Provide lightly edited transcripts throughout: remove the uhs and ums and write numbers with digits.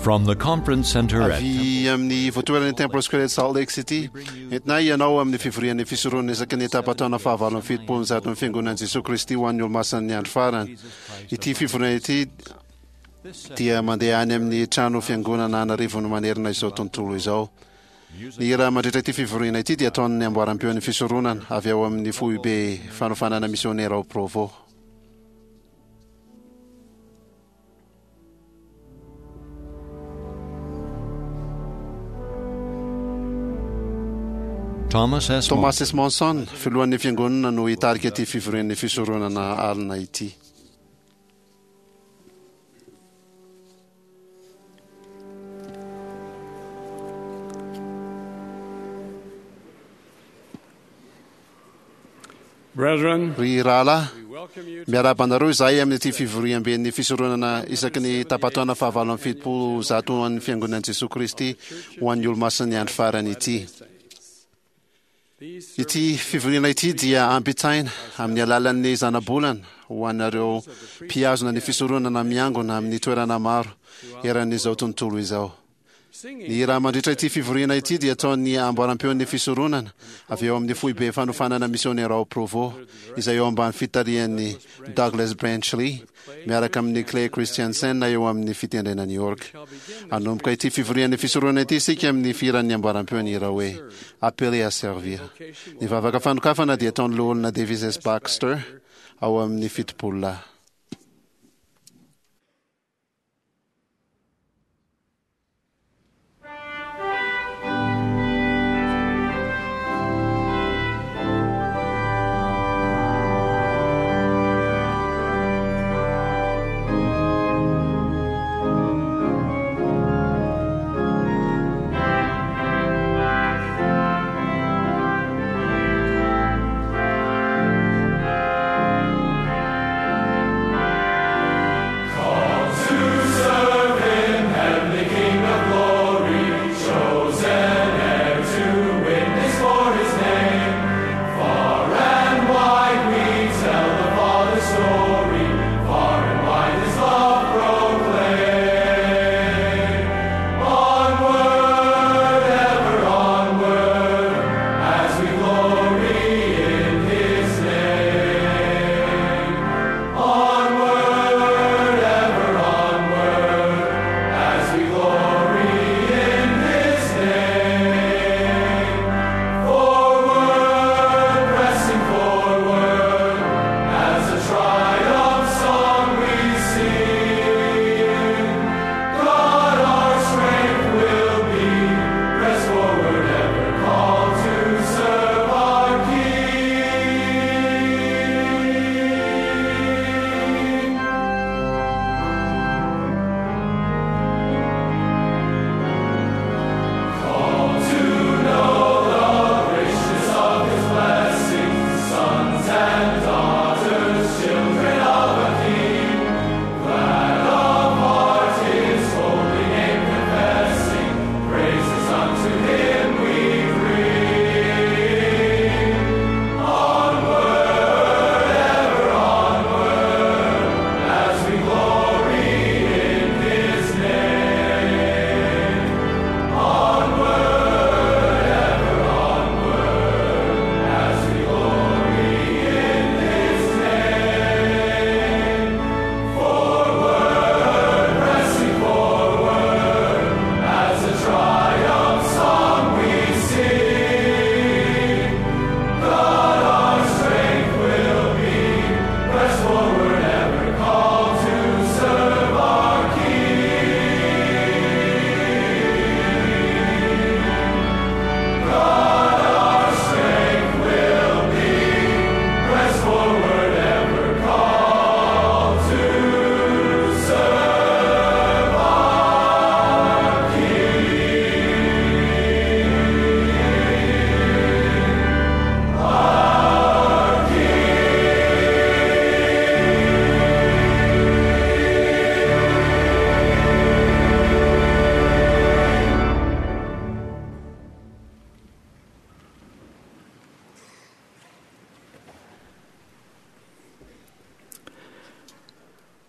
From the conference center at Avy amin'ny ivontoeran'ny Temple Square eto Salt Lake City, entinay ianao amin'ny fivorian'ny fisoronana isaky ny tapa-taona fahavalo amby 170 ny Fiangonan'i Jesoa Kristy ho an'ny Olomasin'ny Andro Farany. Ity fivoriana ity dia mandeha any amin'ny trano fiangonana an'arivony manerana izao tontolo izao. Ny hira mandritra ity fivoriana ity dia ataon'ny amboaram-peon'ny fisoronana avy ao amin'ny foibe fanofanana misionera ao Provo. Thomas S. Thomas S. Monson, filohan'ny fiangonana no hitarika ity fivorian'ny fisoronana alina ity. Brethren, Ry rahalahy, we welcome you to miarahaba anareo izahay amin'ity fivoriamben'ny fisoronana isaky ny tapa-taona fahavalo amby 170 an'ny Fiangonan'i Jesoa Kristy ho an'ny Olomasin'ny Andro Farany ity. these Ity fivoriana ity dia ampitaina amin'ny alalan'ny zanabolana ho anareo mpihazona ny fisoronana miangona amin'ny toerana maro eran'izao tontolo izao. singing Ny hira mandritra ity fivoriana ity dia ataon'ny amboaram-peon'ny fisoronana avy eo amin'ny foibe fanofanana misionera ao Provo, izay eo ambany fitarihan'ny Douglas Brenchley miaraka amin'ny Clay Christiansen eo amin'ny fitendrena New York. Hanomboka ity fivorian'ny fisoronana ity isika amin'ny fihiran'ny amboaram-peon'ny hira hoe Appelé à servir. Ny vavaka fanokafana dia ataon'ny loholona Davis S. Baxter ao amin'ny 70 lahy.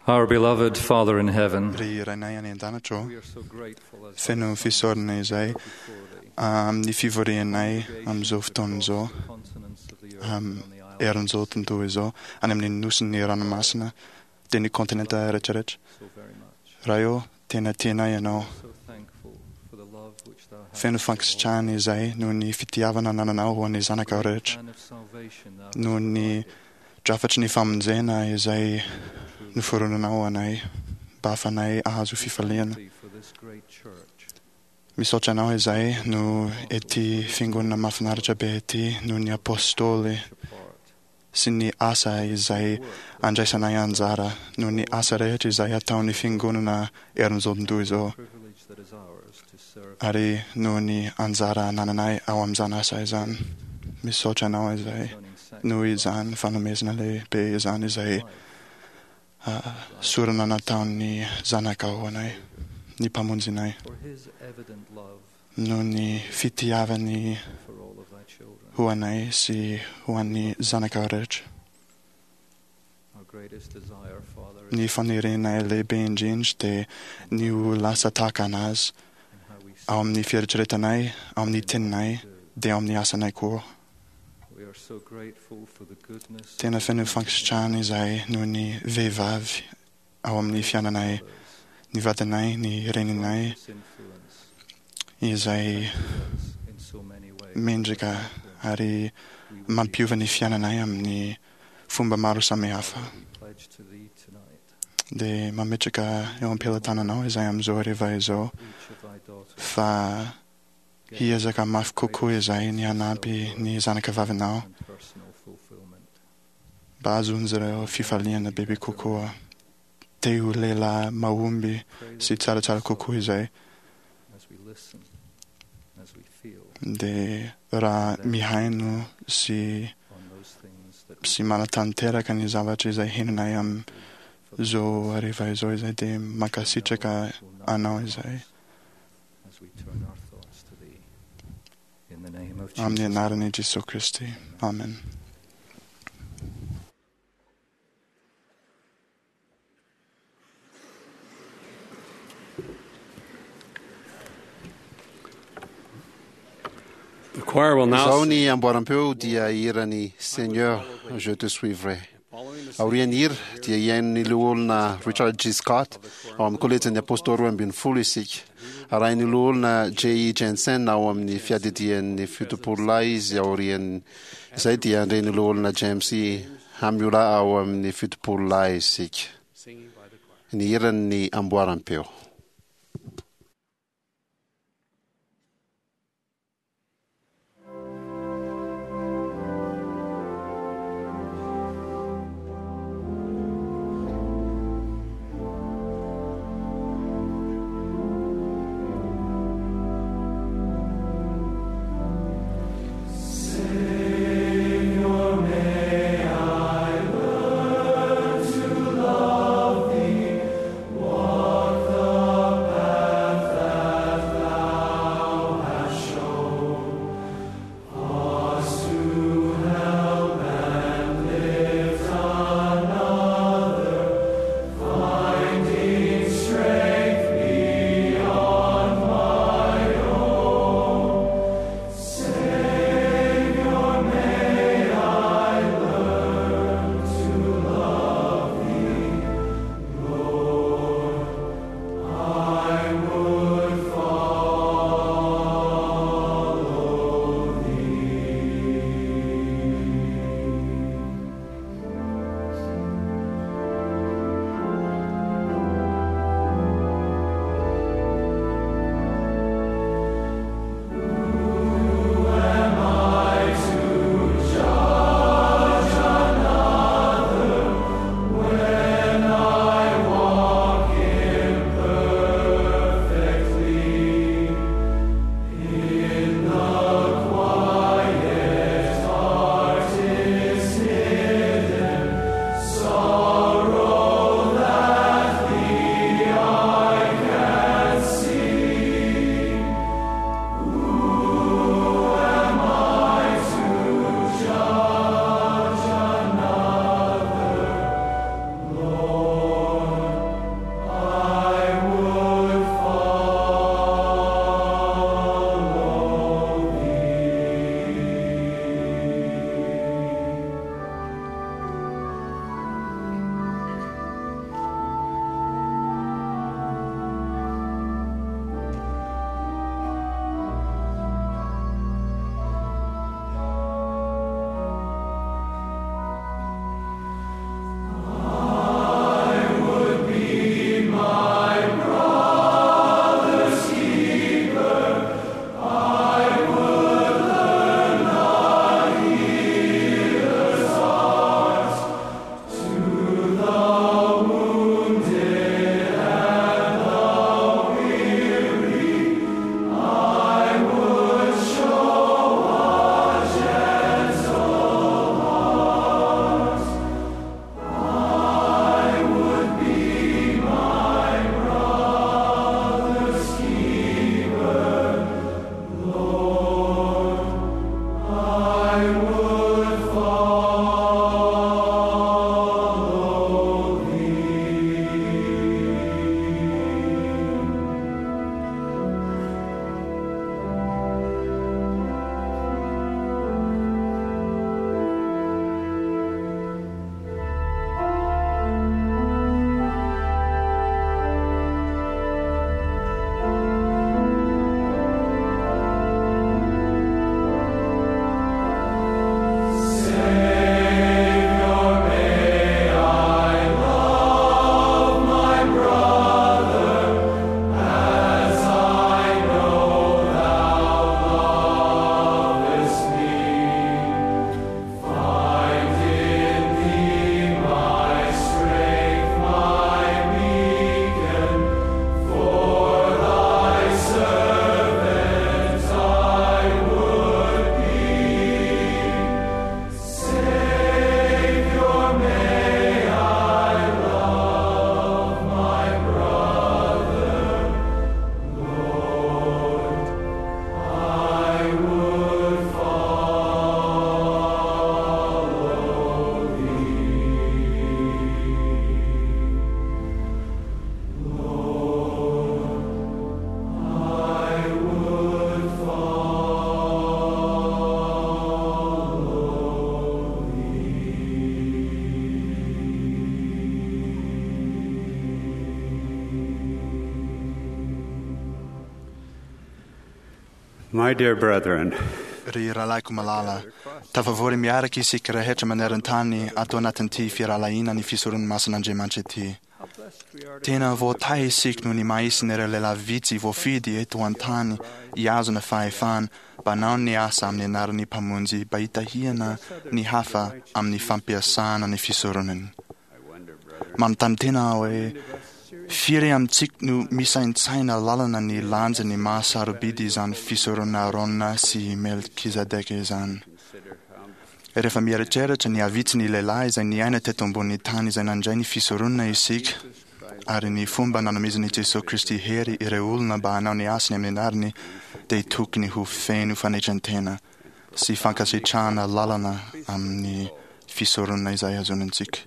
Our beloved Father in heaven, Ry Rainay any an-danitra ô, we are so grateful as feno fisaorana izay before thee. amin'ny fivorianay amin'izao fotoana izao, The continents of the earth Am- and on the islands eran'izao tontolo izao, any amin'ny nosin'ny ranomasina, dia ny kontinenta rehetrarehetra. so very much. Ray ô, tena tianay ianao. So thankful for the love which thou hast Feno for all. fankasitrahana izay noho ny fitiavana anananao ho an'ny zanakao rehetra, Plan of salvation thou noho hast ny provided drafatry ny famonjena izay through noforonanao anay mba hahafanay ahazo fifaliana. thee for this great church. Misaotra anao izay no ety fiangonana mahafinaritra be ety noho ny apôstôly Each apart. sy ny asa izay Work andraisanay anjara noho ny asa rehetra izay ataon'ny fiangonana eran'izao tontolo izao privilege that is ours to serve ary noho ny anjara anananay ao amin'izany asa izany. Misaotra anao izay concerning noho sacrifice, izany fanomezana lehibe izany izay life, sorona nataon'ny zanakao anay, ny mpamonjinay, for his evident love noho ny fitiavany for all of thy children. ho anay sy ho an'ny zanakao rehetra. Our greatest desire, Father, is Ny fanirianay lehibe indrindra dia ny ho lasa tahaka anazy in how we ao amin'ny fieritreretanay, ao amin'ny teninay, do. dia ao amin'ny asanay koa. We are so grateful for the goodness Tena of feno the fankasitrahana izay noho ny vehivavy ao amin'ny fiainanay, others, ny vadinay, ny reninay, righteous influence izay us in so many ways. mendrika ary We would be mampiova ny fiainanay amin'ny fomba maro samihafa. we pledge to thee tonight, Dia mametraka eo am-pelatananao izay amin'izao hariva izao each of thy daughters, fa get hiezaka mafy kokoa izay ny hanampy ny zanaka vavinao and personal fulfillment. mba hahazoan'izy ireo fifaliana bebe kokoa. Te ho lehilahy mahomby Pray that sy tsaratsara kokoa izay. as we listen, as we feel Dia raha mihaino sy on those things that we sy manatanteraka ny zavatra izay henonay amin'izao hariva izao izay dia mankasitraka will not anao depart izay. as we turn our thoughts to thee. In the name of Amin'ny Jesus. anaran'i Jesoa Kristy. Amen. The choir will now Izao sing. ny amboaram-peo dia hiran'ny Seigneur, je te suivrai. Following the Aorian'ny hira dia hihain'ny loholona Richard G. Scott ao amin'ny kolejin'ny apôstôly 12 isika. Arahin'ny loholona J. E. Jensen ao amin'ny fiadidian'ny 70 lahy izy aorian'ny izay dia handre ny loholona James E. Hamiola ao amin'ny 70 lahy isika. singing by the choir. Ny hiran'ny amboaram-peo. Love thee, walk the My dear brethren, Ry rahalahiko malala, tafavory miaraka isika rehetra maneran-tany ato anatin'ity firahalahiana ny fisoron'ny masin'Andriamanitra ity. Tena voatahy isika noho ny maha-isan'ireo lehilahy vitsy voafidy eto an-tany hihazona fahefana mba hanao ny asa amin'ny anaran'ny Mpamonjy mba hitahiana ny hafa amin'ny fampiasana ny fisoronany. Manontany tena aho hoe firy amintsika no misaintsaina lalana ny lanjan'ny maha-sarobidy izany fisoronana Aarona sy Melkizedeka izany. Rehefa mieritreritra ny havitsy ny lehilahy izay niaina teto ambonin'ny tany izay nandray ny fisoronana isika, ary ny fomba nanomezan'i Jesoa Kristy hery ireo olona mba hanao ny asany amin'ny anarany, dia tokony ho feno fanetren-tena sy fankasitrahana lalana amin'ny fisoronana izay azonantsika.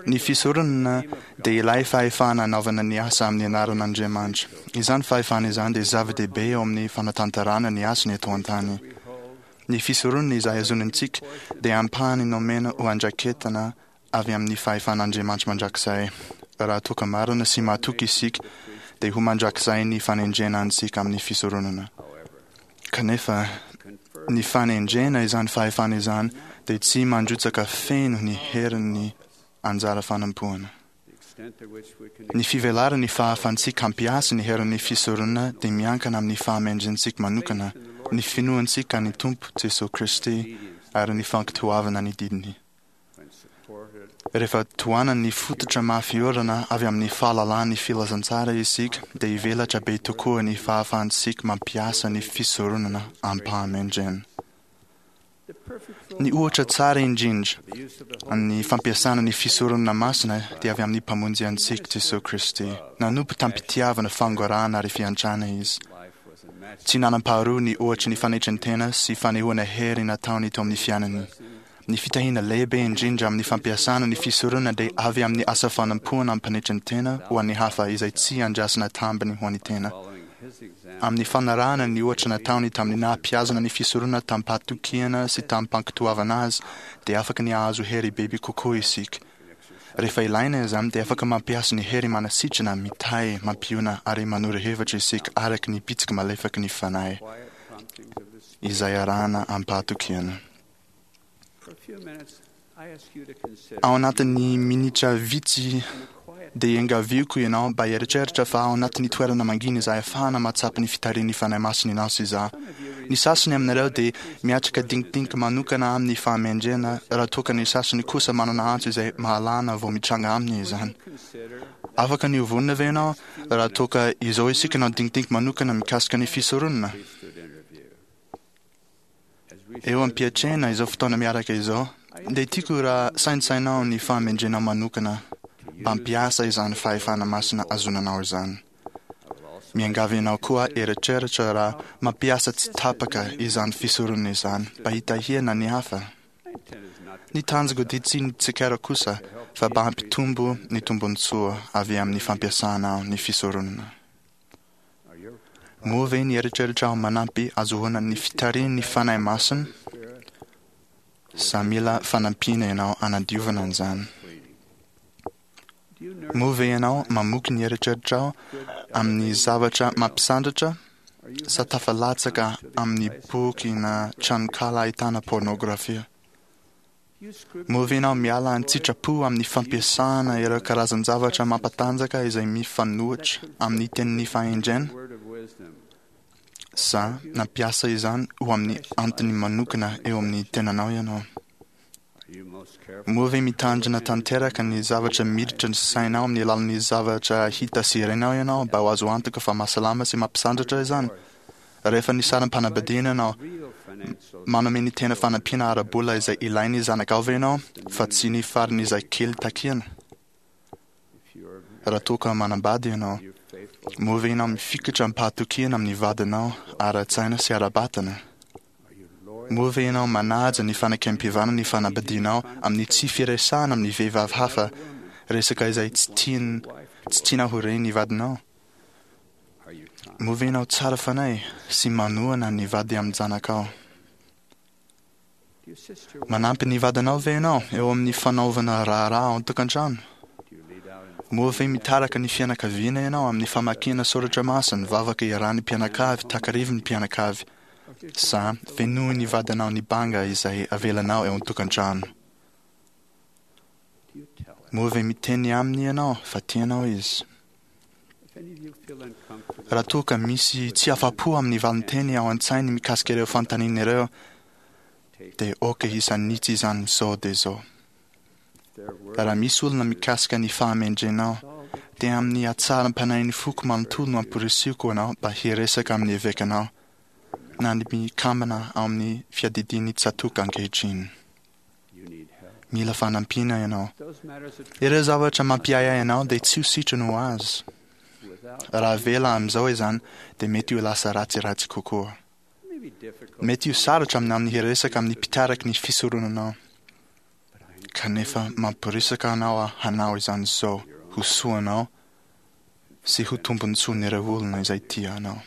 Ny fisoronana dia ilay fahefana anaovana ny asa amin'ny anaran'Andriamanitra. Izany fahefana izany dia zava-dehibe eo amin'ny fanatanterahana ny asany eto an-tany. Ny fisoronana izay azonantsika dia ampahany nomena ho andraiketana avy amin'ny fahefan'Andriamanitra mandrakizay. Raha toa ka marina sy mahatoky isika, dia ho mandrakizay ny fanendrena antsika amin'ny fisoronana. Kanefa, ny fanendrena izany fahefana izany dia tsy mandrotsaka feno ny herin'ny anjara fanompoana. Ny fivelaran'ny fahafantsika hampiasa ny herin'ny fisoronana dia miankina amin'ny fahamendrentsika manokana, ny finoantsika ny Tompo Jesoa Kristy ary ny fankatoavana ny didiny. Rehefa tohanan'ny fototra mafy orina avy amin'ny fahalalan'ny filazantsara isika, dia hivelatra be tokoa ny fahafahantsika mampiasa ny fisoronana am-pahamendrena. Ny ohatra tsara indrindra amin'ny fampiasana ny fisoronana masina dia avy amin'ny Mpamonjy antsika Jesoa Kristy. Nanompo tamim-pitiavana, fangorahana ary fiantrana Izy. Tsy nanam-paharoa ny ohatry ny fanetren-tena sy fanehoana hery nataony teo amin'ny fiainany. Ny fitahiana lehibe indrindra amin'ny fampiasana ny fisoronana dia avy amin'ny asa fanompoana am-panetren-tena ho an'ny hafa izay tsy andrasana tambiny ho an'ny tena. Amin'ny fanarahana ny ohatra nataony tamin'ny naha-mpihazona ny fisoronana tamim-pahatokiana sy tamim-pankatoavana azy, dia afaka ny hahazo hery bebe kokoa isika. Rehefa ilaina izany, dia afaka mampiasa ny hery manasitrana, mitahy, mampiona ary manoro hevitra isika araka ny bitsiky malefaky ny Fanahy izay arahana am-pahatokiana. Ao anatin'ny minitra vitsy dia iangaviako ianao mba hieritreritra fa ao anatin'ny toerana mangina izay ahafahana mahatsapa ny fitarihan'ny Fanahy Masina ianao sy izaho. Ny sasany aminareo dia miatrika dinkidinika manokana amin'ny fahamendrehana raha toa ka ny sasany kosa manana antso izay mahalana vao mitranga aminy izany. Afaka ny ho vonona ve ianao raha toa ka izao isika nanao dinkidinika manokana mikasika ny fisoronana? Eo am-piatrehana izao fotoana miaraka izao, dia tiako raha saintsainao ny fahamendrena manokana mba hampiasa izany fahefana masina azonanao izany. Miangavy anao koa eritreritra raha mampiasa tsy tapaka izany fisoronana izany mba hitahiana ny hafa. Ny tanjoko dia tsy ny tsikera kosa fa mba hampitombo ny tombontsoa avy amin'ny fampiasana ny fisoronana. Moa ve ny eritreritrao manampy azahoana ny fitarihan'ny Fanahy Masina sa mila fanampiana ianao hanadiovana an'izany? Moa ve ianao mamoky ny eritreritrao amin'ny zavatra mampisandratra sa tafalatsaka amin'ny boky na tranonkala ahitana pornografia? Moa ve ianao miala an-tsitrapo amin'ny fampiasana ireo karazan-javatra mampatanjaka izay mifanohitra amin'ny tenin'ny fahendrena? Sa nampiasa izany ho amin'ny antony manokana eo amin'ny tenanao ianao? Moa ve mitandrina tanteraka ny zavatra miditra ny sainao amin'ny alalan'ny zavatra hita sy renao ianao mba ho azo antoka fa mahasalama sy mampisandratra izany? Rehefa nisaram-panambadiana ianao, manome ny tena fanampiana ara-bola izay ilain'ny zanakao ve ianao fa tsy ny farany izay kely takiana? Raha toa ka manambady ianao, moa ve ianao mifikitra am-pahatokiana amin'ny vadinao ara-tsaina sy ara-batana? Moa ve ianao manaja ny fanekempihavanana ny fanambadianao amin'ny tsy firesahana amin'ny vehivavy hafa resaka izay tsy tian tsy tianao ho ren'ny vadinao? Moa ve ianao tsara fanahy sy manohana ny vady amin-janakao? Manampy ny vadinao ve ianao eo amin'ny fanaovana raharaha ao an-tokantrano? Moa ve mitarika ny fianakaviana ianao amin'ny famakiana soratra masina, vavaka iarahan'ny mpianakavy, takarivin'ny mpianakavy, sa fenoin'ny vadinao ny banga izay avelanao eo an-tokantrano? Moa ve miteny aminy ianao fa tianao izy? Raha toa ka misy tsy afa-po amin'ny valinteny ao an-tsainy mikasika ireo fanontaniana ireo, dia aoka hisanitsy izany izao dia izao. Raha misy olona mikasika ny fahamendrenao, dia amin'ny hatsaram-panahin'ny foko manontolo no amporisihiko anao mba hiresaka amin'ny evekanao na ny mpikambana ao amin'ny fiadidian'ny tsatòka ankehitriny. Mila fanampiana ianao. Ireo zavatra mampiahiahy anao dia tsy ho sitrany ho azy. Raha avela amin'izao izany, dia mety ho lasa ratsiratsy kokoa. Mety ho sarotra aminao ny hiresaka amin'ny mpitariky ny fisoronanao. Kanefa mamporisika anao aho hanao izany izao ho soanao sy ho tombontsoan'ireo olona izay tia anao.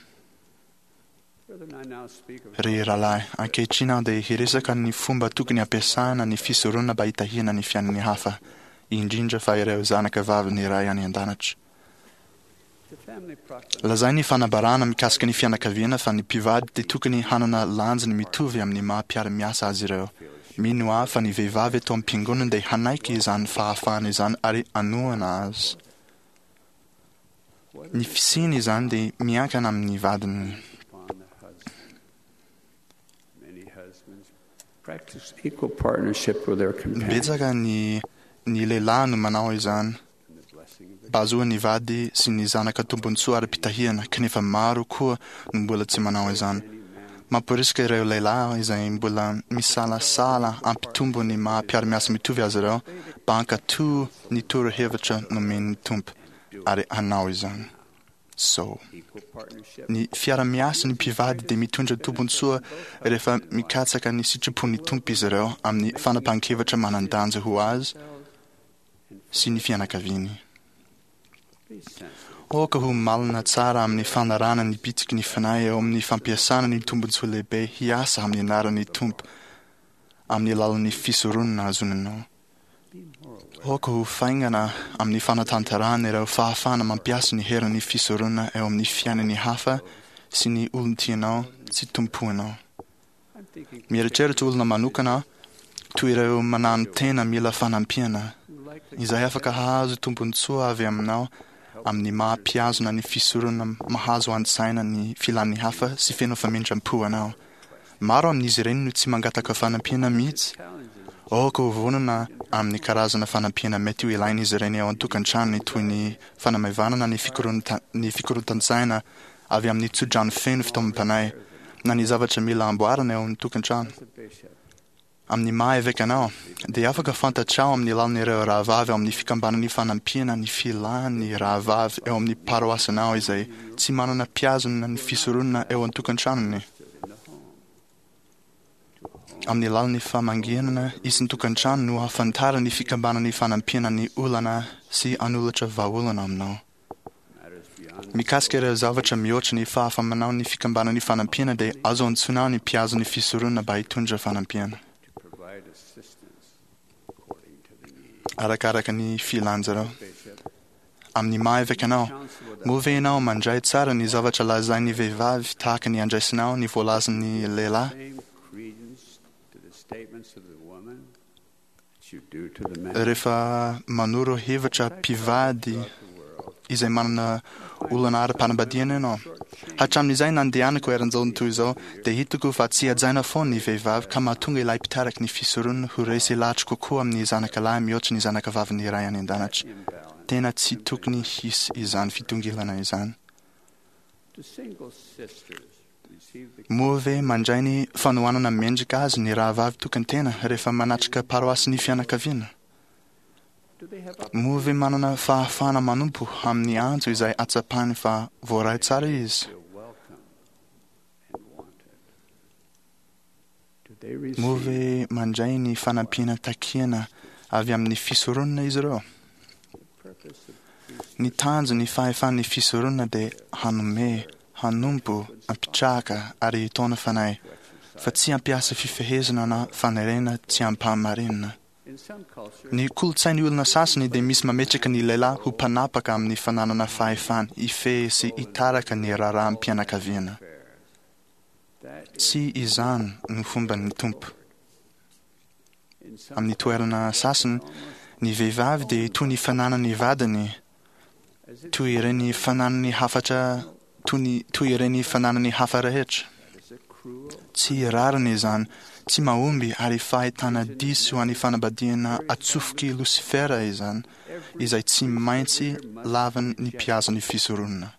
Ry rahalahy, ankehitriny aho dia hiresaka ny fomba tokony hampiasana ny fisoronana mba hitahiana ny fiainan'ny hafa, indrindra fa ireo zanaka vavin'ny Ray any An-danitra. Lazain'ny fanambarana mikasika ny fianakaviana fa ny mpivady dia tokony hanana lanjany mitovy amin'ny maha mpiara-miasa azy ireo. Mino aho fa ny vehivavy eto am-piangonana dia hanaiky izany fahafahana izany ary hanohana azy. Ny fisiany izany dia miankina amin'ny vadiny. Betsaka ny ny lehilahy no manao izany. Mba hahazoan'ny vady sy ny zanaka tombontsoa ara-pitahiana, kanefa maro koa no mbola tsy manao izany. Mamporisika ireo lehilahy izay mbola misalasala hampitombo ny maha mpiara-miasa mitovy azy ireo mba hankatò ny torohevitra nomen'ny Tompo ary hanao izany. So. Ny fiara-miasan'ny mpivady dia mitondra tombontsoa rehefa mikatsaka ny sitrapon'ny Tompo izy ireo amin'ny fanapahan-kevitra manan-danja ho azy sy ny fianakaviany. Aoka ho malina tsara amin'ny fanarahana ny bitsiky ny Fanahy eo amin'ny fampiasana ny tombontsoa lehibe hiasa amin'ny anaran'ny Tompo amin'ny alalan'ny fisoronana azonanao. Aoka ho faingana amin'ny fanatanterahana ireo fahafahana mampiasa ny herin'ny fisoronana eo amin'ny fiainan'ny hafa sy ny olon-tianao sy tompoinao. Mieritreritra olona manokana aho, toy ireo mananotena mila fanampiana, izay afaka hahazo tombontsoa avy aminao amin'ny maha mpihazona ny fisoronana mahazo an-tsaina ny filan'ny hafa sy feno famindram-po anao. Maro amin'izy ireny no tsy mangataka fanampiana mihitsy. Aoka ho vonona amin'ny karazana fanampiana mety ho ilain'izy ireny ao an-tokantranony toy ny fanamaivanana ny fikorontan-tsaina avy amin'ny tsodrano feno fitaomam-panahy na ny zavatra mila amboarina eo amin'ny tokantrano. Amin'ny maha eveka anao, dia afaka fantatrao amin'ny alalan'ireo rahavavy ao amin'ny Fikambanan'ny Fanampiana ny filan'ny rahavavy eo amin'ny paroasinao izay tsy manana mpihazona ny fisoronana eo an-tokantranony. Amin'ny alalan'ny famangiana isan-tokantrano no ahafantaran'ny Fikambanan'ny Fanampiana ny olana sy hanolotra vahaolana aminao. Mikasika ireo zavatra mihoatra ny fahafa-manao ny Fikambanan'ny Fanampiana dia azo antsoina ny mpihazo ny fisoronana mba hitondra fanampiana. Arakaraka ny filan'izareo. Amin'ny maha eveka anao, moa ve ianao mandray tsara ny zavatra lazain'ny vehivavy tahaka ny andraisinao ny voalazan'ny lehilahy? Rehefa manoro hevitra mpivady izay manana olana ara-panambadiana ianao. Hatramin'izay nandehanako eran'izao tontolo izao, dia hitako fa tsy hajaina foana ny vehivavy ka mahatonga ilay mpitariky ny fisoronana ho resy lahatra kokoa amin'ny zanaka lahy mihoatra ny zanaka vavin'ny Ray any An-danitra. Tena tsy tokony hisy izany fitongilana izany. Moa ve mandray ny fanohanana mendrika azy ny rahavavy tokan-tena rehefa manatrika paroasin'ny fianakaviana? Moa ve manana fahafahana manompo amin'ny antso izay ahatsapany fa voaray tsara izy? Moa ve mandray ny fanampiana takiana avy amin'ny fisoronana izy ireo? Ny tanjon'ny fahefan'ny fisoronana dia hanome, hanompo, hampitraka ary hitaona fanahy, fa tsy hampiasa fifehezana na fanerena tsy ampahamarinana. Ny kolontsain'ny olona sasany dia misy mametraka ny lehilahy ho mpanapaka amin'ny fananana fahefana hifehy sy hitaraka ny raharaham-pianakaviana. Tsy izany no fomban'ny Tompo. Amin'ny toerana sasany, ny vehivavy dia toy ny fananan'ny vadiny, toy ireny fananany hafatra toy ny toy ireny fananany hafa rehetra. Tsy rariny izany, tsy mahomby ary fahitana diso an'ny fanambadiana atsofoky Losifera izany, izay tsy maintsy lavin'ny mpihaza ny fisoronana.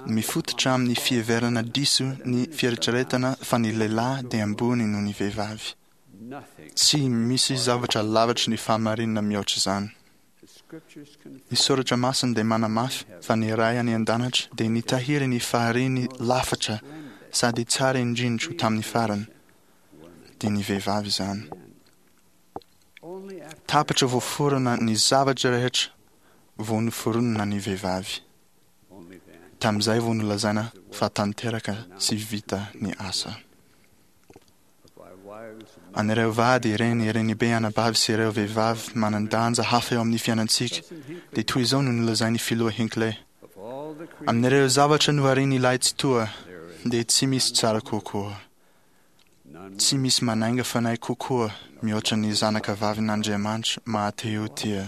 Mifototra amin'ny fiheverana diso ny fieritreretana fa ny lehilahy dia ambony noho ny vehivavy. Tsy misy zavatra lavitry ny fahamarinana mihoatra izany. Ny Soratra Masina dia manamafy fa ny Ray any An-danitra dia nitahiry ny fahariany lafatra sady tsara indrindra ho tamin'ny farany, dia ny vehivavy izany. Tapitra voaforona ny zavatra rehetra vao noforonina ny vehivavy. Tamin'izay vao nolazaina fa tanteraka sy vita ny asa. An'ireo vady, reny, renibe, anabavy sy ireo vehivavy manan-danja hafa eo amin'ny fiainantsika, dia toy izao no nolazain'ny Filoha Hinckley, Amin'ireo zavatra noharian'ilay Tsitoha, dia tsy misy tsara kokoa, tsy misy manainga fanahy kokoa mihoatra ny zanakavavin'Andriamanitra maha-te-ho-tia,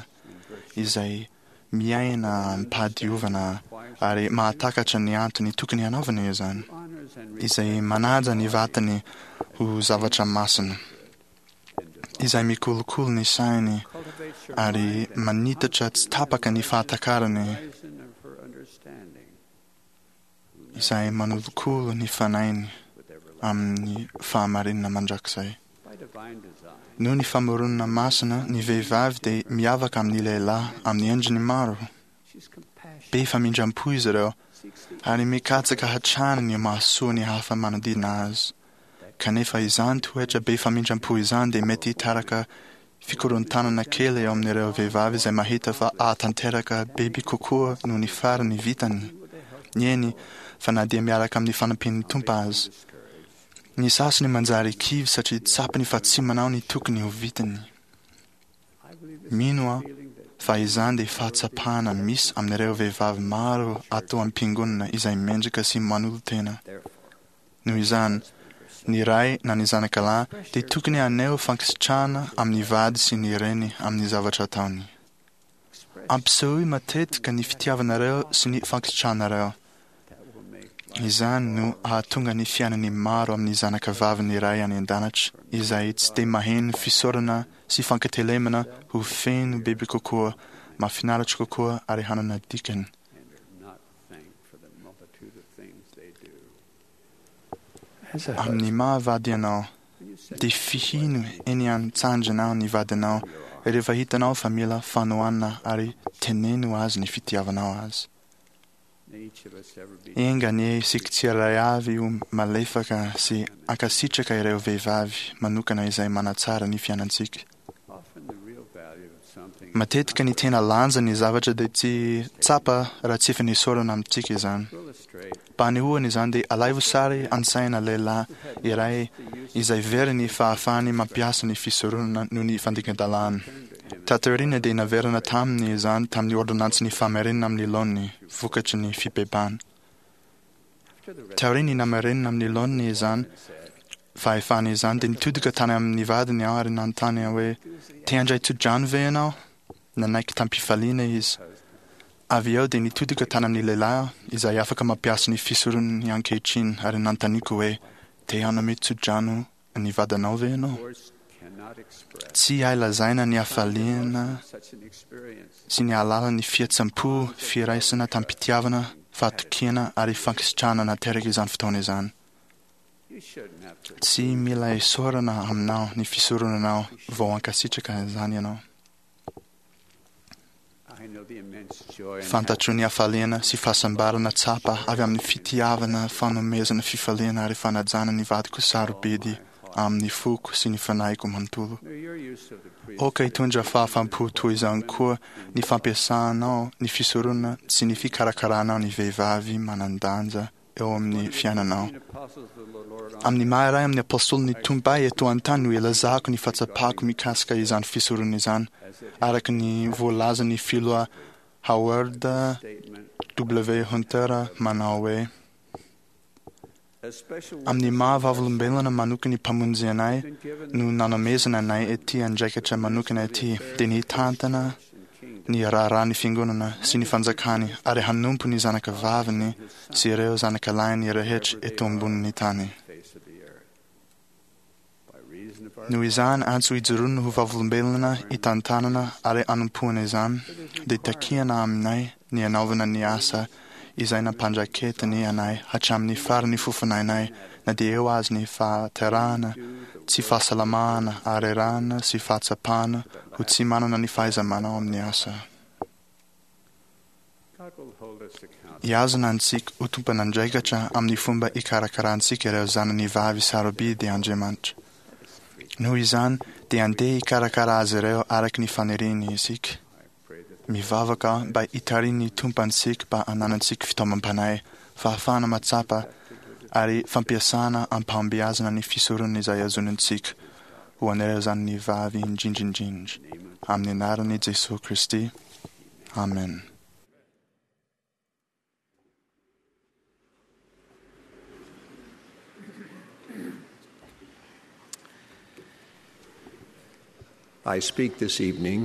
izay miaina amim-pahadiovana ary mahatakatra ny antony tokony hanaovana izany, izay manaja ny vatany ho zavatra masina, izay mikolokolo ny sainy ary manitatra tsy tapaka ny fahatakarany, izay manolokolo ny fanahiny amin'ny fahamarinana mandrakizay. Noho ny famoronana masina, ny vehivavy dia miavaka amin'ny lehilahy amin'ny endriny maro. Be famindram-po izy ireo ary mikatsaka hatrany ny mahasoa ny hafa manodidina azy. Kanefa izany toetra be famindram-po izany dia mety hitaraka fikorontanana kely eo amin'ireo vehivavy izay mahita fa ahatanteraka bebe kokoa noho ny farany vitany, eny fa na dia miaraka amin'ny fanampian'ny Tompo aza. Ny sasany manjary kivy satria tsapany fa tsy manao ny tokony ho vitany. Mino aho fa izany dia fahatsapana misy amin'ireo vehivavy maro ato am-piangonana izay mendrika sy manolo-tena. Noho izany, ny ray na ny zanaka lahy dia tokony haneho fankasitrahana amin'ny vady sy ny reny amin'ny zavatra ataony. Ampisehoy matetika ny fitiavanareo sy ny fankasitrahanareo. Izany no hahatonga ny fiainan'ny maro amin'ny zanaka vavin'ny Ray any An-danitra izay tsy dia maheno fisaorana sy fankatelemana ho feno bebe kokoa, mahafinaritra kokoa ary hanana dikany. Amin'ny maha vady anao, dia fihino eny an-tsandrinao ny vadinao rehefa hitanao fa mila fanohanana ary teneno azy ny fitiavanao azy. Enga anie isika tsirairay avy ho malefaka sy hankasitraka ireo vehivavy manokana izay manatsara ny fiainantsika. Matetika ny tena lanjan'ny zavatra dia tsy tsapa raha tsy efa nesorina amintsika izany. Mba hanehoana izany dia alaivo sary an-tsaina lehilahy iray izay very ny fahafahany mampiasa ny fisoronana noho ny fandikan-dalàna. Taty aoriana dia naverina taminy izany tamin'ny ôrdônansin'ny famerenana amin'ny laoniny vokatry ny fibebahana. Taorian'ny namerenana amin'ny laoniny izany fahefana izany dia nitodika tany amin'ny vadiny aho ary nanontany aho hoe, Te handray tsodrano ve ianao? Nanaiky tamim-pifaliana izy. Avy eo dia nitodika tany amin'ny lehilahy aho izay afaka mampiasa ny fisoronany ankehitriny ary nanontaniako hoe, Te hanome tsodrano ny vadinao ve ianao? Tsy hay lazaina ny hafaliana sy ny halalan'ny fihetseham-po, firaisana tamim-pitiavana, fahatokiana ary fankasitrahana nateraka izany fotoana izany. Tsy mila esorana aminao ny fisoronanao vao hankasitraka izany ianao. Fantatro ny hafaliana sy fahasambarana tsapa avy amin'ny fitiavana, fanomezana fifaliana ary fanajana ny vadiko sarobidy amin'ny foko sy ny fanahiko manontolo. Aoka hitondra fahafaham-po toy izany koa ny fampiasanao ny fisoronana sy ny fikarakaranao ny vehivavy manan-danja. eo amin'ny fiainanao. Amin'ny maha iray amin'ny apôstôlin'ny Tompo ahy eto an-tany no ilazako ny fahatsapako mikasika izany fisoronana izany, araka ny voalazan'ny filoha Howard W. Hunter manao hoe, Amin'ny maha vavolombelona manokan'ny Mpamonjy anay no nanomezana anay ity andraikitra manokana ity, dia ny hitantana ny raharahan'ny Fiangonana sy ny Fanjakany ary hanompo ny zanakavaviny sy ireo zanakalahiny rehetra eto ambonin'ny tany. Noho izany antso ijoroana ho vavolombelona hitantanana ary hanompoana izany, dia takiana aminay ny hanaovana ny asa izay nampandraketiny anay hatramin'ny faran'ny fofonainay, na dia eo aza ny fahaterahana, tsy fahasalamana, harerahana sy fahatsapana ho tsy manana ny fahaiza-manao amin'ny asa. Hihazona antsika ho tompon'andraikitra amin'ny fomba ikarakarantsika ireo zanany vavy sarobidy Andriamanitra. Noho izany, dia andeha hikarakara azy ireo araka ny faniriany isika. Mivavaka aho mba hitarihin'ny Tompo antsika mba hananantsika fitaomam-panahy, fahafahana mahatsapa, ary fampiasana am-pahombiazana ny fisoronana izay azonintsika ho an'ireo zanany vavy indrindra indrindra. Amin'ny anaran'i Jesoa Kristy. Amen.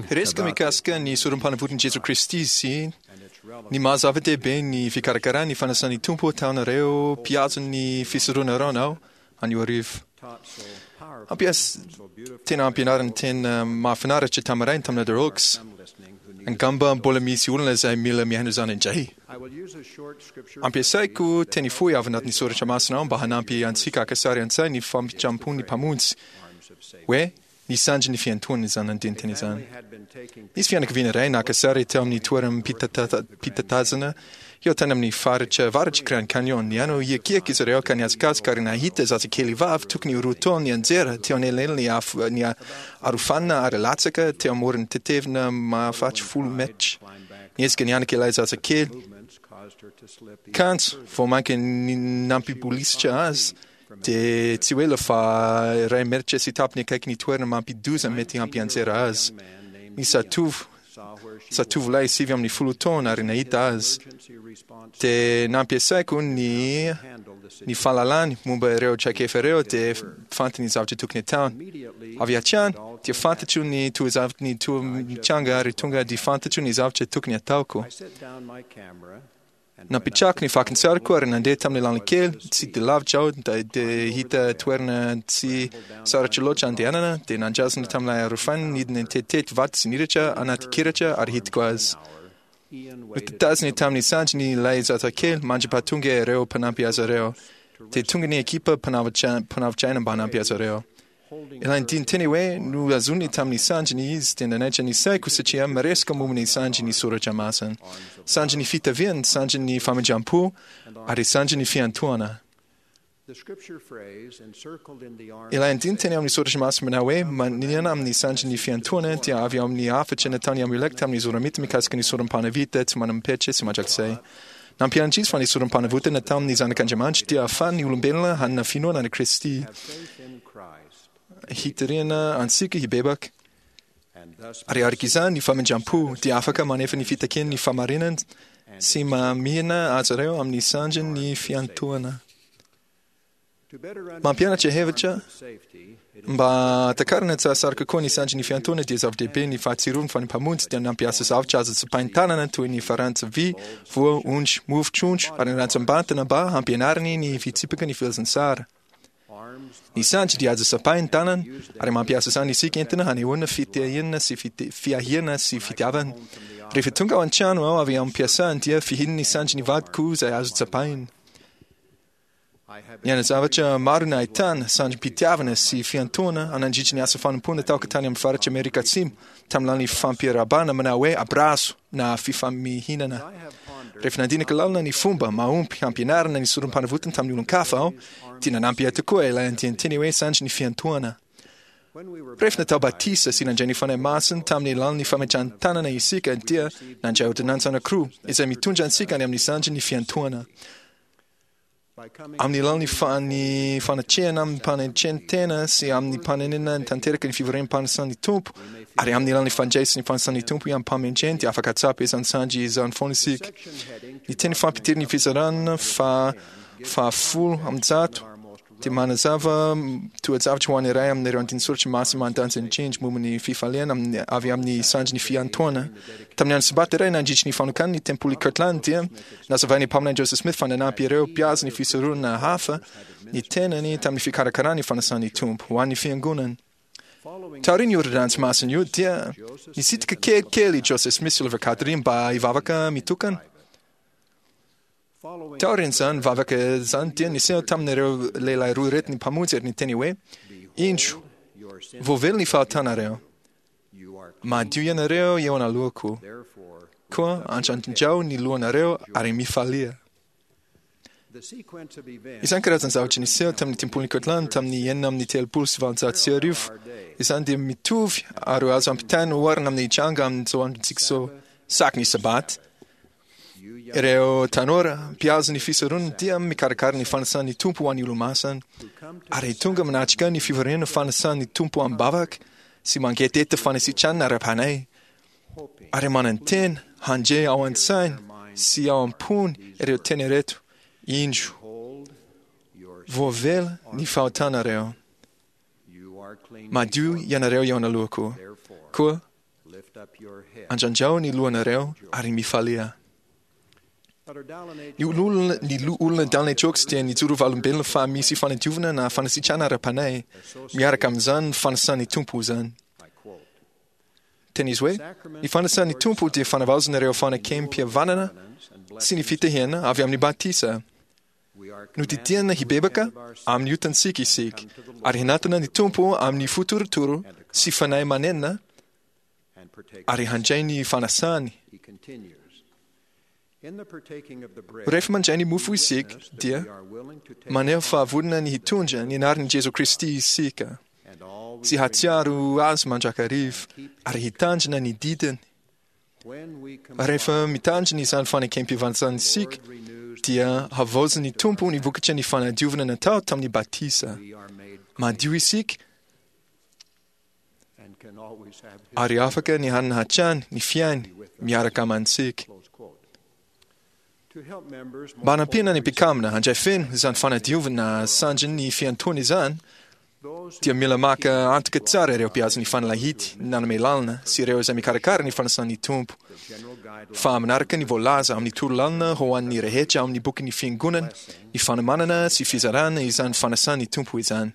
Resaka mikasika ny sorom-panavotan'i Jesoa Kristy sy ny maha zava-dehibe ny fikarakarana ny fanasan'ny Tompo ataonareo mpihazo ny fisoronareo anio hariva. Hampias tena ampianariny tena mahafinaritra tamin'ny rainy tamin'ny Elder Oaks. Angamba mbola misy olona izay mila mihaino izany indray. Ampiasaiko teny fohy avy anatin'ny soratra masina aho mba hanampy antsika haka sary an-tsaina ny famindram-pon'ny Mpamonjy hoe ny sandry ny fiantohana izany andinin-teny izany. Nisy fianakaviana iray naka sary teo amin'ny toeram-pitatazana eo tany amin'ny faritra avaratr'i Grand Canyon. Nihaino hiakiaka izy ireo ka nihazakazaka ary nahita zazakely vavy tokony ho roa taona nianjera teo anelanelan'ny afo ny arofanina ary latsaka teo amoron'ny tetevina mahafaty 10 metatra. Niezaka nianaka ilay zazakely, kanjo vao mainka nampibolisitra azy dia tsy ho ela fa iray metatra sy tapany akaiky ny toerana mampidi-doza mety hampianjera azy. Nisy zatovo, zatovolahy 19 taona ary nahita azy. Dia nampiasaiko ny ny fahalalany momba ireo traikefa ireo dia fantany ny zavatra tokony hataony. Avy hatrany dia fantatro ny toa zavatra ny toa mitranga ary tonga dia fantatro ny zavatra tokony hataoko. Napetrako ny fakan-tsariko ary nandeha tamin'ny lalana kely, tsy dia lavitra aho, dia hita toerana tsy sarotra loatra andehanana, dia nandrazona tamin'ilay arofanina nidina nitetitety vato sy niditra anaty kiratra ary hitako azy. Notantaziny tamin'ny sandriny ilay zazakely mandra-pahatonga ireo mpanampy azy ireo. Dia tonga ny ekipa mpanavotra aina mba hanampy azy ireo. Ilay andinin-teny hoe nohazoniny tamin'ny sandriny izy dia nanaitra ny saiko satria miresaka momba ny sandry ny soratra masina. Sandry ny fitaviana, sandry ny famindram-po, ary sandry ny fiantohana. Ilay andinin-teny amin'ny soratra masina manao hoe manina amin'ny sandry ny fiantohana dia avy ao amin'ny hafatra nataon'i Amulek tamin'ny Zoramita mikasika ny sorom-panavita tsy manam-petra sy mandrakizay. Nampianatra izy fa ny sorom-panavotana tamin'ny Zanak'Andriamanitra dia ahafahan'ny olombelona hanana finoana an'i Kristy, hitarihana antsika hibebaka, ary araka izany ny famindram-po dia afaka manefa ny fitakian'ny fahamarinana sy mamihina azy ireo amin'ny sandrin'ny fiantohana. Mampianatra hevitra mba hatakarana tsy hahasarika koa ny sandry ny fiantoana dia zava-dehibe ny fahatsiarovana fa ny Mpamonjy dia nampiasa zavatra azo tsapain-tanana toy ny farantsa vy, voa, ondry, mofo, trondro ary ny rantsam-batana mba hampianariny ny fitsipika ny filazantsara. Ny sandry dia azo tsapain-tanana ary mampiasa izany isika entina hanehoana fitahiana sy fiahiana sy fitiavana. Rehefa tonga ao an-trano aho avy am-piasana dia fihin'ny sandry ny vadiko izay azo tsapaina. Niaina zavatra maro nahitana sandrim-pitiavana sy fiantohana nandritry ny asa fanompoana taoko tany amin'ny faritr'i Amerika Atsimo, tamin'ny alalan'ny fampiarahabana manao hoe abrazo na fifamihinana. Rehefa nandinika lalina ny fomba mahomby hampianarana ny sorom-panavotana tamin'ny olon-kafa aho, dia nanampy ahy tokoa ilay andian-teny hoe sandry ny fiantohana. Rehefa natao batisa sy nandray ny Fanahy Masina tamin'ny alalan'ny fametrahan-tanana isika, dia nandray ôrdônansa anankiroa izay mitondra antsika any amin'ny sandry ny fiantohana. Amin'ny alalan'ny ny fanatrehana amin'ny mpanetren-tena sy amin'ny mpanenena tanteraka ny fivoriam-panasan'ny Tompo, ary amin'ny alalan'ny fandraisana ny fanasan'ny Tompo amim-pahamendrehana dia afaka hahatsapa izany sandry izany foana isika. Ny teny fampidiran'ny fizarana faha-110 dia manazava toe-javatra ho an'ny iray amin'ireo andinin-tsoratra masina manan-danja indrindra momba ny fifaliana avy amin'ny sandrin'ny fiantoana. Tamin'ny andro Sabata iray nandritry ny fanokanana ny Tempoly Kirtland dia nazavain'ny Mpaminany Joseph Smith fa nanampy ireo mpihaza ny fisoronana hafa ny tenany tamin'ny fikarakarana ny fanasan'ny Tompo ho an'ny Fiangonana. Taorian'io ôrdônansy masina io dia nisitrika kelikely i Joseph Smith sy Oliver Cowdery mba hivavaka mitokana. Taorian'izany vavaka izany dia niseho tamin'ireo lehilahy roa ireto ny Mpamonjy ary niteny hoe, Indro, voavela ny fahotanareo. Madio ianareo eo anoloako. Koa andrandrao ny lohanareo ary mifalia. Izany karazan-javatra niseho tamin'ny Tempolin'i Kirtland tamin'ny 1836 izany dia mitovy ary azo ampitaina oharina amin'ny hitranga amin'izao androntsika izao. Saky ny Sabata, Ireo tanora mpihazo ny fisoronana dia mikarakara ny fanasan'ny Tompo ho an'ny Olomasina, ary tonga manatrika ny fivoriana fanasan'ny Tompo amim-bavaka sy mangetaheta fanasitranana ara-panahy, ary manantena handre ao an-tsainy sy ao am-pony ireo teny ireto, Indro, voavela ny fahotanareo. Madio ianareo eo anoloako. Koa Andrandrao ny lohanareo ary mifalia. Ny olona ny olona Downey Jokes dia nijoro valombelona fa misy fanadiovana na fanasitrana ara-panahy miaraka amin'izany fanasan'ny Tompo izany. Teny izy hoe, ny fanasan'ny Tompo dia fanavaozana ireo fanekem-pihavanana sy ny fitahiana avy amin'ny batisa. Nodidiana hibebaka amin'ny otantsika isika ary hanatona ny Tompo amin'ny fo torotoro sy fanahy manenina ary handray ny fanasany. Rehefa mandray ny mofo isika dia maneho fa vonona ny hitondra ny anaran'i Jesoa Kristy isika sy hahatsiaro Azy mandrakariva ary hitandrina ny didiny. Rehefa mitandrina izany fanekem-pivantsana isika, dia havaozin'ny Tompo ny vokatry ny fanadiovana natao tamin'ny batisa. Madio isika ary afaka ny hanana hatrany ny fiainy miaraka amantsika. Mba hanampiana ny mpikambana handray feno izany fanadiovana sandrin'ny fiantoana izany, dia mila maka antoka tsara ireo mpihaza ny fanalahidy nanome lalana sy ireo izay mikarakara ny fanasan'ny Tompo fa manaraka ny voalaza amin'ny torolalana ho an'ny rehetra ao amin'ny bokin'ny Fiangonana ny fanomanana sy fizarana izany fanasan'ny Tompo izany.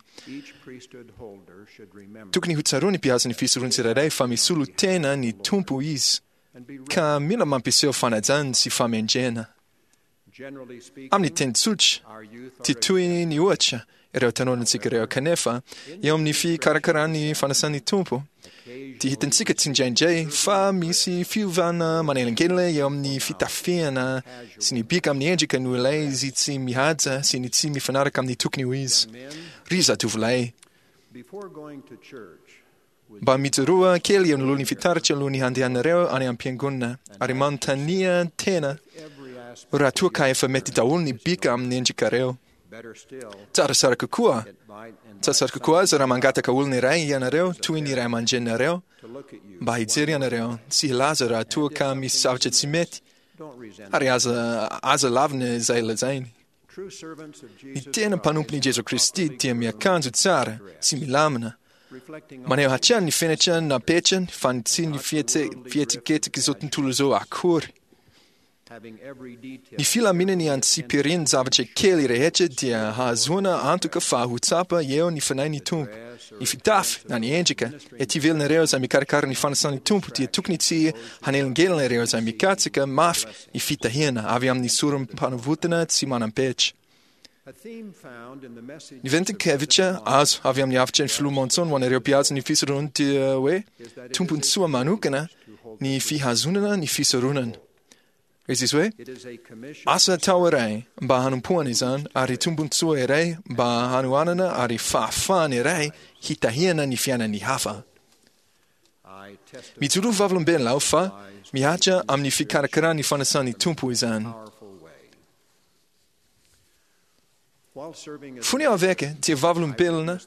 Tokony ho tsaroan'ny mpihaza ny fisoron'ny tsirairay fa misolo tena ny Tompo izy ka mila mampiseho fanajana sy fahamendrehana. Amin'ny teny tsotra, tsy toy ny ohatra ireo tanorantsika ireo, kanefa eo amin'ny fikarakarany fanasan'ny Tompo, dia hitantsika tsindraindray fa misy fiovana manelingelina eo amin'ny fitafiana sy ny bika amin'ny endrika noho ilay izy tsy mihaja sy ny tsy mifanaraka amin'ny tokony ho izy. Ry zatovolahy, Mba mijoroa kely eo anoloan'ny fitaratra alohan'ny handehanareo any am-piangonana ary manontania tena raha toa ka efa mety daholo ny bika amin'ny endrikareo. Tsaratsara kokoa, tsaratsara kokoa aza raha mangataka olona iray ianareo toy ny ray aman-dreninareo mba hijery anareo sy hilaza raha toa ka misy zavatra tsy mety ary aza aza lavina izay lazainy. Ny tena mpanompon'i Jesoa Kristy dia miakanjo tsara sy milamina, maneho hatrany ny fenitra napetrany fa tsy ny fihetsiketsik'izao tontolo izao akory. Ny filaminany antsipirian-javatra kely rehetra dia hahazoana antoka fa ho tsapa eo ny Fanahin'ny Tompo. Ny fitafy na ny endrika ety ivelan'ireo izay mikarakara ny fanasan'ny Tompo dia tokony tsy hanelingelina ireo izay mikatsaka mafy ny fitahiana avy amin'ny sorom-panavotana tsy manam-petra. Ny ventin-kevitra azo avy amin'ny hafitry ny Filoha Monson ho an'ireo mpihaza ny fisoronana dia hoe tombontsoa manokana ny fihazonana ny fisoronana. Izy izy hoe, Asa atao iray mba hanompoana izany ary tombontsoa iray mba hanohanana ary fahafahana iray hitahiana ny fiainan'ny hafa. Mijoro ho vavolombelona aho fa mihatra amin'ny fikarakarana ny fanasan'ny Tompo izany. Fony aho eveka dia vavolombelona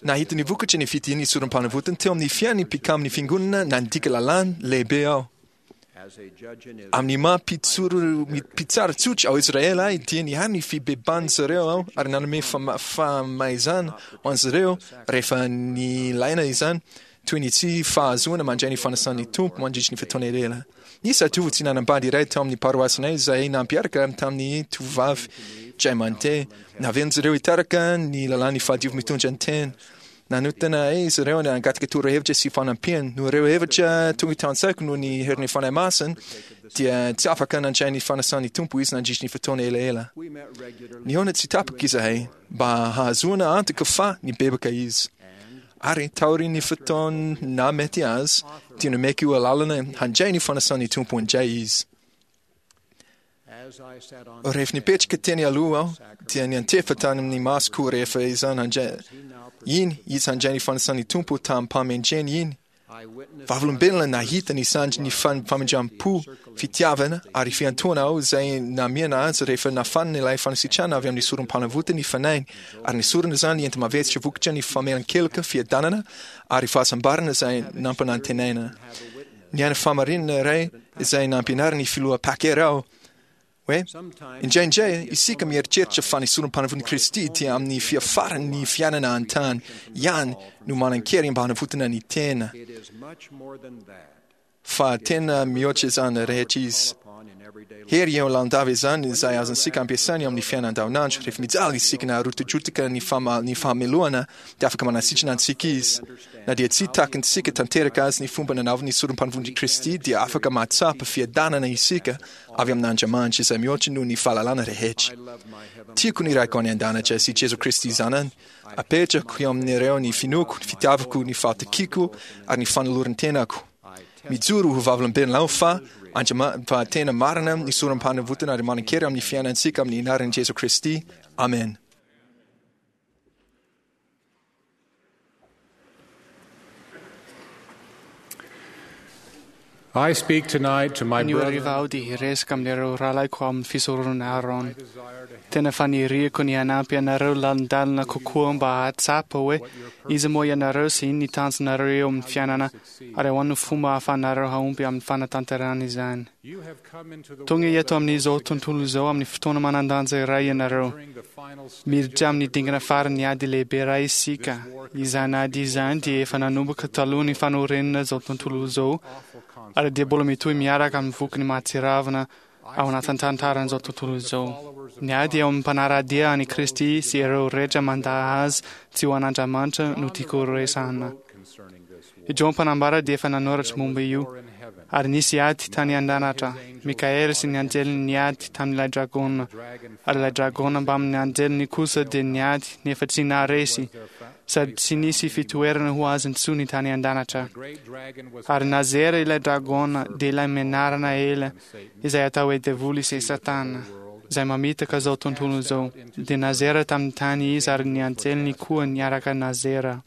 nahita ny vokatry ny fitahian'ny sorom-panavotana teo amin'ny fiainan'ny mpikamin'ny fiangonana nandika lalàna lehibe aho. Amin'ny maha mpitsara tsotra ao Israel ahy dia nihaino ny fibebahan'izy ireo aho ary nanome famaizana ho an'izy ireo rehefa nilaina izany, toy ny tsy fahazoana mandray ny fanasan'ny Tompo mandritry ny fotoana ela. Nisy zatovo tsy nanambady iray tao amin'ny paroasinay izay nampiaraka tamin'ny tovovavy indray mandeha. Navelan'izy ireo hitaraka ny lalàn'ny fahadiovy mitondra ny tena. Nanotana ahy izy ireo nangataka torohevitra sy fanampiana. Noho ireo hevitra tonga tao an-tsaiko noho ny herin'ny Fanahy Masina, dia tsy afaka nandray ny fanasan'ny Tompo izy nandritry ny fotoana elaela. Nihaona tsy tapaka izahay mba hahazoana antoka fa nibebaka izy. Ary taorian'ny fotoana nahamety azy, dia nomeko alalana handray ny fanasan'ny Tompo indray izy. Rehefa nipetraka teny aloha aho, dia niantefa tany amin'ny masoko rehefa izany handray iny izy handray ny fanasan'ny Tompo tamim-pahamendrehana iny. Vavolombelona nahita ny sandrin'ny famindram-po, fitiavana ary fiantohana aho izay namiana azy rehefa nafanina ilay fanasitrana avy amin'ny sorom-panavotana ny fanahiny ary nesorina izany enti-mavesatra vokatra ny famelan-keloka, fiadanana ary fahasambarana izay nampanantenaina. Niaina fahamarinana iray izay nampianarin'ny Filoha Packer aho hoe, Indraindray isika mieritreritra fa ny sorom-panavotan'i Kristy dia amin'ny fiafaran'ny fiainana an-tany ihany no manan-kery mba hanavotana ny tena. Fa tena mihoatra izany rehetra izy. Hery eo lalandava izany izay azontsika ampiasaina eo amin'ny fiainana andavanandro. Rehefa mijaly isika na rotidrotika ny fahamelohana dia afaka manasitrana antsika Izy. Na dia tsy takintsika tanteraka azy ny fomba nanaovany ny sorom-panompoan'i Kristy dia afaka mahatsapa fiadanana isika avy amin'Andriamanitra izay mihoatra noho ny fahalalana rehetra. Tiako ny Raiko any An-danitra sy Jesoa Kristy Zanany. Apetrako eo amin'ireo ny finoako, ny fitiavako, ny fahatokiako ary ny fanoloran-tenako. Mijoro ho vavolombelona aho fa Andriamanitra fa tena marina ny sorom-panavotana ary manan-kery amin'ny fiainantsika amin'ny anaran'i Jesoa Kristy. Amen. I speak tonight to my Anio hariva brethren. aho dia hiresaka amin'ireo rahalahiko ao amin'ny fisoronana Aaron. Tena faniriako ny hanampy anareo lalindalina kokoa mba hahatsapa hoe iza moa ianareo sy inona ny tanjonareo eo amin'ny fiainana ary ahoana no fomba ahafahanareo hahomby amin'ny fanatanterahana izany. You have come into the Tonga world eto amin'izao tontolo izao amin'ny fotoana manan-danja iray ianareo. during the final stage Miditra amin'ny dingana faran'ny ady lehibe iray isika. Izany ady izany dia efa nanomboka talohan'ny fanorenana izao tontolo izao ary dia mbola mitohy miaraka amin'ny vokany mahatsiravina ao anatin'ny tantaran'izao tontolo izao. Ny ady eo amin'ny mpanara-dia an'i Kristy sy ireo rehetra mandà azy tsy ho an'Andriamanitra no tiako horesahina. concerning this war. I Joa mpanambara dia efa nanoratra momba io. In heaven, Ary nisy ady tany an-danitra. Mikaela sy ny anjeliny niady tamin'ilay dragona. Ary ilay dragona mbamin'ny anjeliny kosa dia niady nefa tsy naharesy, sady tsy nisy fitoerana ho azy intsony tany an-danitra. great dragon was Ary nazera ilay dragona, dia ilay menarana ela, izay atao hoe devoly sy Satana, izay mamitaka izao tontolo izao. Dia nazera tamin'ny tany izy ary ny anjeliny koa niaraka nazera.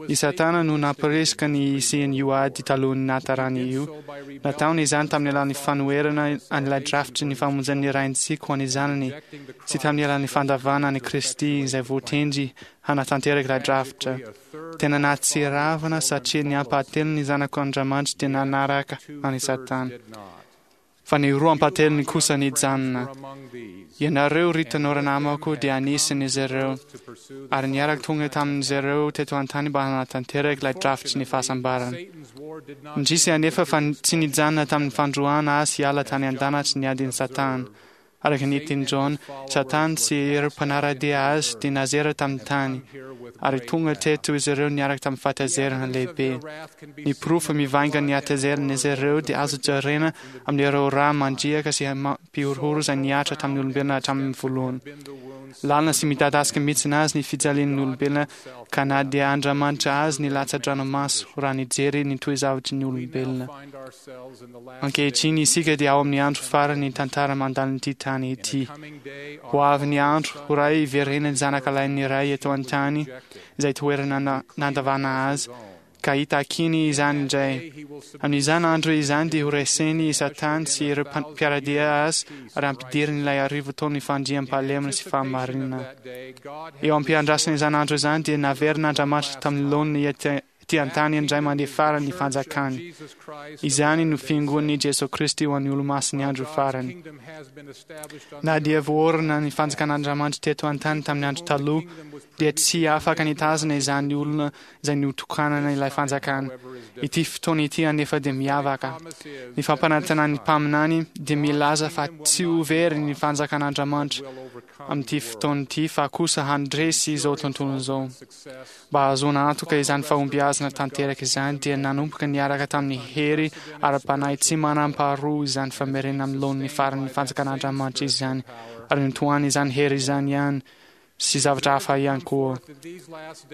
I Satana no nampirisika ny hisian'io ady talohan'ny nahatarany io. Nataony izany tamin'ny alalan'ny fanoherana an'ilay drafitry ny famonjen'ny Raintsika ho an'ny zanany, sy tamin'ny alalan'ny fandavana an'i Kristy izay voatendry hanatanteraka ilay drafitra. Tena nahatsiravina satria ny ampahatelon'ny zanak'Andriamanitra dia nanaraka an'i Satana. did not. Fa ny roa ampahatelony kosa nijanona. Among these, Ianareo ry tanora namako dia anisan'izy ireo. to pursue the Ary niaraka tonga tamin'izy ireo teto an-tany mba hanatanteraka ilay drafitry ny fahasambarana. Satan's war did not Indrisy anefa fa tsy nijanona tamin'ny fandroahana azy hiala tany an-danitra ny adin'i Satana. Araka ny tenin'i John, Satana sy ireo mpanara-dia azy dia nazera tamin'ny tany, ary tonga teto izy ireo niaraka tamin'ny fahatezerana lehibe. Ny porofo mivaingana ny hatezeran'izy ireo dia azo jerena amin'ireo rà mandriaka sy mampihorohoro izay nihatra tamin'ny olombelona hatramin'ny voalohany. been the wounds Lalina sy midadasika mihitsy azy ny fijalian'ny olombelona ka na dia Andriamanitra azy ny latsa-dranomaso raha nijery ny toe-zavatry ny olombelona. find ourselves in the last Ankehitriny isika dia ao amin'ny andro farany tantara mandalin'ity tany ity. coming day Ho avy ny andro ho ray hiverenan'ny zanaka lahin'ny Ray eto an-tany izay toerana nandavana azy ka hitakiany izany indray. Amin'izany andro izany dia horeseny i Satana sy ireo mpiara-dia azy ary hampidiriny ilay arivotaon'ny fandriampahalemana sy fahamarinana. Eo am-piandrasana izany andro izany dia naverin'Andriamanitra tamin'ny laoniny ety an-tany indray mandeha farany ny fanjakany. Izany no fiangonan'i Jesoa Kristy ho an'ny Olomasin'ny andro farany. Na dia voaorina ny fanjakan'Andriamanitra teto an-tany tamin'ny andro taloha, dia tsy afaka nitazona izany olona izay notokanana ilay fanjakana. Ity fotoana ity anefa dia miavaka. Ny fampanantenan'ny mpaminany dia milaza fa tsy ho very ny fanjakan'Andriamanitra amin'ity fotoana ity fa kosa handresy izao tontolo izao. Mba hahazoana antoka izany fahombiazana tanteraka izany dia nanomboka niaraka tamin'ny hery ara-panahy tsy manam-paharoa izany famerenana amin'ny laoniny faran'ny fanjakan'Andriamanitra izany ary notohaniny izany hery izany ihany sy zavatra hafa ihany koa.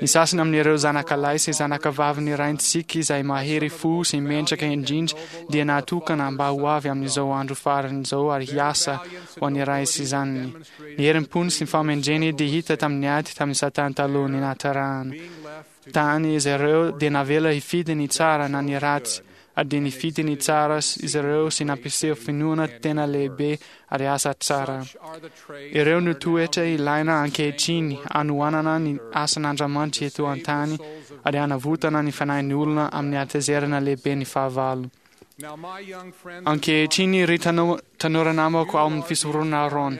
Ny sasany amin'ireo zanakalahy sy zanakavavin'ny raintsika izay mahery fo sy mendrika indrindra dia natokana mba ho avy amin'izao andro farany izao ary hiasa ho an'ny Ray sy Zanany. Ny herim-pony sy ny fahamendreny dia hita tamin'ny ady tamin'i Satana talohan'ny nahaterahana. Tany izy ireo dia navela hifidy ny tsara na ny ratsy, ary dia nifidy ny tsara izy ireo sy nampiseho finoana tena lehibe ary asa tsara. Ireo no toetra ilaina ankehitriny hanohanana ny asan'Andriamanitra eto an-tany ary hanavotana ny fanahin'ny olona amin'ny hatezerana lehiben'ny fahavalo. Ankehitriny, ry tanora namako ao amin'ny fisoronana Aarona,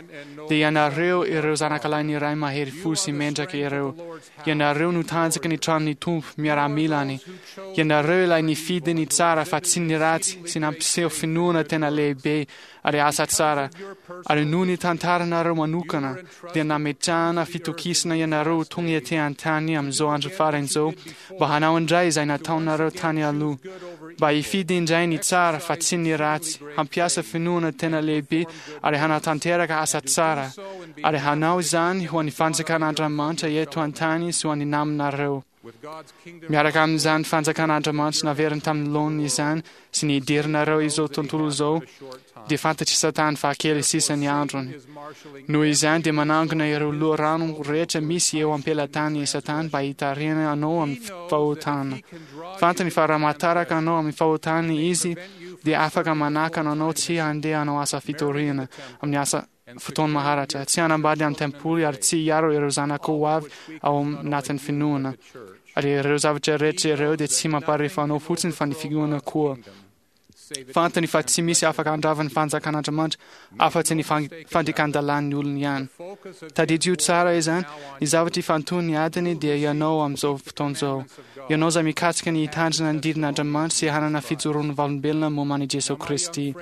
dia ianareo ireo zanakalahin'ny Ray mahery fo sy mendrika ireo. Ianareo no tanjaky ny tranon'ny Tompo, miaramilany. Ianareo ilay nifidy ny tsara fa tsy ny ratsy sy nampiseho finoana tena lehibe ary asa tsara. Ary noho ny tantaranareo manokana, dia nametrahana fitokisana ianareo ho tonga ety an-tany amin'izao andro farany izao mba hanao indray izay nataonareo tany aloha, mba hifidy indray ny tsara fa tsy ny ratsy, hampiasa finoana tena lehibe ary hanatanteraka asa tsara, ary hanao izany ho an'ny fanjakan'Andriamanitra eto an-tany sy ho an'ny namanareo. Miaraka amin'izany fanjakan'Andriamanitra naveriny tamin'ny laoniny izany sy ny hidiranareo izao tontolo izao, dia fantatr'i Satana fa kely sisa ny androny. Noho izany dia manangona ireo loharano rehetra misy eo am-pelatany i Satana mba hitarihana anao amin'ny fahotana. Fantany fa raha mahataraka anao amin'ny fahotana izy, dia afaka manakana anao tsy handeha hanao asa fitoriana amin'ny asa fotoana maharatra, tsy hanambady amin'ny tempoly ary tsy hiaro ireo zanako ho avy ao anatin'ny finoana. Ary ireo zavatra rehetra ireo dia tsy mamparefo anao fotsiny fa ny finoana koa. Fantany fa tsy misy afaka handrava ny fanjakan'Andriamanitra afa-tsy ny fandikan-dalàn'ny olony ihany. Tadidio tsara izany, ny zavatra ifantohan'ny adiny dia ianao amin'izao fotoana izao. Ianao izay mikatsaka ny hitandrina ny didin'Andriamanitra sy hanana fijoroan'ny vavolombelona momba an'i Jesoa Kristy.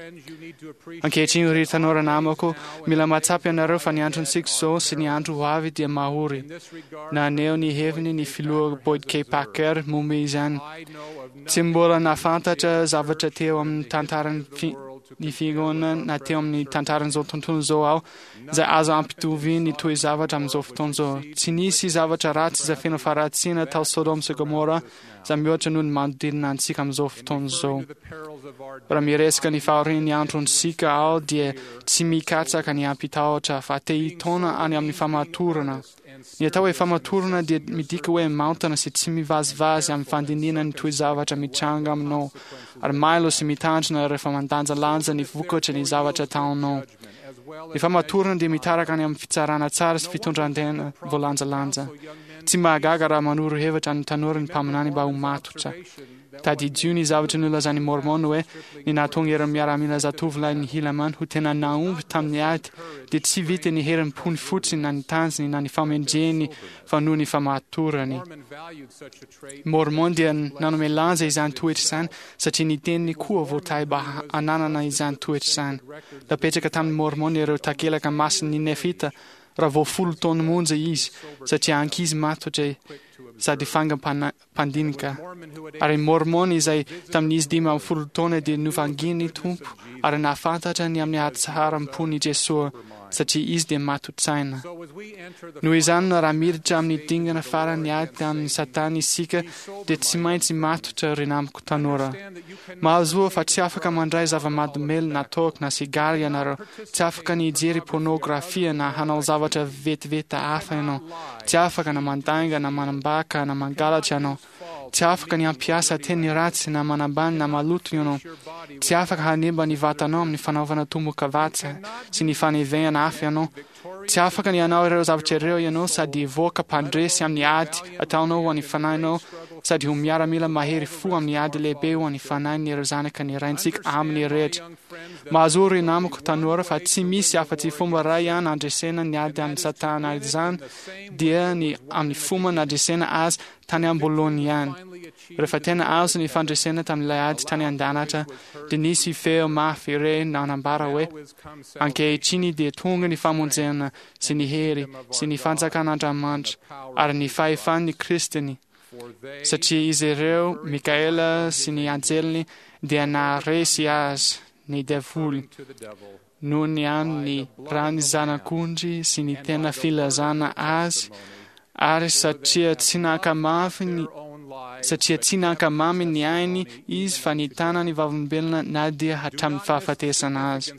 Ankehitriny, ry tanora namako, mila mahatsapa ianareo fa ny androntsika izao sy ny andro ho avy dia mahory. Naneho ny heviny ny filoha Boyd K. Packer momba izany. Tsy mbola nahafantatra zavatra teo amin'ny tantaran'ny ny fiangonana na teo amin'ny tantaran'izao tontolo izao aho izay azo ampitoviana ny toe-javatra amin'izao fotoana izao. Tsy nisy zavatra ratsy izay feno faharatsiana tao Sodoma sy Gomora izay mihoatra noho ny manodidina antsika amin'izao fotoana izao. Raha miresaka ny fahorian'ny androntsika aho dia tsy mikatsaka ny hampitahotra fa te hitaona any amin'ny famatorana. Ny atao hoe famatorana dia midika hoe maontana sy tsy mivazivazy amin'ny fandinihana ny toe-javatra mitranga aminao ary mailo sy mitandrina rehefa mandanjalanja ny vokatry ny zavatra ataonao. Ny famatorana dia mitaraka any amin'ny fitsarana tsara sy fitondran-tena voalanjalanja. Tsy mahagaga raha manoro hevitra ny tanora ny mpaminany mba ho matotra. Tadidio ny zavatra nolazain'i Môrmôna hoe ny nahatonga ireo miaramila zatovolahin'i Hilamán ho tena nahomby tamin'ny ady dia tsy vitan'ny herim-pony fotsiny na ny tanjony na ny famendrehany fa noho ny famatorany. Môrmôna dia nanome lanja izany toetra izany satria ny teniny koa voatahy mba hananana izany toetra izany. Napetraka tamin'i Môrmôna ireo takelaka masin'ny Nefita raha vao folo taona monja izy, satria ankizy matotra sady fangam-pandinika. Ary i Môrmôna izay tamin'izy 15 taona dia novangian'ny Tompo ary nahafantatra ny amin'ny hatsaram-pon'i Jesoa, satria izy dia mato-tsaina. Noho izany, raha miditra amin'ny dingana farany ady amin'i Satana isika, dia tsy maintsy matotra, ry namako tanora. Mahazoa fa tsy afaka mandray zava-mahadomelina na toaka na sigara ianareo, tsy afaka ny hijery pôrnôgrafia na hanao zavatra vetiveta hafa ianao, tsy afaka na mandainga na manambaka na mangalatra ianao. Tsy afaka ny hampiasa teny ratsy na manambany na maloto ianao. Tsy afaka hanimba ny vatanao amin'ny fanaovana tombokavatsa sy ny fanevehana afo ianao. Tsy afaka ny hanao ireo zavatra ireo ianao sady hivoaka mpandresy amin'ny ady ataonao ho an'ny fanahinao sady ho miaramila mahery fo amin'ny ady lehibe ho an'ny fanahin'ireo zanaka ny Raintsika amin'ny rehetra. Mahazoa ry namako tanora fa tsy misy afa-tsy fomba iray ihany handresena ny ady amin'i Satana ary izany dia ny amin'ny fomba nandresena azy tany am-boalohany ihany. Rehefa tena azo ny fandresena tamin'ilay ady tany an-danitra dia nisy feo mafy re nanambara hoe, Ankehitriny dia tonga ny famonjena sy ny hery sy ny fanjakan'Andramanitra ary ny fahefan'ny Kristiny, satria izy ireo, Mikaela sy ny anjeliny, dia naharesy azy, ny devoly, noho ny amin'ny ran'ny Zanak'ondry sy ny tena filazana azy, ary satria tsy nankamafy ny satria tsy nankamamy ny ainy izy fa nitana ny vavolombelona na dia hatramin'ny fahafatesana azy.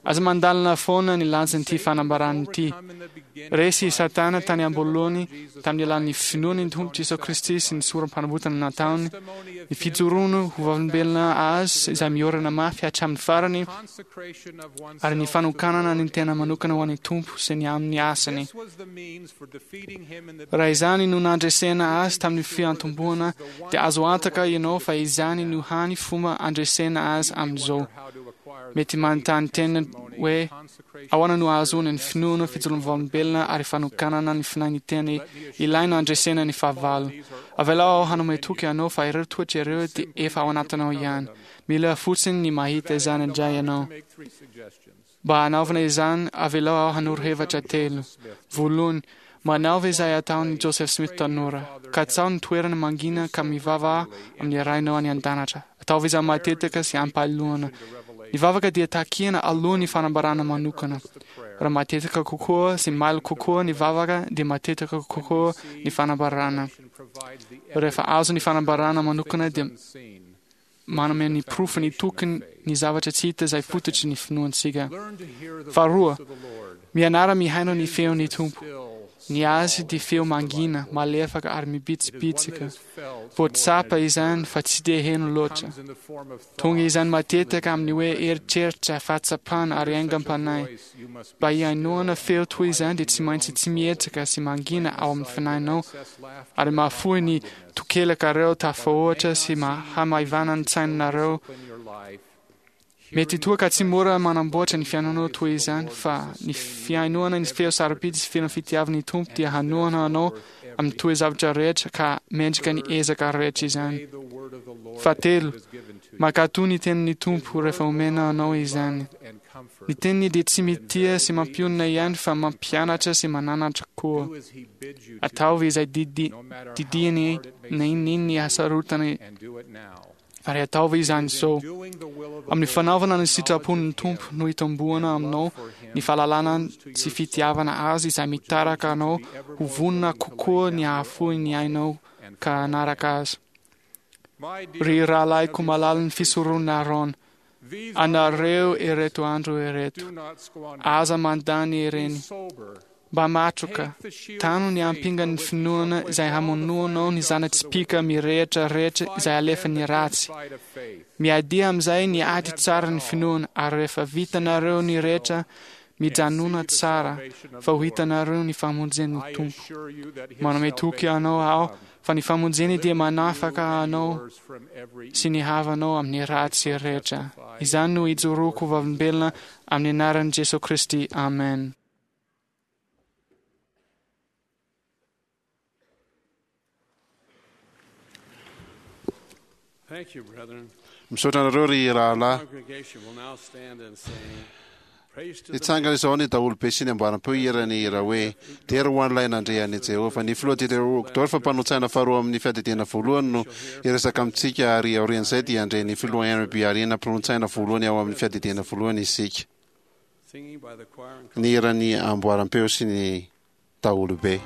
Aza mandalina foana ny lanjan'ity fanambarana ity. Resy i Satana tany am-boalohany tamin'ny alalan'ny finoany ny Tompo Jesoa Kristy sy ny sorom-panavotana nataony, ny fijoroany ho vavolombelona azy izay miorina mafy hatramin'ny farany, ary ny fanokanana ny tena manokana ho an'ny Tompo sy ny amin'ny asany. Raha izany no nandresena azy tamin'ny fiantombohana, dia azo antoka ianao fa izany no hany fomba andresena azy amin'izao. Mety manontany tena hoe ahoana no ahazoana ny finoana, fijoroan'ny vavolombelona ary fanokanana ny fanahy ny tena ilaina handresena ny fahavalo. Avelao aho hanome toky anao fa ireo toetra ireo dia efa ao anatinao ihany. Mila fotsiny ny mahita izany indray ianao. Mba hanaovana izany, avelao aho hanoro hevitra telo. Voalohany, manaova izay ataon'i Joseph Smith tanora. Katsaho ny toerana mangina ka mivavaha amin'ny Rainao any an-danitra. Ataovy izany matetika sy am-pahalohana. Ny vavaka dia takiana alohan'ny fanambarana manokana. Raha matetika kokoa sy mailo kokoa ny vavaka dia matetika kokoa ny fanambarana. Rehefa azo ny fanambarana manokana dia manome ny porofo ny tokony ny zavatra tsy hita izay fototry ny finoantsika. Faharoa, mianara mihaino ny feon'ny Tompo. Ny azy dia feo mangina, malefaka ary mibitsibitsika. Vao tsapa izany fa tsy dia heno loatra. Tonga izany matetika amin'ny hoe eritreritra, fahatsapana ary aingam-panahy. Mba hihainoana feo toy izany dia tsy maintsy tsy mihetsika sy mangina ao amin'ny fanahinao ary mahafoy ny Tokelakareo tafahoatra sy hamaivana ny tsainareo. Mety toa ka tsy mora manamboatra ny fiainanao toy izany, fa ny fihainoana ny feo sarobidy sy feno fitiavan'ny Tompo dia hanohana anao amin'ny toe-javatra rehetra ka mendrika ny ezaka rehetra izany. Fahatelo, mankatò ny tenin'ny Tompo rehefa omena anao izany. Ny teniny dia tsy mitia sy mampionona ihany fa mampianatra sy mananatra koa. Ataovy izay didy didiany na inona inona hasarotany ary ataovy izany izao. Amin'ny fanaovana ny sitrapon'ny Tompo no hitomboana aminao ny fahalalana sy fitiavana Azy izay mitaraka anao ho vonona kokoa ny hahafoy ny ainao ka hanaraka Azy. Ry rahalahiko malalin'ny fisoronana Aaron, anareo ireto andro ireto, aza mandany ireny. Mba matroka, tano ny ampingan'ny finoana izay hamonoanao ny zana-tsipìka mirehitra rehetra izay alefan'ny ratsy. Miadia amin'izay ny ady tsara ny finoana, ary rehefa vitanareo ny rehetra, mijanòna tsara, fa ho hitanareo ny famonjen'ny Tompo. Manome toky anao aho fa ny famonjeny dia manafaka anao sy ny havanao amin'ny ratsy rehetra. Izany no ijoroako ho vavolombelona amin'ny anaran'i Jesoa Kristy. Amen. Misaotra anareo ry rahalahy. Hitsangana izao ny daholobe sy ny amboaram-peo hihira ny hira hoe Dera ho an'ilay nandre an'i Jehovah. Ny filoha Dieter Uchtdorf, mpanolo-tsaina faharoa amin'ny fiadidiana voalohany no hiresaka amintsika ary aorian'izay dia handre ny filoha Henry B. Arena, mpanolo-tsaina voalohany ao amin'ny fiadidiana voalohany isika. Ny hiran'ny amboaram-peo sy ny daholobe.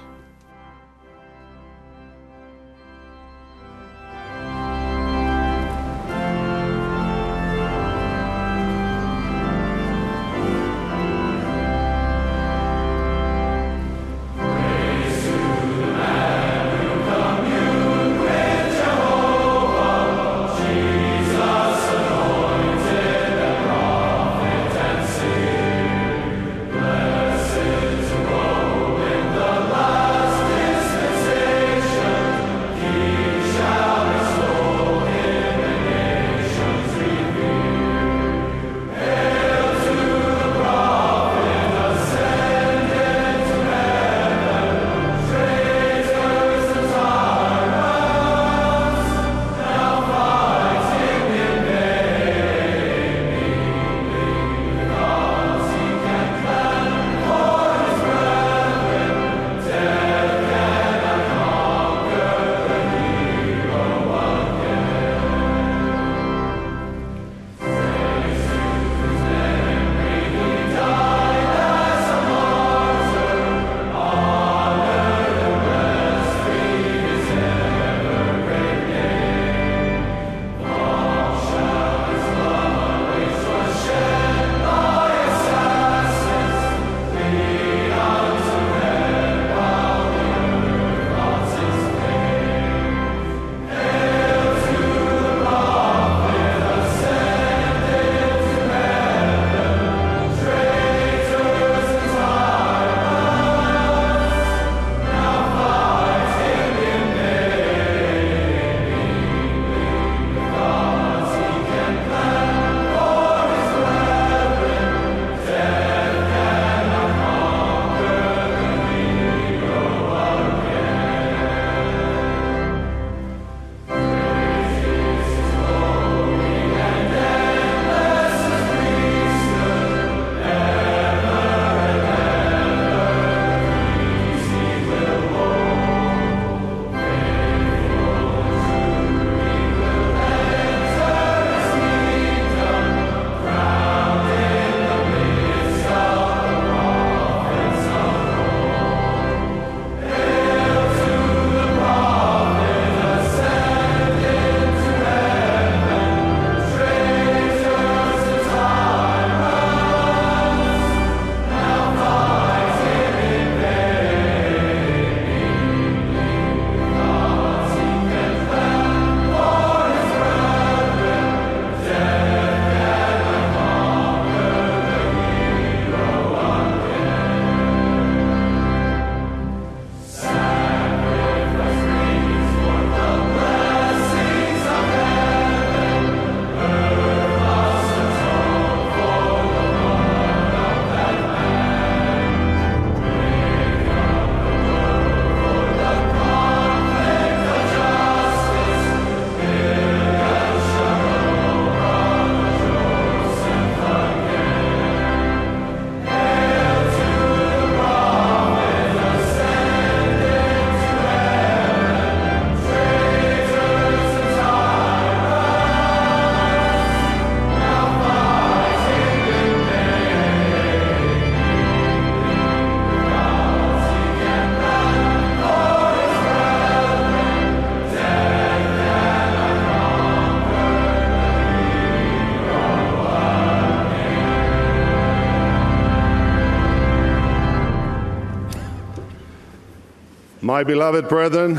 My beloved brethren,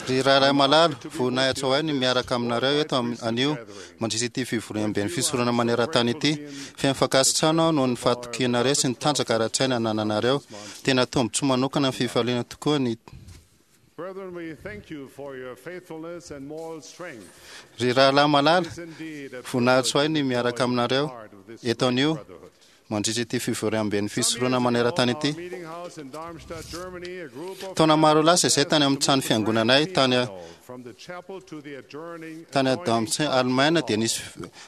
Ry rahalahy malala, voninahitra ho ahy ny miaraka aminareo eto anio mandritra ity fivoriamben'ny fisoronana maneran-tany ity. Feno fankasitrahana aho noho ny fahatokianareo sy ny tanjaka ara-tsaina anananareo. Tena tombontsoa manokana ny fifaliana tokoa ny brethren, we thank you for your faithfulness and moral strength. Ry rahalahy malala, It is indeed a voninahitra ho ahy ny privilege to miaraka join aminareo part of this eto great anio brotherhood. mandritra ity fivoriamben'ny Some fisoronana years ago, maneran-tany our ity. meeting house in Darmstadt, Germany, a group of Taona maro lasa izay tany asked amin'ny to trano move the grand fiangonanay tany piano from the chapel to the adjoining tany adjoining Darmstadt, Allemagne dia nisy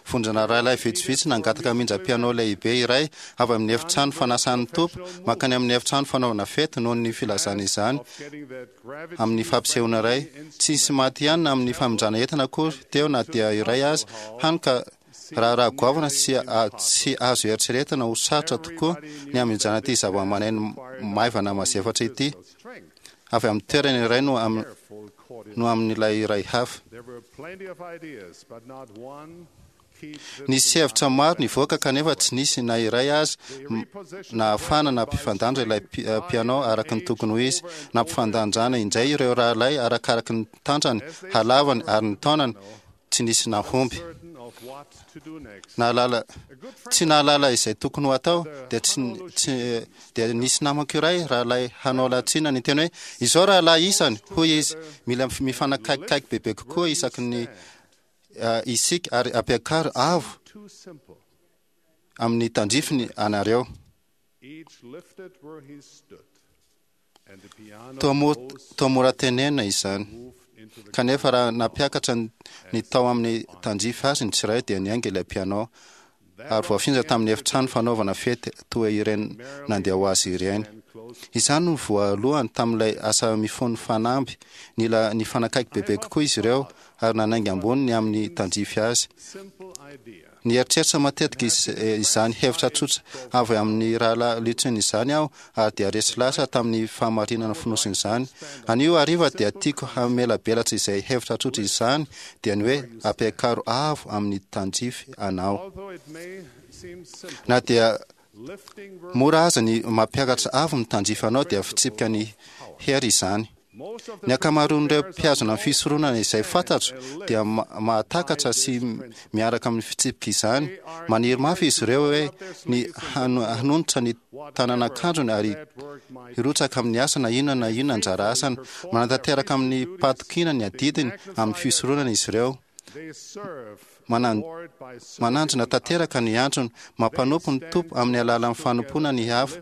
vondrona rahalahy vitsivitsy nangataka hamindra piano lehibe iray avy amin'ny efitrano fanasan'ny Tompo mankany amin'ny efitrano fanaovana fety noho ny filazana izany of getting that gravity amin'ny fampisehoana iray. Tsy nisy maty ihany na amin'ny famindrana entana akory teo na dia iray aza, hany ka raharaha goavana sy tsy azo eritreretina ho sarotra tokoa ny hamindrana ity zavamaneno maivana mazefatra ity strength, avy amin'ny toerana iray no careful coordination. no amin'ilay iray hafa. There were plenty of ideas, but not one keep the Nisy hevitra maro nivoaka kanefa tsy nisy na iray aza nahafahana nampifandanja ilay piano araka ny tokony ho izy. Nampifandanjana indray ireo rahalahy arakaraky ny tanjany, halavany ary ny taonany, tsy nisy nahomby. certain of what to do next. Nahalala tsy nahalala izay tokony ho atao dia tsy tsy dia nisy namako iray rahalahy hanao latsina ny teny hoe izao rahalahy isany hoy izy mila mifanakaikikaiky bebe kokoa isaky ny isika ary ampiakaro avo Too simple. amin'ny tandrifiny anareo. Each lifted where he stood, and the piano Toa rose toa mora tenenina izany. moved into the Kanefa raha nampiakatra ny tao amin'ny tandrify azy ny tsirairay dia niainga ilay piano ary voafindra tamin'ny efitrano fanaovana fety toa ireny nandeha ho azy ireny. Izany no voalohany tamin'ilay asa mifono fanamby. Nila nifanakaiky bebe kokoa izy ireo ary nanainga ambony ny amin'ny tandrify azy. simple idea. Nieritreritra matetika izany hevitra tsotra avy amin'ny rahalahy Litson izany aho ary dia resy lasa tamin'ny fahamarinana fonosiny izany. Anio hariva dia tiako hamelabelatra izay hevitra tsotra izany dia ny hoe ampiakaro avo amin'ny tandrify anao. Although it may seem simple, Na dia lifting where mora aza ny mampiakatra avo ny tandrify anao dia fitsipika ny hery izany. most of the Ny ankamaroan'ireo mpihazona ny fisoronana izay fantatro dia mahatakatra sy miaraka amin'ny fitsipika izany. Maniry mafy izy ireo hoe ny hanonitra ny tanan'akanjony ary hirotsaka amin'ny asa na inona na inona anjara asany. Manatanteraka amin'ny pahatokiana ny adidiny amin'ny fisoronana izy ireo. they serve Lord by serving Mananjina tanteraka ny antsony, mampanompo ny Tompo amin'ny alalan'ny fanompoana ny hafa,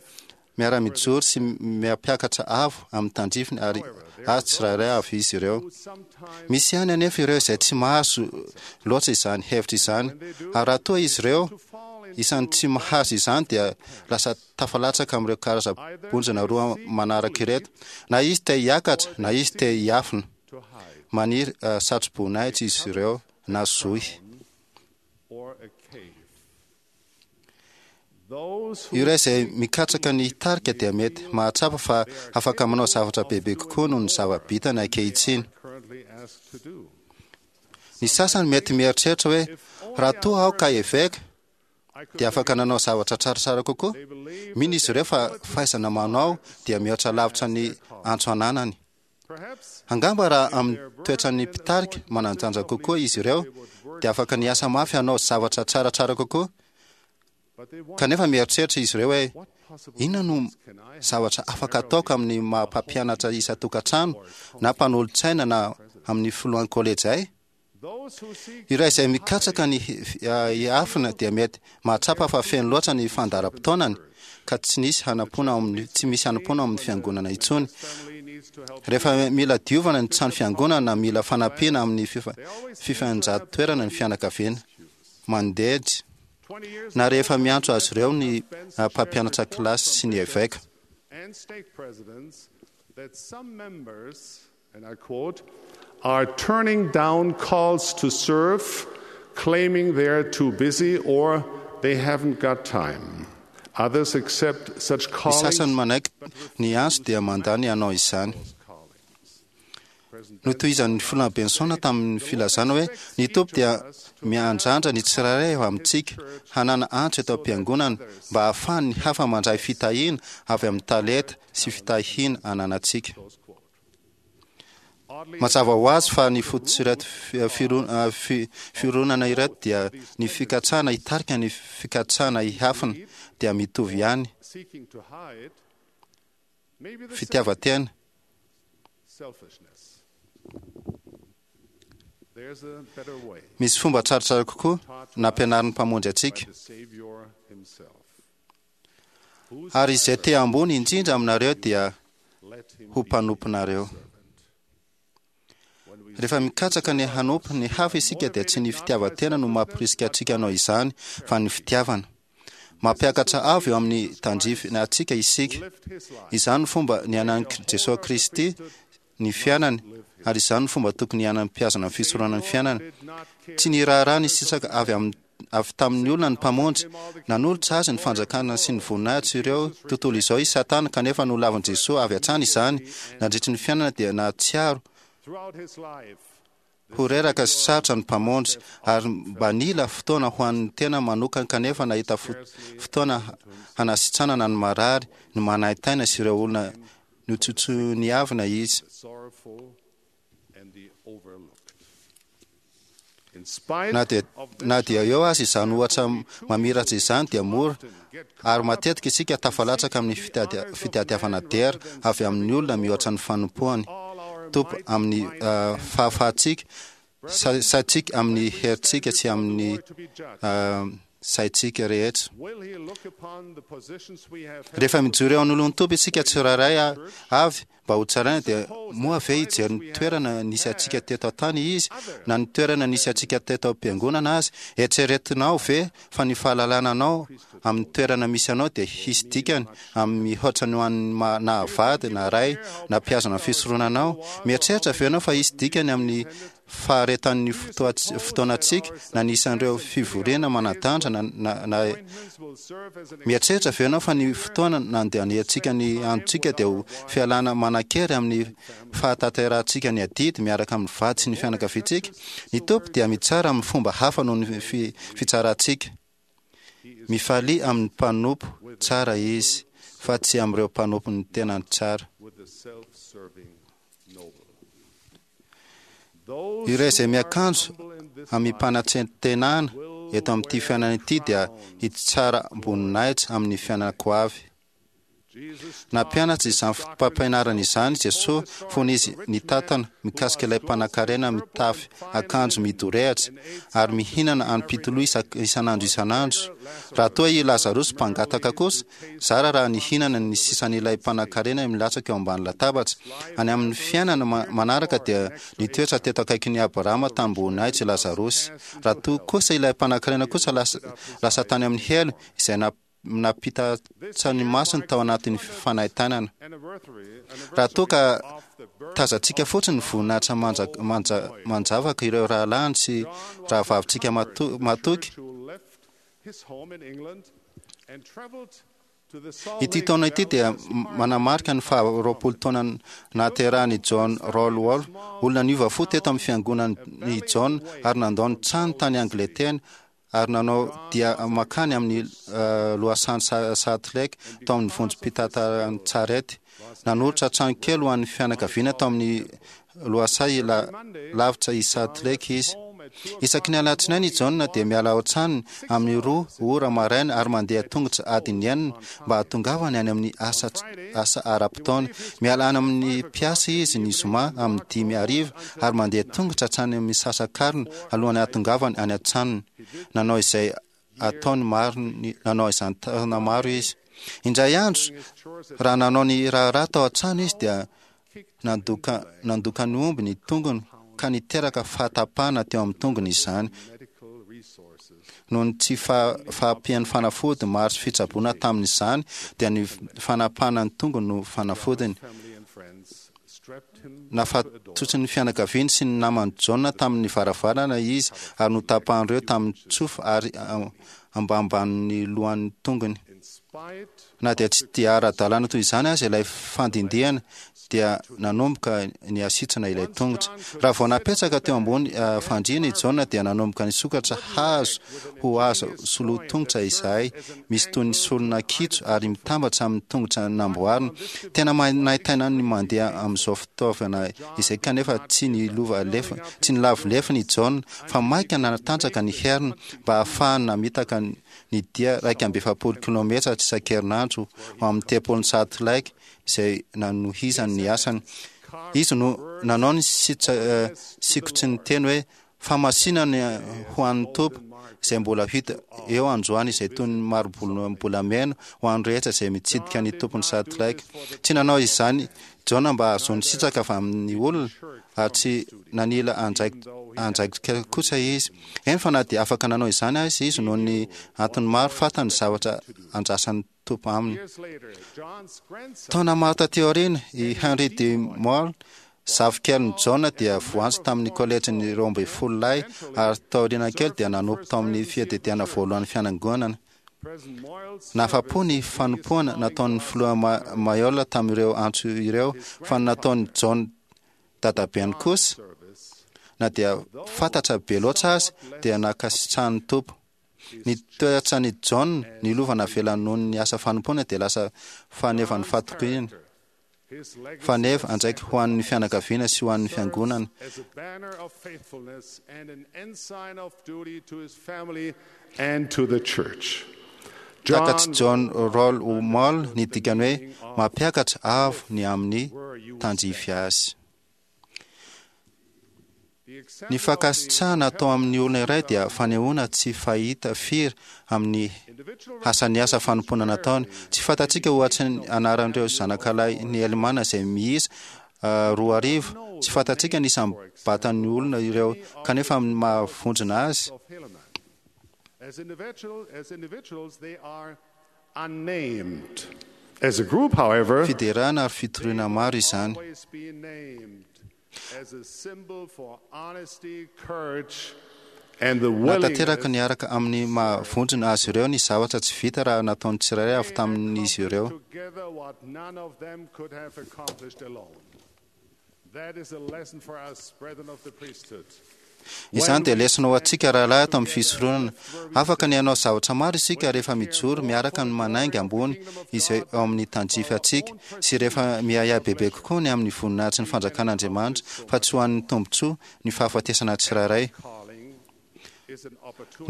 miara-mijoro sy miampiakatra avo amin'ny tandrifiny ary azy tsirairay avy izy ireo. who sometimes Misy ihany anefa ireo izay tsy mahazo loatra izany hevitra izany, ary raha toa izy ireo fall into isan'ny tsy mahazo izany dia lasa tafalatsaka amin'ireo karazam-bonjina roa manaraka ireto, na izy te hiakatra na izy te hiafina. to hide Maniry satroboninahitra izy ireo na zohy. or a cave. Those who Ireo izay mikatsaka ny hitarika dia mety mahatsapa fa afaka manao zavatra bebe kokoa noho ny zava-bitany ankehitriny. currently asked to do. Ny sasany mety mieritreritra hoe raha toa aho ka eveka I could dia afaka nanao zavatra tsaratsara kokoa. they believe Mino izy ireo fa fahaizana manao dia mihoatra lavitra ny antso ananany. perhaps Angamba raha amin'ny toetran'ny mpitarika manan-danja kokoa izy ireo dia afaka niasa mafy hanao zavatra tsaratsara kokoa. but they wonder Kanefa mieritreritra izy ireo hoe what possible inona no use can I have zavatra afaka ataoko amin'ny maha mpampianatra isan-tokantrano na mpanolotsaina na amin'ny filohan'ny kolejy ay? Those who seek Ireo izay mikatsaka ny hiafina dia mety mahatsapa fa feno loatra ny fandaharam-potoanany ka tsy nisy hanampoana ao amin'ny tsy misy hanampoana ao amin'ny fiangonana intsony. family needs to help Rehefa mila diovana ny trano fiangonana na mila fanampiana amin'ny fifanjatoerana ny fianakaviana mandedy 20 years na rehefa miantso azy ireo ny mpampianatra kilasy sy ny eveka. and stake presidents that some members, and I quote, are turning down calls to serve, claiming they're too busy or they haven't got time. Others accept such Ny callings. sasany manaiky ny antso dia mandà ny hanao izany. Notohizan'ny filoha Benson tamin'ny filazana hoe ny Tompo dia miandrandra ny tsirairay avy amintsika hanana antso eto am-piangonana mba hahafahan'ny hafa mandray fitahiana avy amin'ny talenta sy fitahiana ananantsika. Mazava ho azy fa ny fototr'ireto fironana ireto dia ny fikatsahana hitarika ny fikatsahana hihafina dia mitovy ihany. Fitiavan-tena. Misy fomba tsaratsara kokoa nampianarin'ny Mpamonjy antsika. Ary izay te ambony indrindra aminareo dia ho mpanomponareo. Rehefa mikatsaka ny hanompo ny hafa isika dia tsy ny fitiavan-tena no mampirisika antsika hanao izany fa ny fitiavana. Mampiakatra avo eo amin'ny tandrify antsika isika. Izany no fomba niainan'i Jesoa Kristy ny fiainany ary izany no fomba tokony hiainan'ny mpihazona ny fisoronana ny fiainana. Tsy niraharaha ny sisaka avy amin'ny avy tamin'ny olona ny Mpamonjy. Nanolotra azy ny fanjakana sy ny voninahitra ireo tontolo izao i Satana kanefa nolavin'i Jesoa avy hatrany izany. Nandritry ny fiainana dia nahatsiaro ho reraka sy sarotra ny Mpamonjy ary mba nila fotoana ho an'ny tena manokana kanefa nahita fotoana hanasitranana ny marary, ny manaintaina sy ireo olona notsotsoniavina izy. Na dia eo aza izany ohatra mamiratra izany dia mora ary matetika isika tafalatsaka amin'ny fitadiavana dera avy amin'ny olona mihoatra ny fanompoany Tompo amin'ny fahafahantsika, saintsika amin'ny herintsika sy amin'ny saintsika rehetra. Rehefa mijoro eo anoloan'ny Tompo isika tsirairay avy mba ho tsaraina dia moa ve hijery ny toerana nisy antsika teto an-tany Izy na ny toerana nisy antsika teto am-piangonana aza? Eritreretinao ve fa ny fahalalana anao amin'ny toerana misy anao dia hisy dikany amin'ny mihoatra ny ho an'ny nahavady na ray na mpihazona ny fisoronanao? Mieritreritra ve ianao fa hisy dikany amin'ny faharetan'ny fotoanantsika na ny isan'ireo fivoriana manan-danja na na Mieritreritra ve ianao fa ny fotoana nandaniantsika ny androntsika dia ho fialana manan-kery amin'ny fahatanterahantsika ny adidy miaraka amin'ny vady sy ny fianakaviantsika? Ny Tompo dia mitsara amin'ny fomba hafa noho ny fitsarantsika. Mifalia amin'ny mpanompo tsara Izy, fa tsy amin'ireo mpanompon'ny tenany tsara. Ireo izay miakanjo amim-panatrentenana eto amin'ity fiainana ity dia hitsara am-boninahitra amin'ny fiainana-ko avy. Nampianatra izany fotopampianarana izany Jesoa fony Izy nitantana mikasika ilay mpanankarena mitafy akanjo midorehatra ary mihinana an'pitoloha isan'andro isan'andro. Raha toa i Lazarosy mpangataka kosa, Zara raha nihinana ny sisan'ilay mpanankarena milatsaka eo ambany latabatra. Any amin'ny fiainana manaraka dia nitoetra teto akaikin'i Abrahama tamim-boninahitra i Lazarosy. Raha toa kosa ilay mpanankarena kosa lasa tany amin'ny helo, izay nampitatsa ny masony tao anatin'ny fanaintainana. Raha toa ka tazantsika fotsiny ny voninahitra manjavaka ireo rahalahiny sy rahavavintsika matoky, Ity taona ity dia manamarika ny faha 20 taona nahaterahan'i John Rolwall, olona niova fo teto amin'ny fiangonan'i John ary nandao ny trano tany Angletera ary nanao dia mankany amin'ny lohasahan'i Salt Lake tao amin'ny vondrom-pitantaran-tsarety. Nanolotra trano kely ho an'ny fianakaviana tao amin'ny lohasaha lavitra i Salt Lake izy. Isaky ny alatsinainy i John dia miala ao an-tranony amin'ny 2 ora maraina ary mandeha tongotra adiny enina mba hahatongavany any amin'ny asa asa ara-potoana. Miala any amin'ny mpiasa izy ny zoma amin'ny 5 hariva ary mandeha tongotra hatrany amin'ny misasakarina alohan'ny hahatongavany any an-tranony. Nanao izay ataony maro nanao izany taona maro izy. Indray andro, raha nanao ny raharaha tao an-trano izy dia nandoka nandoka ny omby ny tongony ka niteraka fahatapahana teo amin'ny tongony izany. Noho ny tsy fahampian'ny fanafody maro sy fitsaboana tamin'izany dia ny fanapahana ny tongony no fanafodiny. Nafatotry ny fianakaviany sy ny naman'i Jaona tamin'ny varavarana izy ary notapahan'ireo tamin'ny tsofa ary ambambanin'ny lohan'ny tongony. Na dia tsy dia ara-dalàna toy izany aza ilay fandindihana, dia nanomboka nihasitrana ilay tongotra. Raha vao napetraka teo ambony fandriana i Jaona dia nanomboka nisokatra hazo ho azo soloan-tongotra izahay, misy toy ny solona kitro ary mitambatra amin'ny tongotra namboarina. Tena manaintaina ny mandeha amin'izao fitaovana izay kanefa tsy nilova lefona, tsy nilavo lefona i Jaona fa mainka nanatanjaka ny heriny mba hahafahany namitaka ny dia 41 kilometatra isan-kerinandro ho amin'ny tempolin'i Salt Lake izay nanohizany ny asany. Izy no nanao ny sikotry ny teny hoe famasinana ho an'ny Tompo izay mbola hita eo androany izay toy ny mari-bolamena ho an'ny rehetra izay mitsidika ny Tompon'i Salt Lake. Tsy nanao izany Jaona mba hahazoany sitraka avy amin'ny olona ary tsy nanila andraikitra kosa izy. Eny fa na dia afaka nanao izany aza izy noho ny antony maro, fantany ny zavatra andrasan'ny Tompo aminy. Taona maro taty aoriana, i Henry D. Moore, zafikelin'i Jaona, dia voantso tamin'ny kolejin'ny 12 lahy ary taoriana kely dia nanompo tao amin'ny fiadidiana voalohan'ny fiangonana. Nahafa-po ny fanompoana nataon'ny filoha Mayola tamin'ireo antso ireo, fa ny nataon'i John dadabeny kosa, na dia fantatra be loatra aza, dia nankasitrahan'ny Tompo. Ny toetran'i John, ny lova navelany noho ny asa fanompoana dia lasa fanevan'ny fatokiana. Faneva, andraikitra ho an'ny fianakaviana sy ho an'ny fiangonana. Takatr'i John Roll Moll ny dikany hoe mampiakatra avo ny amin'ny tandrify azy. Ny fankasitrahana atao amin'ny olona iray dia fanehoana tsy fahita firy amin'ny asan'ny asa fanompoana nataony. Tsy fantatsika ohatry ny anaran'ireo zanakalahin'i Helimàna izay miisa 2000. Tsy fantatsika ny isam-batan'ny olona ireo, kanefa amin'ny maha vondrona azy, Fiderana ary fitoriana maro izany. Natanteraka niaraka amin'ny maha vondrona azy ireo ny zavatra tsy vita raha nataon'ny tsirairay avy tamin'izy ireo. Izany dia lesona ho antsika rahalahy ato amin'ny fisoronana. Afaka ny hanao zavatra maro isika rehefa mijoro miaraka amin'ny manainga ambony izay eo amin'ny tandrify antsika sy rehefa miahiahy bebe kokoa ny amin'ny voninahitry ny fanjakan'Andriamanitra fa tsy ho an'ny tombontsoa ny fahafatesana tsirairay.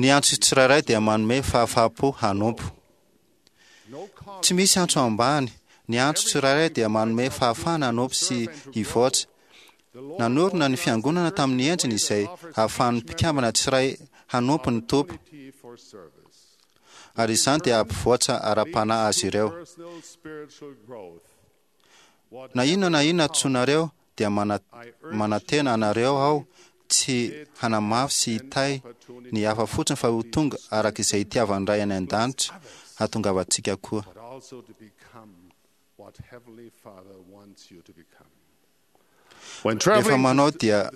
Ny antso tsirairay dia manome fahafaham-po hanompo. Tsy misy antso ambany. Ny antso tsirairay dia manome fahafahana hanompo sy hivoatra. Nanorina ny Fiangonana tamin'ny endriny izay ahafahan'ny mpikambana tsiray hanompo ny Tompo, ary izany dia hampivoatra ara-panahy azy ireo. Na inona na inona antsoinareo dia manantena anareo aho tsy hanamafy sy hitahy ny hafa fotsiny fa ho tonga araka izay itiavan'ny Ray any An-danitra hahatongavantsika koa. Rehefa manao dia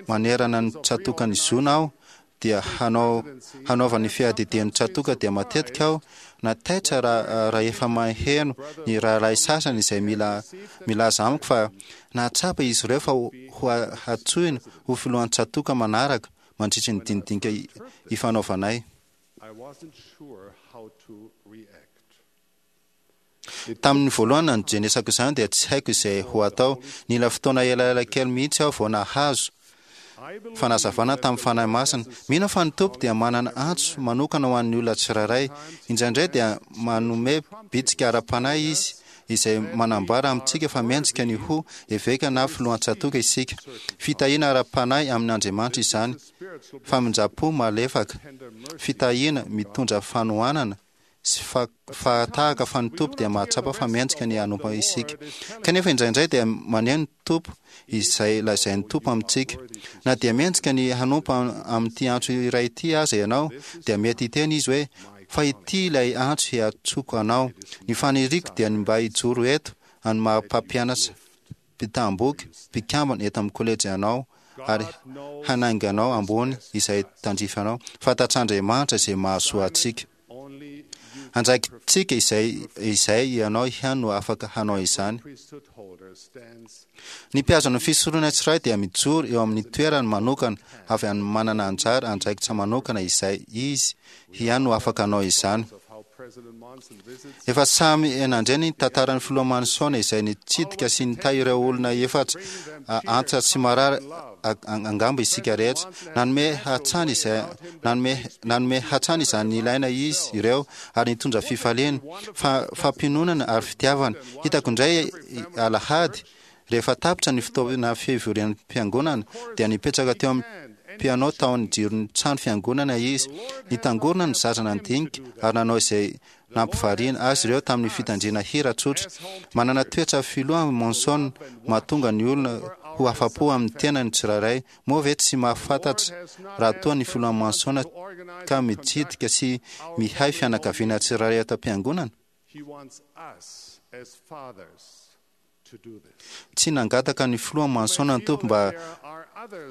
manerana ny tsatòkan'i Zona aho dia hanao hanaovan'ny fiadidian'ny tsatòka dia matetika aho na taitra raha rahefa maheno ny rahalahy sasany izay mila milaza amiko fa nahatsapa izy ireo fa ho hatsoina ho filohan'ny tsatòka manaraka mandritry ny dinidinika ifanaovanay. Tamin'ny voalohany nandrenesako izany dia tsy haiko izay ho atao. Nila fotoana elaela kely mihitsy aho vao nahazo fanazavana tamin'ny Fanahy Masina. Mino aho fa ny Tompo dia manana antso manokana ho an'ny olona tsirairay. Indraindray dia manome bitsika ara-panahy Izy izay manambara amintsika fa mendrika ny ho eveka na filohan-tsatòka isika. Fitahiana ara-panahy amin'Andriamanitra izany. Famindram-po malefaka. Fitahiana mitondra fanohanana sy fa tahaka fa ny Tompo dia mahatsapa fa mendrika ny hanompo isika. Kanefa indraindray dia maneho ny Tompo izay lazain'ny Tompo amintsika. Na dia mendrika ny hanompo amin'ity antso iray ity aza ianao, dia mety hiteny Izy hoe, Fa ity ilay antso hiantsoko anao. Ny faniriako dia ny mba hijoro eto amin'ny maha-mpampianatra mpitam-boky, mpikambana eto amin'ny kolejy anao ary hanainga anao ambony izay tandrify anao. Fantatr'Andriamanitra izay mahasoa antsika. Andraikitsika izay ianao ihany no afaka hanao izany. Ny mpihazona fisorona tsirairay dia mijoro eo amin'ny toerany manokana avy any manana anjara andraikitra manokana izay izy ihany no afaka hanao izany. Efa samy nandre ny tantaran'ny filoha Manson izay nitsidika sy nitahy ireo olona efatra antitra sy marary angamba isika rehetra. Nanome hatrany izany ilaina izy ireo ary nitondra fifaliana, fampiononana ary fitiavana. Hitako indray alahady, rehefa tapitra ny fotoana fivorian'ny fiangonana, dia nipetraka teo amin'ny piano tao amin'ny jiron'ny trano fiangonana izy. Nitangorona ny zaza nandinika ary nanao izay nampivariana azy ireo tamin'ny fitandrina hira tsotra. Manana toetra filoha Monson mahatonga ny olona ho afa-po amin'ny tenany tsirairay. Moa ve tsy mahafantatra raha toa ny filoha Monson ka mitsidika sy mihay fianakaviana tsirairay ato am-piangonana? Tsy nangataka ny filoha Manson ny Tompo mba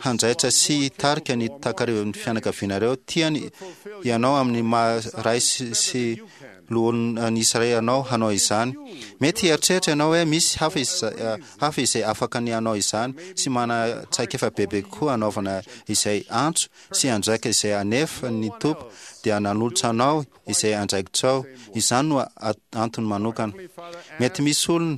hanjaitra sy hitarika ny takarivan'ny fianakavianareo. Tiany ianao amin'ny maha ray sy loholon'ny Israely anao hanao izany. Mety hieritreritra ianao hoe misy hafa izay afaka ny hanao izany sy manana traikefa bebe kokoa hanaovana izay antso sy andraikitra izay anefa ny Tompo dia nanolotra anao izay andraikitrao. Izany no antony manokana. Mety misy olona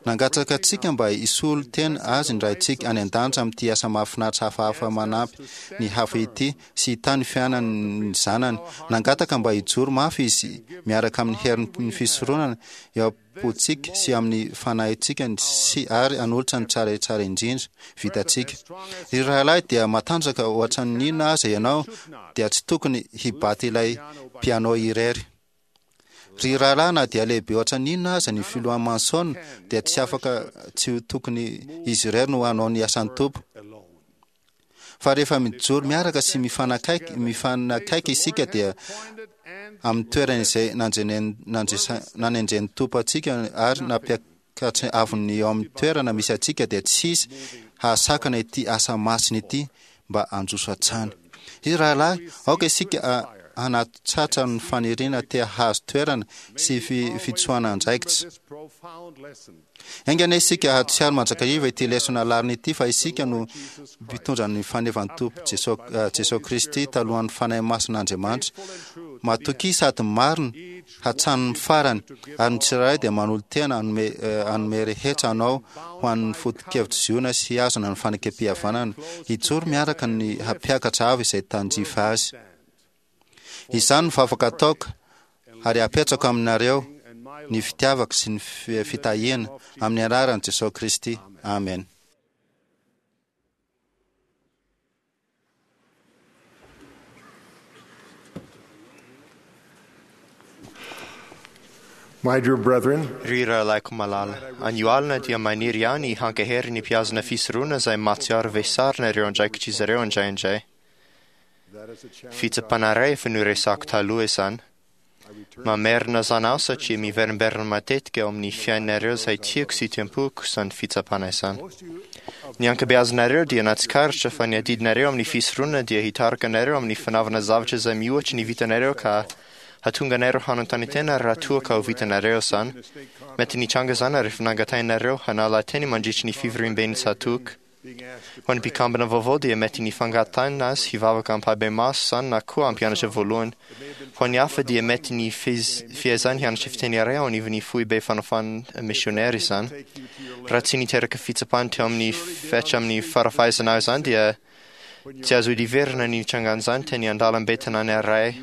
nangataka antsika mba hisolo tena azy ny Raintsika any an-danitra amin'ity asa mahafinaritra hafahafa manampy ny hafa ity sy hitahy ny fiainan'ny zanany. Nangataka mba hijoro mafy izy miaraka amin'ny herin'ny fisoronana eo am-pontsika sy amin'ny fanahintsika sy ary hanolotra ny tsara tsara indrindra vitantsika. Ry rahalahy, dia matanjaka ohatran'ny inona aza ianao dia tsy tokony hibaty ilay piano irery. Ry rahalahy, na dia lehibe ohatran'ny inona aza ny filoha Manson dia tsy afaka tsy ho tokony izy irery no hanao ny asan'ny Tompo. Fa rehefa mijoro miaraka sy mifanakaiky isika dia amin'ny toerana izay nanendren'ny Tompo antsika ary nampiakatra avon'ny eo amin'ny toerana misy antsika dia tsy hisy hahasakana ity asa masina ity mba handroso hatrany. Ry rahalahy, aoka isika hanatratra ny faniriana te hahazo toerana sy fitsoahana andraikitra. Enga anie isika hahatsiaro mandrakariva ity lesona lalina ity fa isika no mpitondra ny fanevan'ny Tompo Jesoa Kristy talohan'ny Fanahy Masin'Andriamanitra. Matokia sady marina hatramin'ny farany, ary ny tsirairay dia manolo-tena hanome rehetra anao ho an'ny foto-kevitr'i Ziona sy hihazona ny fanekem-pihavanana, hijoro miaraka ny hampiakatra avo izay tandrify azy. Izany no vavaka ataoko ary apetrako aminareo ny fitiavako sy ny fitahiana amin'ny anaran'i Jesoa Kristy. Amen. My dear brethren, Ry rahalahiko malala, anio alina dia maniry ihany hankahery ny mpihazona fisorona izay mahatsiaro vesarina ireo andraikitr'izy ireo indraindray. Fitsapana iray efa noresahako taloha izany. Mamerina izany aho satria miverimberina matetika eo amin'ny fiainanareo izay tiako sy tiam-poko izany fitsapana izany. Ny ankabeazanareo dia nahatsikaritra fa ny adidinareo amin'ny fisoronana dia hitarika anareo amin'ny fanaovana zavatra izay mihoatra ny vitanareo ka hahatonga anareo hanontany tena raha toa ka ho vitanareo izany. Mety nitranga izany rehefa nangatahinareo hanala teny mandritry ny fivoriamben'ny tsatòka. Ho an'ny mpikambana vaovao dia mety ny fangatahana azy hivavaka ampahibemaso izany na koa hampianatra voalohany. Ho an'ny hafa dia mety ny fiezahany hianatra fiteny iray ao anivon'ny foibe fanaovana misionera izany. Raha tsy niteraka fitsapana teo amin'ny fetra amin'ny fara-fahaizanao izany dia tsy azo idiverina ny nitrangan'izany teny an-dalambe tanàna iray.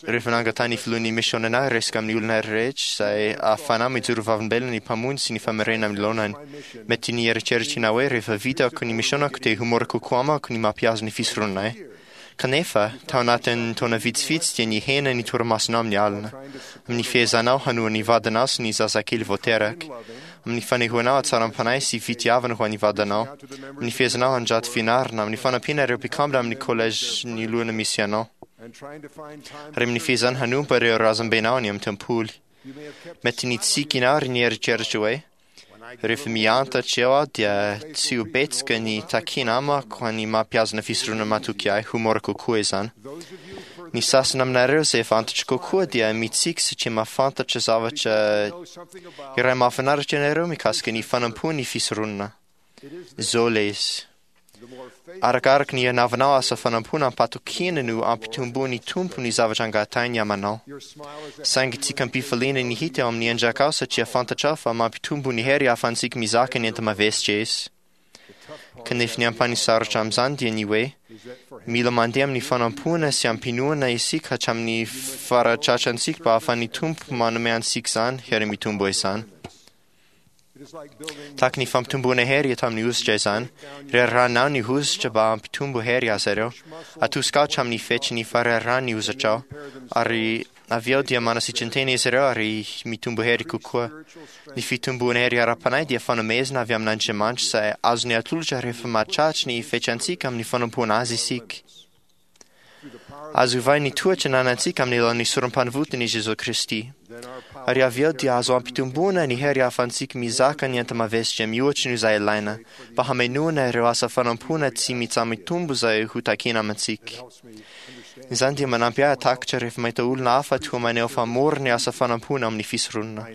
Rehefa nangatahany filohan'ny misionera hiresaka amin'ny olona rehetra izay ahafahana mijoro vavolombelona ny Mpamonjy sy ny famerena amin'ny laonany. Mety ny eritreritrina hoe rehefa vitako ny misionako dia ho mora kokoa amako ny mampihazo ny fisoronanay. Kanefa, tao anatin'ny taona vitsivitsy dia nihena ny torimasonao amin'ny alina, amin'ny fiezanao hanoa ny vadinao sy ny zazakely vao teraka, amin'ny fanehoanao hatsaram-panahy sy fitiavana ho an'ny vadinao, amin'ny fiezanao handrato fianarana, amin'ny fanampiana ireo mpikambana amin'ny collège ny lohana misy anao, ary amin'ny fiezana hanompo ireo razambenao any amin'ny tempoly. Mety nitsiky ianao ary nieritreritra hoe, rehefa miantatra eo aho dia tsy ho betsaka ny takiana amako ny mampihazona fisoronana matoky ahy, ho mora kokoa izany. Ny sasany aminareo izay efa antitra kokoa dia mitsiky satria mahafantatra zavatra iray mahafinaritra ianareo mikasika ny fanompoan'ny fisoronana. Izao ilay izy. Arakaraka ny anaovanao asa fanompoana am-patokiana no ampitomboan'ny Tompo ny zavatra angatahiny aminao. Saingy tsy am-pifaliana ny hita eo amin'ny endrakao satria fantatrao fa mampitombo ny hery ahafahantsika mizaka ny enta-mavesatra izy. Kanefa ny ampahany sarotra amin'izany dia ny hoe mila mandeha amin'ny fanompoana sy am-pinoana isika hatramin'ny faratratrantsika mba ahafahan'ny Tompo manome antsika izany hery mitombo izany. Tahaka ny fampitomboana hery eto amin'ny hositra izany, rerahanao ny hositra mba hampitombo hery azy ireo. Atosikao hatramin'ny fetry ny farerahany ny hozitrao, ary avy eo dia manasitran-tena izy ireo ary mitombo hery kokoa. Ny fitomboana hery ara-panahy dia fanomezana avy amin'Andriamanitra izay azony atolotra rehefa mahatratra ny fetrantsika amin'ny fanompoana azy isika. Azo ovaina ny toetra ananantsika amin'ny alalan'ny sorom-panavotana i Jesoa Kristy. Ary avy eo dia azo ampitomboana ny hery ahafahantsika mizaka ny enta-mavesatra mihoatra noho izay ilaina mba hamenoana ireo asa fanompoana tsy mitsaha-mitombo izay ho takiana amintsika. Izany dia manampy ahy hatakatra rehefa mahita olona hafa toa maneho fa mora ny asa fanompoana amin'ny fisoronana.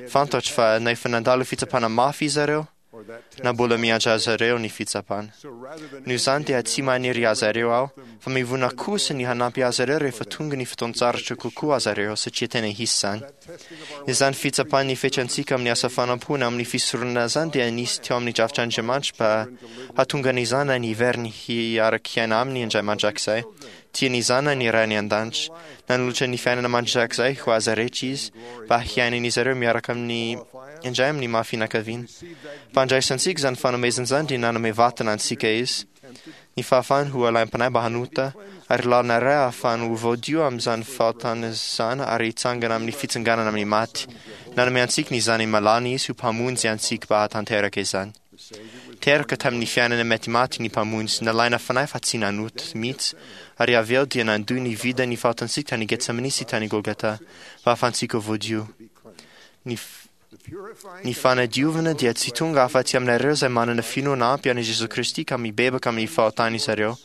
Fantatro fa na efa nandalo fitsapana mafy izy ireo, na mbola miandry azy ireo ny fitsapana. Noho izany dia tsy maniry azy ireo aho, fa mivona kosa ny hanampy azy ireo rehefa tonga ny fotoan-tsarotra kokoa azy ireo, satria tena hisy izany. Izany fitsapan'ny fetrantsika amin'ny asa fanompoana amin'ny fisoronana izany dia nisy teo amin'ny drafitr'Andriamanitra mba hahatonga ny zanany hiverina hiaraka hiaina aminy indray mandrakizay. Tia ny zanany ny Rainy an-danitra. Nanolotra ny fiainana mandrakizay ho azy rehetra izy mba hiainan'izy ireo miaraka amin'ny indray amin'ny maha fianakaviana. Mpandraisantsika izany fanomezana izany dia nanome vatana antsika izy. Ny fahafahany ho alaim-panahy mba hanota ary lalana iray ahafahany ho voadio amin'izany fahotana izany ary hitsangana amin'ny fitsanganana amin'ny maty. Nanome antsika ny zanany malala izy ho mpamonjy antsika mba hahatanteraka izany. Teraka tamin'ny fiainana matimaty ny mpamonjy, nalaina fanahy fa tsy nanota mihitsy, ary avy eo dia nandoa ny vidin'ny fahotantsika tany Getsemane sy tany Golgata mba hahafahantsika ho voadio. Ny ny fanadiovana dia tsy tonga afa-tsy aminareo izay manana finoana ampy an'i Jesoa Kristy ka mibebaka amin'ny fahotan'izy ireo,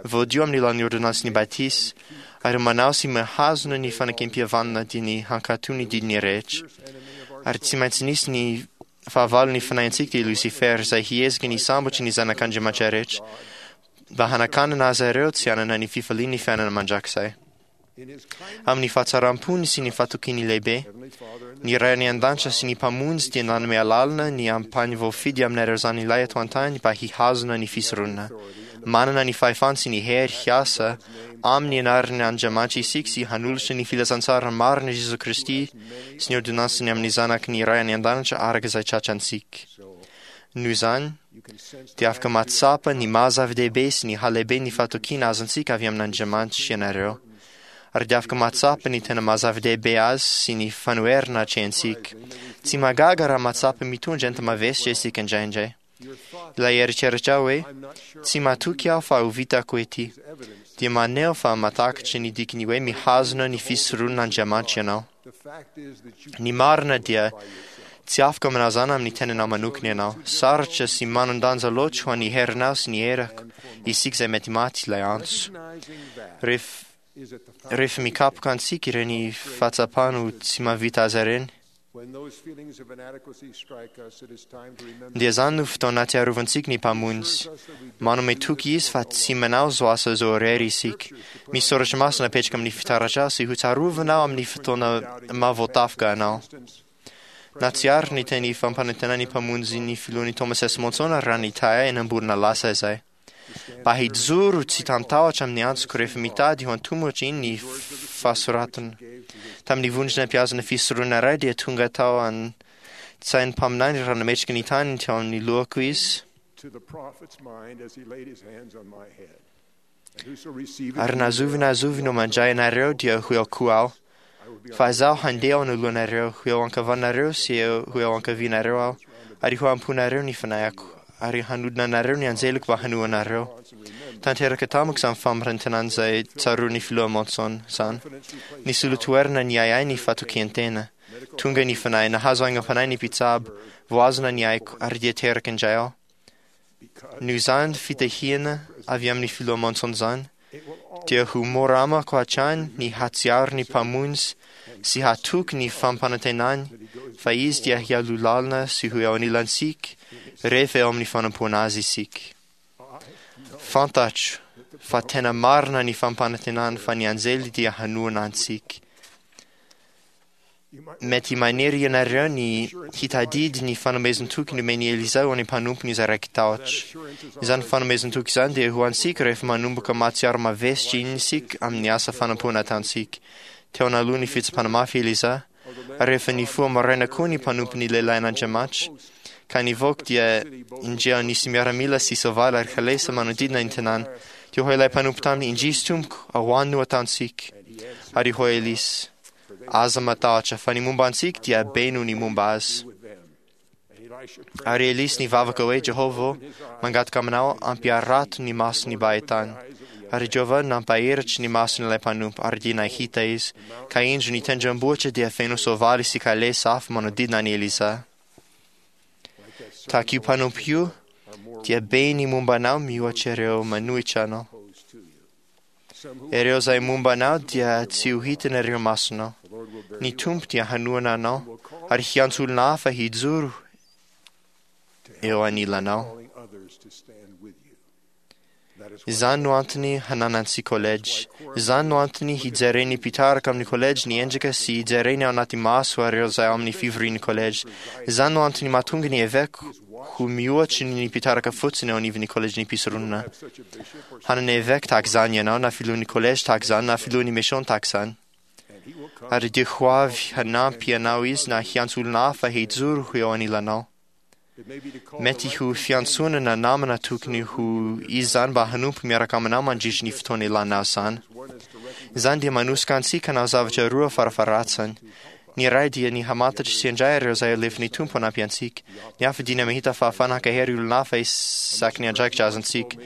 voadio amin'ny alalan'ny ôrdônansin'ny batisa, ary manao sy mihazona ny fanekempihavanana dia ny hankatò ny didiny rehetra. Ary tsy maintsy nisy ny fahavalon'ny fanahintsika dia i Lucifer izay hiezaka ny hisambotra ny zanak'Andriamanitra rehetra mba hanakanana azy ireo tsy hanana ny fifalian'ny fiainana mandrakizay. Amin'ny fahatsaram-pony sy ny fahatokiany lehibe, ny Ray any an-danitra sy ny Mpamonjy dia nanome alalana ny ampahany voafidy aminareo zanilay eto an-tany mba hihazona ny fisoronana. Manana ny fahefana sy ny hery hiasa amin'ny anaran' Andriamanitra isika sy hanolotra ny filazantsara marina Jesoa Kristy sy ny ôrdônansiny amin'ny zanaky ny Ray any an-danitra araka izay tratrantsika. Noho izany, dia afaka mahatsapa ny maha zava-dehibe sy ny halehiben'ny fahatokiana azontsika avy amin'Andriamanitra ianareo. Ary dia afaka mahatsapa ny tena maha zava-dehibe azy sy ny fanoherana atrehintsika. Tsy mahagaga raha mahatsapa mitondra enta-mavesatra isika indraindray. Ilay eritreritra hoe, tsy matoky aho fa ho vitako ity, dia maneho fa matakatra ny dikany hoe mihazona ny fisoronan'Andriamanitra ianao. Ny marina dia tsy afaka manazana amin'ny tenanao manokana ianao. Sarotra sy manan-danja loatra ho an'ny herinao sy ny herako, isika izay mety maty ilay antso. Rehefa mikapoka antsika ireny fahatsapana ho tsy mahavita azy ireny, dia izany no fotoana ahatsiarovantsika ny Mpamonjy. Manome toky Izy fa tsy manao izao asa izao irery isika. Misy soratra masina apetraka amin'ny fitaratra sy hotsarovana amin'ny fotoana mahavoatafika anao. Nahatsiaro ny teny fampanantenan'ny Mpamonjy ny filohan'i Thomas S. Monson raha nitahy ahy eny-amborona lasa izay. Mba hijoro tsy tamin-tahotra amin'ny antsoko rehefa mitady ho antomotra iny ny fahasoratana. Tamin'ny vondrona mpihazona fisoronana iray dia tonga tao an-tsain'ny mpaminany raha nametraka ny taniny teo amin'ny lohako izy. Ary na zovy na zovy no mandray anareo dia ho eo koa aho. Fa izaho handeha ao anoloanareo, ho eo ankavanareo sy ho eo ankavianareo aho, ary ho amponareo ny fanahiko, ary hanodina anareo ny anjeliko mba hanoa anareo. Tanteraka tamiko izany fampirantenana izay tsaroan'ny filoha Monson izany. Nisolo toerana ny ahiahy ny fatokian-tena. Tonga ny fanahy, nahazo aingam-panahy ny mpitsabo, voazona ny aiko, ary dia teraka indray aho. Noho izany fitahiana avy amin'ny filoha Monson izany, Dia ho mora amako hatrany ny hatsiaro ny Mpamonjy sy hatoky ny fampanantenany fa Izy dia hialoha lalana sy ho eo anilantsika rehefa eo amin'ny fanompoana Azy isika. Fantatro fa tena marina ny fampanantenany fa ny anjely dia hanohana antsika. Mety maniry ianareo ny hitadidy ny fanomezan-toky nomen'i Elisa ho an'ny mpanompony izay raiki-tahotra. Izany fanomezan-toky izany dia ho antsika rehefa manomboka mahatsiaro mavesitra iny isika amin'ny asa fanompoana ataontsika. Teo analoha ny fitsapana mafy Elisa, ary rehefa nifoha maraina koa ny mpanompony lehilahin'Andriamanitra, ka nivoaka dia indreo nisy miaramila sy soavaly ary kalesa manodidina ny tanàna. Dia hoy ilay mpanompo taminy, indrisy tompoko, ahoana no ataontsika? Ary hoy Elisa, aza matahotra fa ny momba antsika dia be noho ny momba azy. Ary Elisa nivavaka hoe, Jehovah, mangataka aminao ampiarato ny masony mba hahitany. Ary Jehovah nampaheritry ny mason'ilay mpanompo, ary dia nahita izy. Ka indro ny tendrombohitra dia feno soavaly sy kalesa afo manodidina an'i Elisa. Tahaka io mpanompo io, dia be ny momba anao mihoatra ireo manohitra anao. Ireo izay momba anao dia tsy ho hitan'ireo masonao. Ny Tompo dia hanohana anao ary hiantso olona hafa hijoro eo anilanao. Izany no antony hananantsika kolejy. Izany no antony hijeren'ny mpitarika amin'ny kolejy ny endrika sy hijereny ao anaty maso ireo izay ao amin'ny fivorian'ny kolejy. Izany no antony mahatonga ny eveka ho mihoatry ny mpitarika fotsiny eo anivon'ny kolejin'ny mpisoronana. Hanana eveka tahaka izany ianao, na filohan'ny kolejy tahaka izany, na filohan'ny mission tahaka izany. Ary dia ho avy hanampy anao izy na hiantso olona hafa hijoro ho eo anilanao. Mety ho fiantsoana na namana tokony ho izy izany mba hanompo miaraka aminao mandritry ny fotoana ilanao izany. Izany dia manosika antsika hanao zavatra roa farafaharatsiny. Ny iray dia ny hamantatra sy handray ireo izay alefan'ny Tompo hanampy antsika. Ny hafa dia ny mahita fahafahana hankahery olona hafa isaky ny andraikitra azontsika.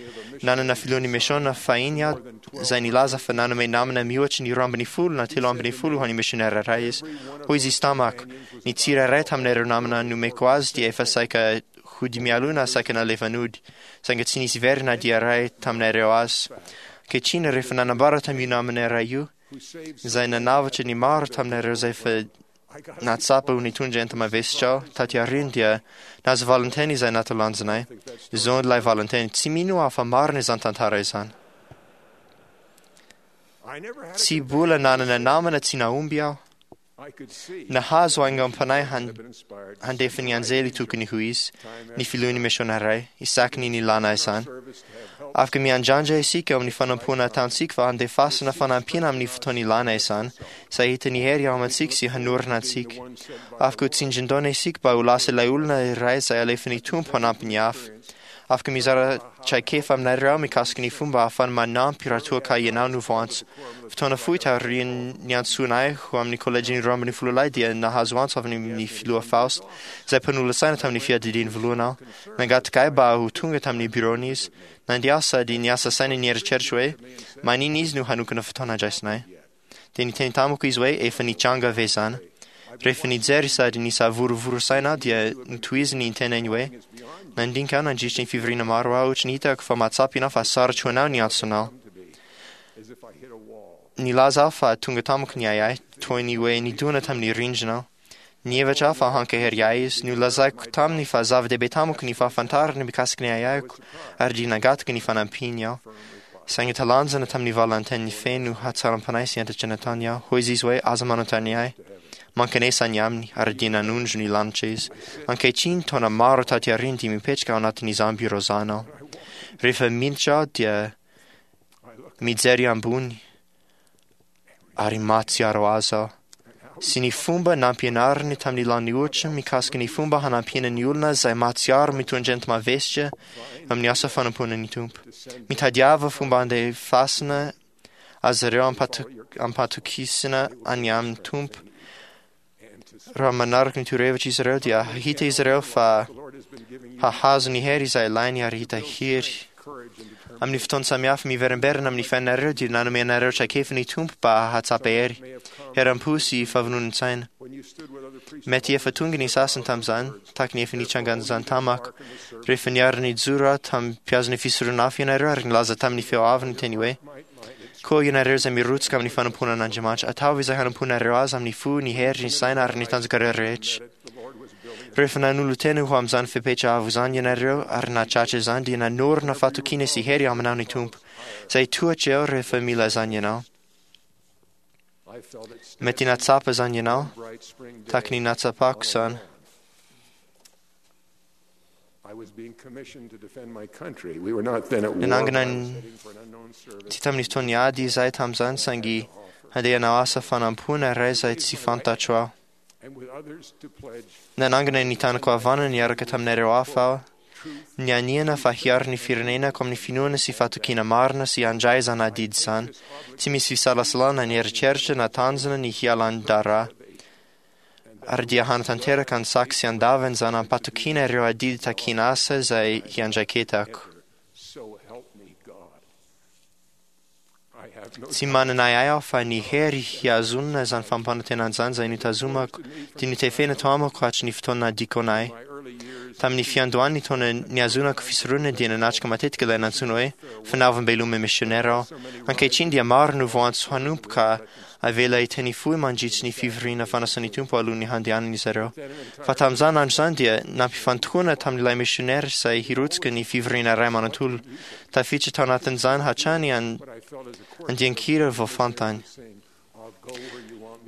Nanana filohan'ny misiona fahiny aho izay nilaza fa nanome namana mihoatry ny 12 na 13 ho an'ny misionera iray izy. Hoy izy tamako, ny tsirairay tamin'ireo namana nomeko azy dia efa saika hody mialoha na saika nalefa nody, saingy tsy nisy very na dia iray tamin'ireo azy. Ankehitriny, rehefa nanambara tamin'io namana iray io, izay nanavotra ny maro tamin'ireo izay efa nahatsapa ho nitondra enta-mavesatra aho, taty aoriana dia nahazo valinteny izay natalanjonay. Izao ilay valinteny, tsy mino aho fa marina izany tantara izany. Tsy mbola nanana namana tsy nahomby aho. Nahazo aingam-panahy handefa ny anjely tokony ho izy, ny filohan'ny misiona iray, isaky ny nilana izany. Afaka miandrandra isika amin'ny fanompoana ataontsika fa handefasana fanampiana amin'ny fotoana ilana izany, izay hahita ny hery ao amintsika sy hanorina antsika. Afaka ho tsindrin-daona isika mba ho lasa ilay olona iray izay alefan'ny Tompo hanampy ny hafa. Afaka mizara traikefa aminareo aho mikasika ny fomba ahafahana manampy raha toa ka ianao no voantso. Fotoana fohy taorian'ny niantsoana ahy ho amin'ny kolejin'ny 12 lahy dia nahazo antso avy amin'ny filoha Faust, izay mpanolotsaina tamin'ny fiadidiany voalohany aho. Nangataka ahy mba ho tonga tamin'ny biraony izy. Nandeha aho sady niasa saina nieritreritra hoe maninona izy no hanokana fotoana handraisana ahy. Dia niteny tamiko izy hoe efa nitranga ve izany. Rehefa nijery sady nisavorovoro saina aho dia notohiziny ny tenany hoe nandinika aho nandritra ny fivoriana maro aho ohatry ny hitako fa mahatsapa ianao fa sarotra ho anao ny antsonao. Nilaza aho fa tonga tamiko ny ahiahy toy ny hoe nidona tamin'ny rindrina aho. Nihevitra aho fa hankahery ahy izy. Nolazaiko taminy fa zava-dehibe tamiko ny fahafantarany mikasika ny ahiahiko ary dia nangataka ny fanampiany aho. Saingy talanjona tamin'ny valan-teniny feno hatsaram-panahy sy hentitra nataony aho. Hoy izy hoe aza manontany ahy. Mankanesa any aminy ary dia nanondro ny lanitra izy. Ankehitriny, taona maro taty aoriana dia mipetraka ao anatin'izany birao izany aho. Rehefa miditra aho dia mijery ambony ary mahatsiaro azy aho. Sy ny fomba nampianariny tamin'ny lany ohatra mikasika ny fomba hanampiana ny olona izay mahatsiaro mitondra enti-mavesitra amin'ny asa fanompoana ny Tompo. Mitadiava fomba handefasana azy ireo ampatokisana any amin'ny Tompo. Raha manaraka ny torohevitra izy ireo dia hahita izy ireo fa hahazo ny hery izay ilainy ary hita hery. Amin'ny fotoana samihafa miverimberina amin'ny fiainanareo dia nanome anareo traikefa ny Tompo mba hahatsapa hery, herim-po sy fahavononantsaina. Mety efa tonga ny sasany tamin'izany, tahaka ny efa nitrangan'izany tamako. Rehefa niara-nijoro aho tamin'ny mpiazon'ny fisoronana hafa ianareo ary nilaza tamin'ny feo avo ny teny hoe, Koa ianareo izay mirotsaka amin'ny fanompoana an'Andriamanitra, ataovy izay hanompoanareo azy amin'ny fo, ny hery, ny saina ary ny tanjakareo rehetra. Rehefa nanolo-tena ho amin'izany fepetra avo izany ianareo ary nahatratra izany dia nanorina fahatokiana sy hery aminao ny Tompo, izay tohatra eo rehefa mila izany ianao. Mety nahatsapa izany ianao, tahaka ny nahatsapako izany. Nanangana tsy tamin'ny fotoan'ny ady izahay tamin'izany saingy handeha hanao asa fanampoana iray izay tsy fantatro aho. Nanangana ny tanako havanana niaraka taminareo hafa aho, nianiana fa hiaro ny firenenako amin'ny finoana sy fahatokiana marina sy handray izany adidy izany. Tsy misy fisalasalana ny eritreritra na tanjona ny hialan-draharaha. Ary dia hanatanteraka an-tsaky sy an-davany izany am-patokiana ireo adidy takiana asa izay hiandraiketako. Tsy manana ahiahy aho fa ny hery hihazonana izany fampanantenana izany izay notazomako dia notefena tao amiko hatry ny fotoana nahadikona ahy. Tamin'ny fiandohan'ny taona nihazonako fisoronana dia nanatrika matetika ilay nantsoina hoe fanaovam-beloma misionera aho. Ankehitriny dia maro no voantso hanompo ka avela hiteny fohy mandritry ny fivoriana fanasan'ny Tompo alohan'ny handehanany izy ireo. Fa tamin'izany andro izany dia nampifantohana tamin'ilay misionera izay hirotsaka ny fivoriana iray manontolo. Tafiditra tao anatin'izany hatrany andian-kira vao fantany.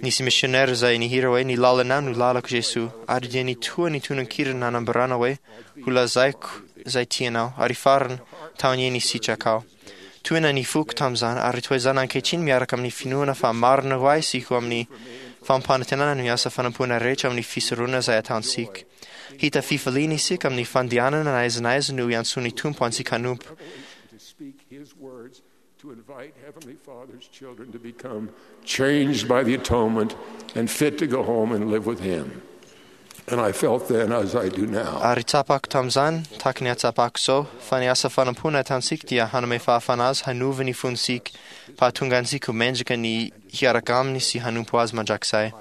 Nisy misionera izay nihira hoe ny lalanao no lalako Jesoa ary dia nitoha ny tononkira nanambarana hoe ho lazaiko izay tianao ary farany tao ny sitrakao. Tohina ny foko tamin'izany ary toy izany ankehitriny miaraka amin'ny finoana fa marina ho ahy sy ho amin'ny fampanantenana ny asa fanompoana rehetra amin'ny fisoronana izay ataontsika. Hita fifaliana isika amin'ny fandehanana na aiza na aiza no iantsoan'ny Tompo antsika hanompo. To invite Heavenly Father's children to become changed by the atonement and fit to go home and live with Him. And I felt then, as I do now, Ary tsapako tamin'izany, tahaka ny atsapako izao, fa ny asa fanompoana ataontsika dia hanome fahafahana azy hanova ny fontsika, mba hahatonga antsika ho mendrika ny hiaraka aminy sy hanompo azy mandrakizay.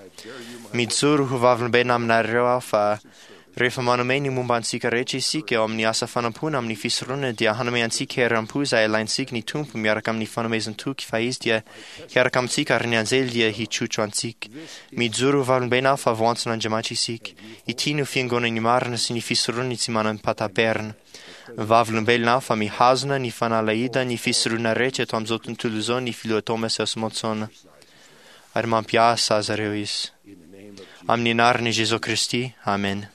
Mijoro ho vavolombelona aminareo aho fa rehefa manome ny momba antsika rehetra isika eo amin'ny asa fanompoana amin'ny fisoronana dia hanome antsika herim-po izay ilaintsika ny Tompo miaraka amin'ny fanomezan-toky fa izy dia hiaraka amintsika ary ny anjely dia hitrotro antsika. Mijoro ho vavolombelona aho fa voantson'Andriamanitra isika. Ity no fiangonan'ny marina sy ny fisoronany tsy manam-pataperana. Vavolombelona aho fa mihazona ny fanalahida ny fisoronana rehetra eto amin'izao tontolo izao ny filoha Thomas S. Monson. Ary mampiasa azy ireo izy. Amin'ny anaran'i Jesoa Kristy, amen.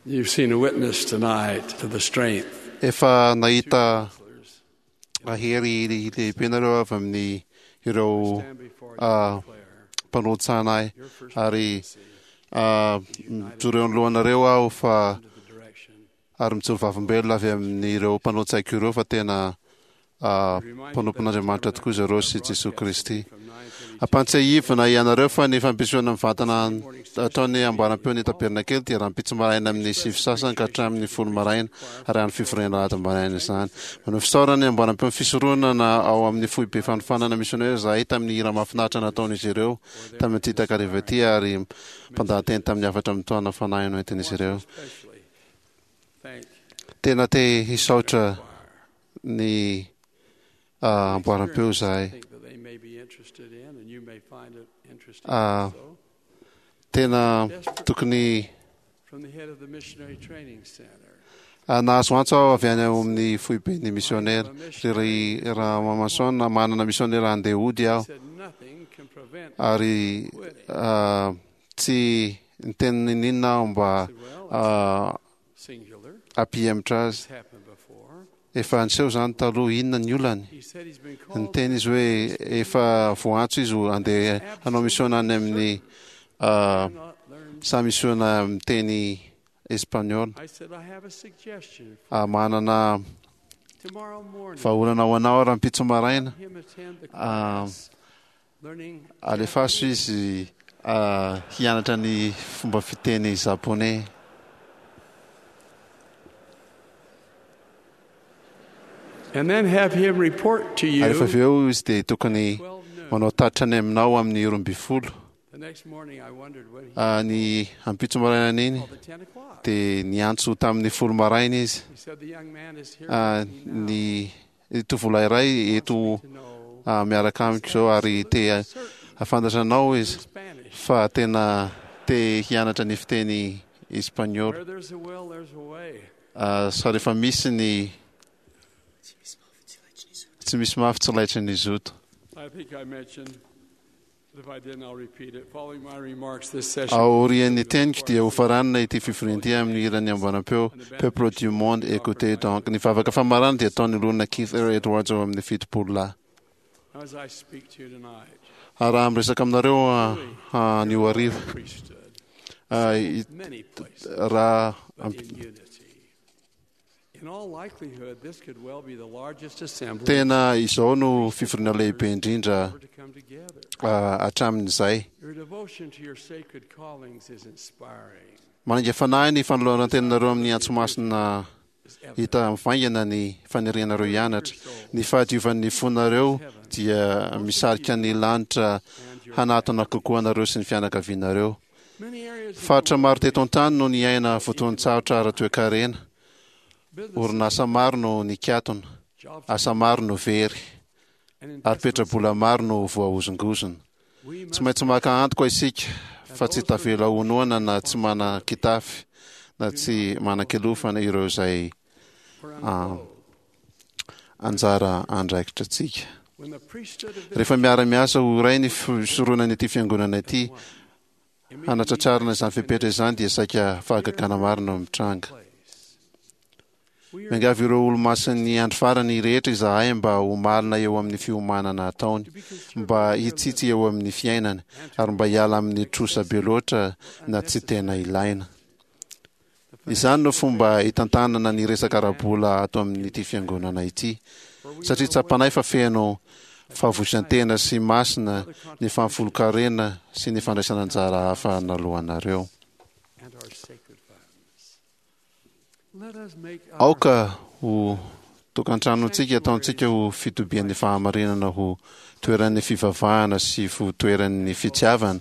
You've seen a witness tonight to the strength. Efa nahita hery lehibe nareo avy amin'ny ireo mpanotsana ahy ary mijoro eo anoloanareo aho fa ary mijoro vavolombelona avy amin'ireo mpanao-tsaiko ireo fa tena mpanompon'Andriamanitra tokoa izy ireo sy Jesoa Kristy. Ampantsiahivina ianareo fa ny fampisehoana mivantana ataon'ny amboaram-peon'ny tabernakely dia rahampitso maraina amin'ny 9:30 ka hatramin'ny 10 maraina ary any fivoriana alahady maraina izany. Manao fisaorana ny amboaram-peon'ny fisoronana ao amin'ny foibe fanofanana misionera izahay tamin'ny hira mahafinaritra nataon'izy ireo tamin'ity takariva ity ary mpandahateny tamin'ny hafatra mitohana fanahy noentin'izy ireo. Tena te hisaotra ny amboaram-peo izahay. Tena tokony nahazo antso aho avy any amin'ny foiben'ny misionera. Ry Ramamason, manana misionera handeha hody aho. Ary tsy niteny n'inon'inona aho mba hampihemotra azy. Efa niseho izany taloha, inona ny olany? Niteny izy hoe efa voantso izy handeha hanao misiona any amin'ny saha misiona miteny espaniola. Manana vahaolana ho anao rahampitso maraina. Alefaso izy hianatra ny fomba fiteny japoney. And then have him report to Ary rehefa avy you. eo izy dia tokony manao tatitra any aminao amin'ny 12. The next morning I wondered when he Ah, ny ampitso maraina iny dia niantso tamin'ny 10 maraina izy. He said the young man is here Ah, ny tovolahy iray eto ah, miaraka amiko izao ary te hahafantatra anao izy fa tena te hianatra ny fiteny espagnol. Where there's a will, there's a way. Ah, sa rehefa misy ny tsy misy mafy tsy laitry ny zoto. I think I mentioned, but if I didn't, I'll repeat it. Following my remarks this session, Aorian'ny teniko dia hofaranina ity fivoriana ity amin'ny hiran'ny amboaram-peo Peuple du monde écoutez donc. Ny vavaka famarana dia ataon'ny olona Keith R. Edwards ao amin'ny 70 lahy. as I speak to you tonight, Ah, Raha miresaka aminareo ah, anio hariva ah, many places, raha but in unity. In all likelihood, this could well be the largest assembly tena izao no fivoriana lehibe indrindra ever to come together. ah, hatramin'izay. Your devotion to your sacred callings is inspiring. Manainga fanahy ny fanoloran-tenanareo amin'ny antso masina hita mivaingana ny fanirianareo hianatra. Ny fahadiovan'ny fonareo dia misarika ny lanitra hanatona kokoa anareo sy ny fianakavianareo. Faritra maro teto an-tany no niaina fotoan-tsarotra ara-toekarena. Orinasa maro no nikatona, asa maro no very, ary petrabola maro no voahozongozona. Tsy maintsy maka antoka isika fa tsy tavela ho noana na tsy manan-kitafy na tsy manan-kilofana ireo izay ah, anjara andraikitra antsika. When the priesthood of the Rehefa miara-miasa ho iray ny fisoronana ity fiangonana ity, hanatratrarana izany fepetra izany dia saika fahagagana maro no mitranga. Miangavy ireo olo-masin'ny andro farany rehetra izahay mba ho malina eo amin'ny fiomanana ataony, mba hitsitsy eo amin'ny fiainany, ary mba hiala amin'ny trosa be loatra na tsy tena ilaina. Izany no fomba hitantanana ny resaka ara-bola ato amin'ity fiangonana ity, satria tsapanay fa feno fahavozan-tena sy masina ny fahafolonkarena sy ny fandraisana anjara hafa naloanareo. and our sacred funds. Let us make our Aoka ho tokantranontsika ataontsika ho fitobian'ny fahamarinana ho toeran'ny fivavahana sy ho toeran'ny fitiavana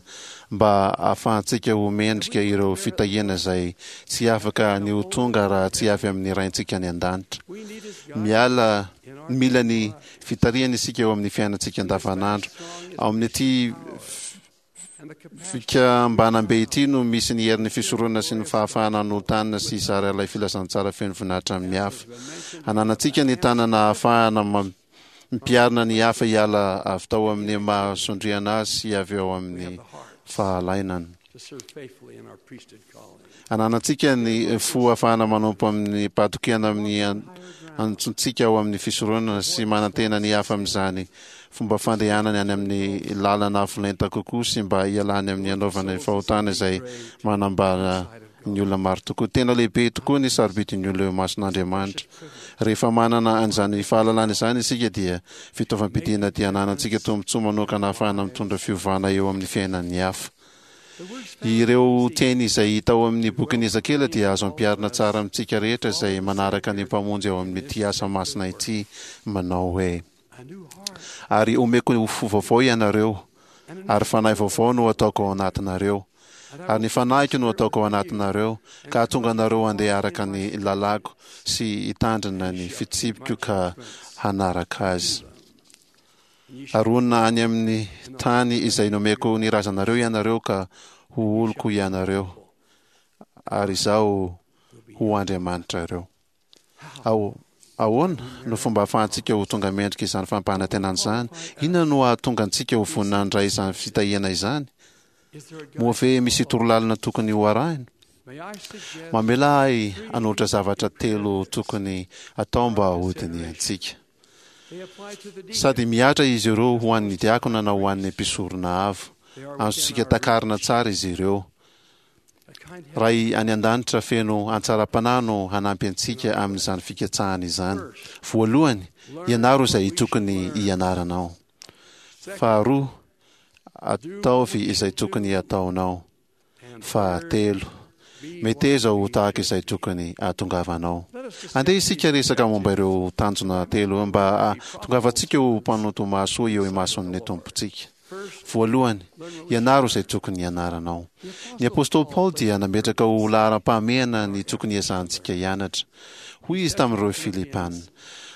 mba ahafahantsika ho mendrika ireo fitahiana izay tsy afaka ny ho tonga raha tsy avy amin'ny raintsika any an-danitra. Miala mila ny fitarihana isika eo amin'ny fiainantsika andavanandro. Ao amin'ity fikambanam-be ity no misy ny herin'ny fisoronana sy ny fahafahana hanolo-tanana sy hizara ilay filazantsara feno voninahitra amin'ny hafa. Ananantsika ny tanana ahafahana mampiarina ny hafa hiala avy tao amin'ny mahasondriana azy sy avy ao amin'ny fahalainana. to serve faithfully in our priesthood calling. Ananantsika ny fo ahafahana manompo amin'ny pahatokiana amin'ny antsontsika ao amin'ny fisoronana sy manantena ny hafa amin'izany fomba fandehanany any amin'ny lalana avo lenta kokoa sy mba hialany amin'ny anaovana ny fahotana izay manambara ny olona maro tokoa. Tena lehibe tokoa ny sarobidin'ny olona eo imason'Andriamanitra. Rehefa manana an'izany fahalalana izany isika dia fitaovam-piadiana dia ananantsika tombontsoa manokana ahafahana mitondra fiovana eo amin'ny fiainan'ny hafa. Ireo teny izay hita ao amin'ny bokin'i Ezekiela dia azo ampiharina tsara amintsika rehetra izay manaraka ny Mpamonjy ao amin'ity asa masina ity manao hoe: Ary omeko fo vaovao ianareo, ary fanahy vaovao no ataoko ao anatinareo. Ary ny fanahiko no ataoko ao anatinareo, ka hahatonga anareo handeha araka ny lalàko sy hitandrina ny fitsipiko ka hanaraka azy. Ary honina any amin'ny tany izay nomeko ny razanareo ianareo ka ho oloko ianareo, ary Izaho ho Andriamanitrareo. Ao, ahoana no fomba ahafahantsika ho tonga mendrika izany fampanantenana izany? Inona no hahatonga antsika ho vonona handray izany fitahiana izany? Moa ve misy torolalana tokony ho arahina? Mamela ahy hanolotra zavatra telo tokony atao mba hodinihantsika. Sady mihatra izy ireo ho an'ny diakona na ho an'ny mpisorona avo. Azontsika takarina tsara izy ireo. Ray any an-danitra feno hatsaram-panahy no hanampy antsika amin'izany fikatsahana izany. Voalohany, ianaro izay tokony hianaranao. Faharoa, ataovy izay tokony hataonao. Fahatelo, Meteza ho tahaka izay tokony hahatongavanao. Andeha isika hiresaka momba ireo tanjona telo mba hahatongavantsika ho mpanompo mahasoa eo imason'ny Tompontsika. Voalohany, ianaro izay tokony hianaranao. Ny apostoly Paoly dia nametraka ho laharam-pahamehana ny tokony hiezahantsika hianatra. Hoy izy tamin'ireo Filipana,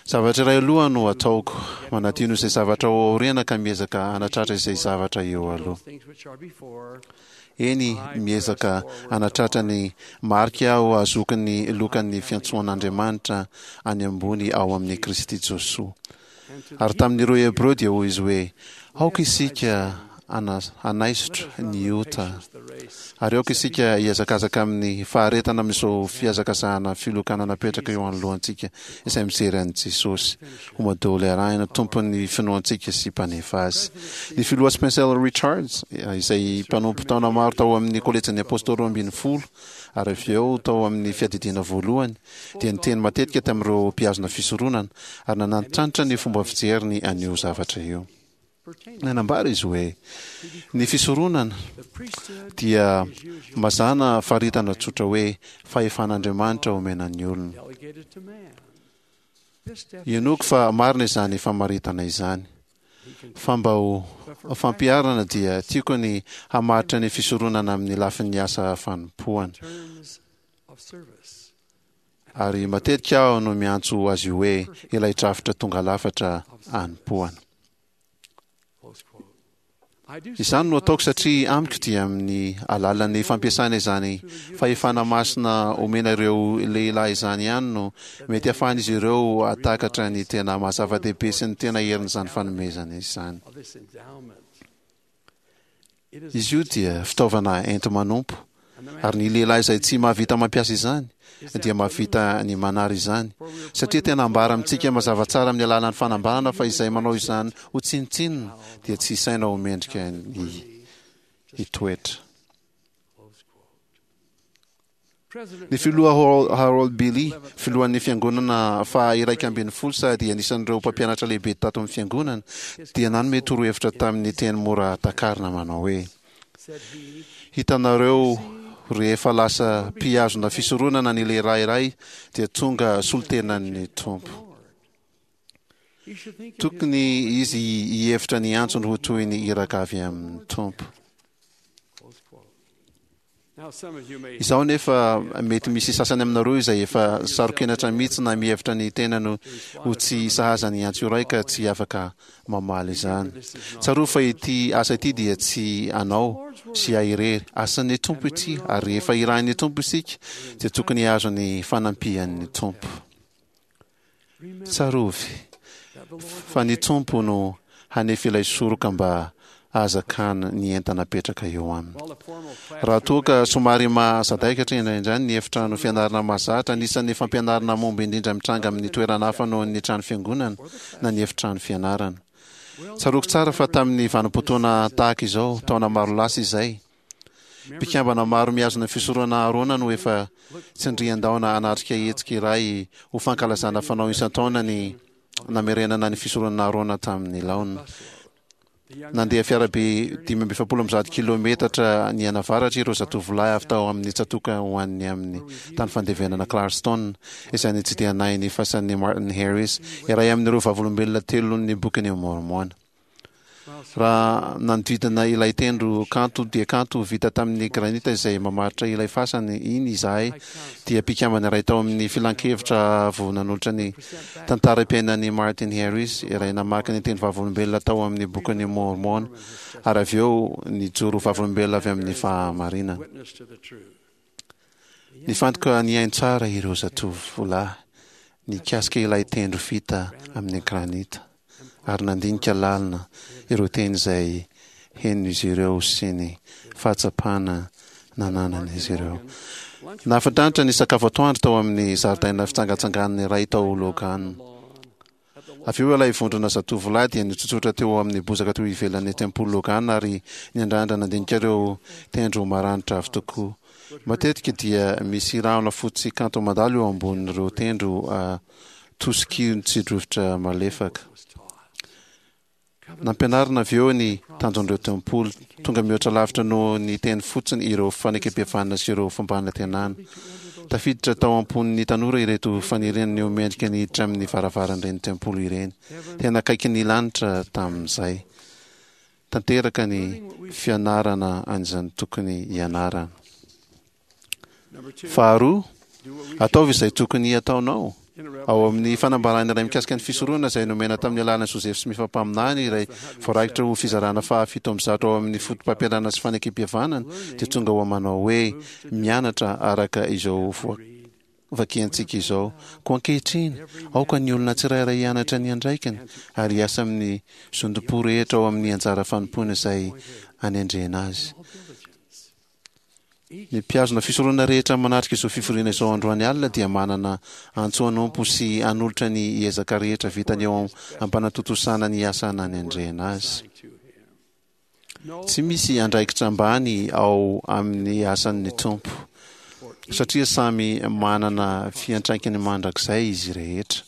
Zavatra iray aloha no ataoko, manadino izay zavatra ao aoriana ka miezaka hanatratra izay zavatra eo aloha. Eny, miezaka hanatratra ny marika aho hahazoako ny lokan'ny fiantsoan'Andriamanitra any ambony ao amin'i Kristy Josoa. Ary tamin'ireo Hebreo dia hoy izy hoe, Aoka isika hanaisotra ny ota, ary aoka isika hihazakazaka amin'ny faharetana amin'izao fihazakazahana filokana napetraka eo anoloantsika izay mijery an'i Jesosy ho modely arahina, Tompon'ny finoantsika sy Mpanefa azy. Ny Filoha Spencer Richards, izay mpanompo taona maro tao amin'ny Kolejin'ny Apostoly 12 ary avy eo tao amin'ny Fiadidiana Voalohany, dia niteny matetika tamin'ireo mpihazona fisoronana ary nanantitrantitra ny fomba fijeriny an'io zavatra io. Nanambara izy hoe, Ny fisoronana dia mazàna faritana tsotra hoe fahefan'Andriamanitra omena ny olona. Inoako fa marina izany famaritana izany. Fa mba ho fampiharana dia tiako ny hamaritra ny fisoronana amin'ny lafin'ny asa fanompoana. Ary matetika aho no miantso azy io hoe ilay drafitra tonga lafatra anompoana. Izany no ataoko satria amiko dia amin'ny alalan'ny fampiasana izany fahefana masina omena ireo lehilahy izany ihany no mety hahafahan'izy ireo hahatakatra ny tena maha zava-dehibe sy ny tena herin'izany fanomezana izany. Izy io dia fitaovana enti-manompo, ary ny lehilahy izay tsy mahavita mampiasa izany dia mahavita ny manary izany, satria tena ambara amintsika mazava tsara amin'ny alalan'ny fanambarana fa izay manao izany ho tsinontsinona dia tsy isaina ho mendrika ny hitoetra. Ny filoha Harold Billy, filohan'ny Fiangonana faha-11 sady anisan'ireo mpampianatra lehibe tato amin'ny Fiangonana, dia nanome torohevitra tamin'ny teny mora takarina manao hoe, Hitanareo, rehefa lasa mpihazona fisoronana ny lehilahy iray dia tonga solontenan'ny Tompo. Tokony izy hihevitra ny antsony ho toy ny iraka avy amin'ny Tompo. Izao anefa, mety misy sasany aminareo izay efa saro-kenatra mihitsy na mihevitra ny tenany ho tsy sahaza ny antso iray ka tsy afaka mamaly izany. Tsarovy fa ity asa ity dia tsy anao sy ahy irery. Asan'ny Tompo ity, ary rehefa irahin'ny Tompo isika dia tokony hahazo ny fanampian'ny Tompo. Tsarovy fa ny Tompo no hanefy ilay soroka mba hahazakany ny entana apetraka eo aminy. Raha toa ka somary mahasadaikatra indraindray ny efitrano fianarana mahazatra, anisan'ny fampianarana mahomby indrindra mitranga amin'ny toerana hafa noho ny trano fiangonana na ny efitrano fianarana. Tsaroako tsara fa tamin'ny vanim-potoana tahaka izao, taona maro lasa izay, Mpikambana maro mihazona ny fisoronana Aharôna no efa tsindrian-daona hanatrika hetsika iray ho fankalazana fanao isan-taona ny namerenana ny fisoronana Aharôna tamin'ny laoniny. Nandeha fiarabe 145 kilaometatra nianavaratra ireo zatovolahy avy tao amin'ny tsatòka ho any amin'ny tany fandevenana Clarkston, izay nitsidihanay ny fasan'i Martin Harris, iray amin'ireo Vavolombelona Telon'ny Bokin'i Môrmôna. Raha nanodidina ilay tendro kanto dia kanto vita tamin'ny granita izay mamaritra ilay fasana iny izahay, dia mpikambana iray tao amin'ny filankevitra avo nanolotra ny tantaram-piainan'i Martin Harris, iray namaky ny teny vavolombelona tao amin'ny Bokin'i Môrmôna, ary avy eo nijoro ho vavolombelona avy amin'ny fahamarinana. Nifantoka nihaino tsara ireo zatovolahy nikasika ilay tendro vita amin'ny granita, ary nandinika lalina ireo teny izay henon'izy ireo sy ny fahatsapana nananan'izy ireo. Nahafinaritra ny sakafo atoandro tao amin'ny zaridaina fitsangatsanganana iray tao Logan. Avy eo ilay vondrona zatovolahy dia nitsotsotra teo amin'ny bozaka teo ivelan'ny tempoly Logan ary niandrandra nandinika ireo tendro maranitra avy tokoa. Matetika dia misy rahona fotsy kanto mandalo eo ambonin'ireo tendro atosiky ny tsi-drivotra malefaka. Nampianarina avy eo ny tanjon'ireo tempoly, tonga mihoatra lavitra noho ny teny fotsiny ireo fanekempihavanana sy ireo fampanantenana. Tafiditra tao am-pon'ny tanora ireto faniriana ny ho mendrika ny hiditra amin'ny varavaran'ireny tempoly ireny. Tena akaiky ny lanitra tamin'izay. Tanteraka ny fianarana an'izany tokony hianarana. Faharoa, ataovy izay tokony hataonao. Ao amin'ny fanambarana iray mikasika ny fisoronana izay nomena tamin'ny alalan'i Joseph Smith mpaminany iray voarakitra ho fizarana faha 107 ao amin'ny Fotopampianarana sy Fanekempihavanana dia tonga ho manao hoe mianatra araka izao vakiantsika izao. Koa ankehitriny, aoka ny olona tsirairay hianatra ny andraikiny ary hiasa amin'ny zotom-po rehetra ao amin'ny anjara fanompoana izay anendrena azy. Ny mpihazona fisoronana rehetra manatrika izao fivoriana izao androany alina dia manana antso hanompo sy hanolotra ny ezaka rehetra vitany eo am-panatontosana ny asa nanendrena azy. Tsy misy andraikitra ambany ao amin'ny asan'ny Tompo, satria samy manana fiantraikany mandrakizay izy rehetra.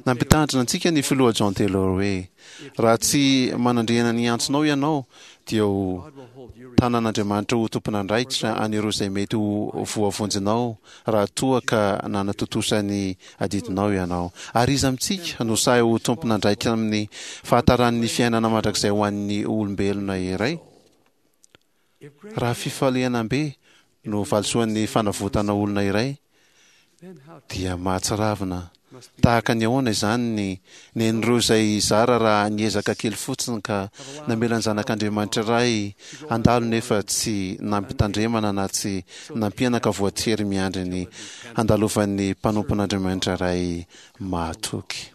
Nampitandrina antsika ny Filoha John Taylor hoe, Raha tsy manandriana ny antsonao ianao, dia ho tanan'Andriamanitra ho tompon'andraikitra an'ireo izay mety ho voavonjinao raha toa ka nanatontosa ny adidinao ianao. Ary iza amintsika no sahy ho tompon'andraikitra amin'ny fahataran'ny fiainana mandrakizay ho an'ny olombelona iray? Raha fifalianam-be no valisoan'ny fanavotana olona iray, dia mahatsiravina tahaka ny ahoana izany ny nen'ireo izay zara raha niezaka kely fotsiny ka namela ny Zanak'Andriamanitra iray handalo nefa tsy nampitandremana na tsy nampiana ka voatery miandry ny handalovan'ny mpanompon'Andriamanitra iray mahatoky.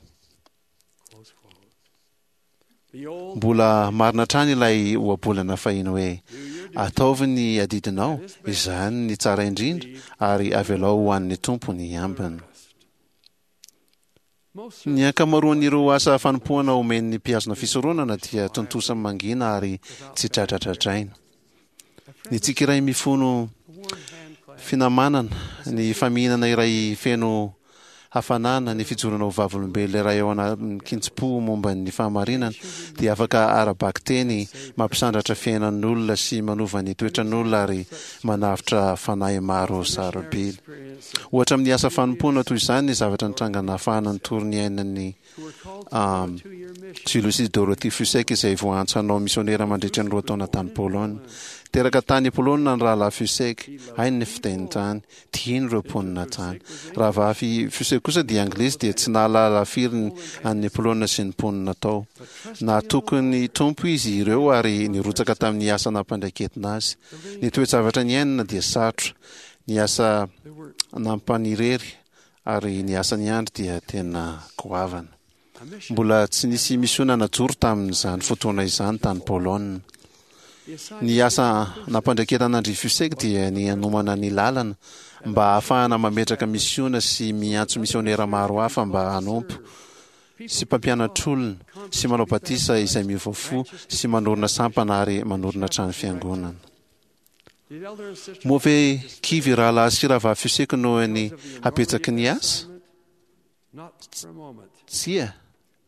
Mbola marina hatrany ilay ohabolana fahiny hoe, Ataovy ny adidinao, izany ny tsara indrindra, ary avelao ho an'ny Tompo ny ambiny. Ny ankamaroan'ireo asa fanompoana omen'ny mpihazona fisoronana dia tontosa mangina ary tsy dradradradraina. Ny tsiky iray mifono finamanana, ny famihinana iray feno hafanana, ny fijoroana ho vavolombelona iray ao anatin-kitsim-po momba ny fahamarinana dia afaka ara-bakiteny mampisandratra fiainan'olona sy manova ny toetran'olona ary manavotra fanahy maro sarobidy. Ohatra amin'ny asa fanompoana toy izany ny zavatra nitranga nahafahana nitory ny ainan'i Julius sy Dorothy Fussek izay voaantso hanao misionera mandritra ny 2 taona tany Polonina. Teraka tany Polonina ny rahalahy Fussek, hainy ny fiteny tany, tiany ireo mponina tany. Rahavavy Fussek kosa dia anglisy dia tsy nahalala firy an'i Polonina sy ny mponina tao. Nahatoky ny Tompo izy ireo ary nirotsaka tamin'ny asa nampandraiketina azy. Ny toe-javatra niainana dia sarotra, ny asa nampanirery ary ny asa niandry dia tena goavana. Mbola tsy nisy misiona najoro tamin'izany fotoana izany tany Polonina. Ny asa nampandraiketana an-dry Fussek dia ny hanomana ny lalana mba hahafahana mametraka misiona sy miantso misionera maro hafa mba hanompo sy mpampianatr'olona sy manao batisa izay miova fo sy manorina sampana ary manorina trano fiangonana. Moa ve kivy rahalahy sy rahavavy Fussek noho ny habetsaky ny asa? Tsia,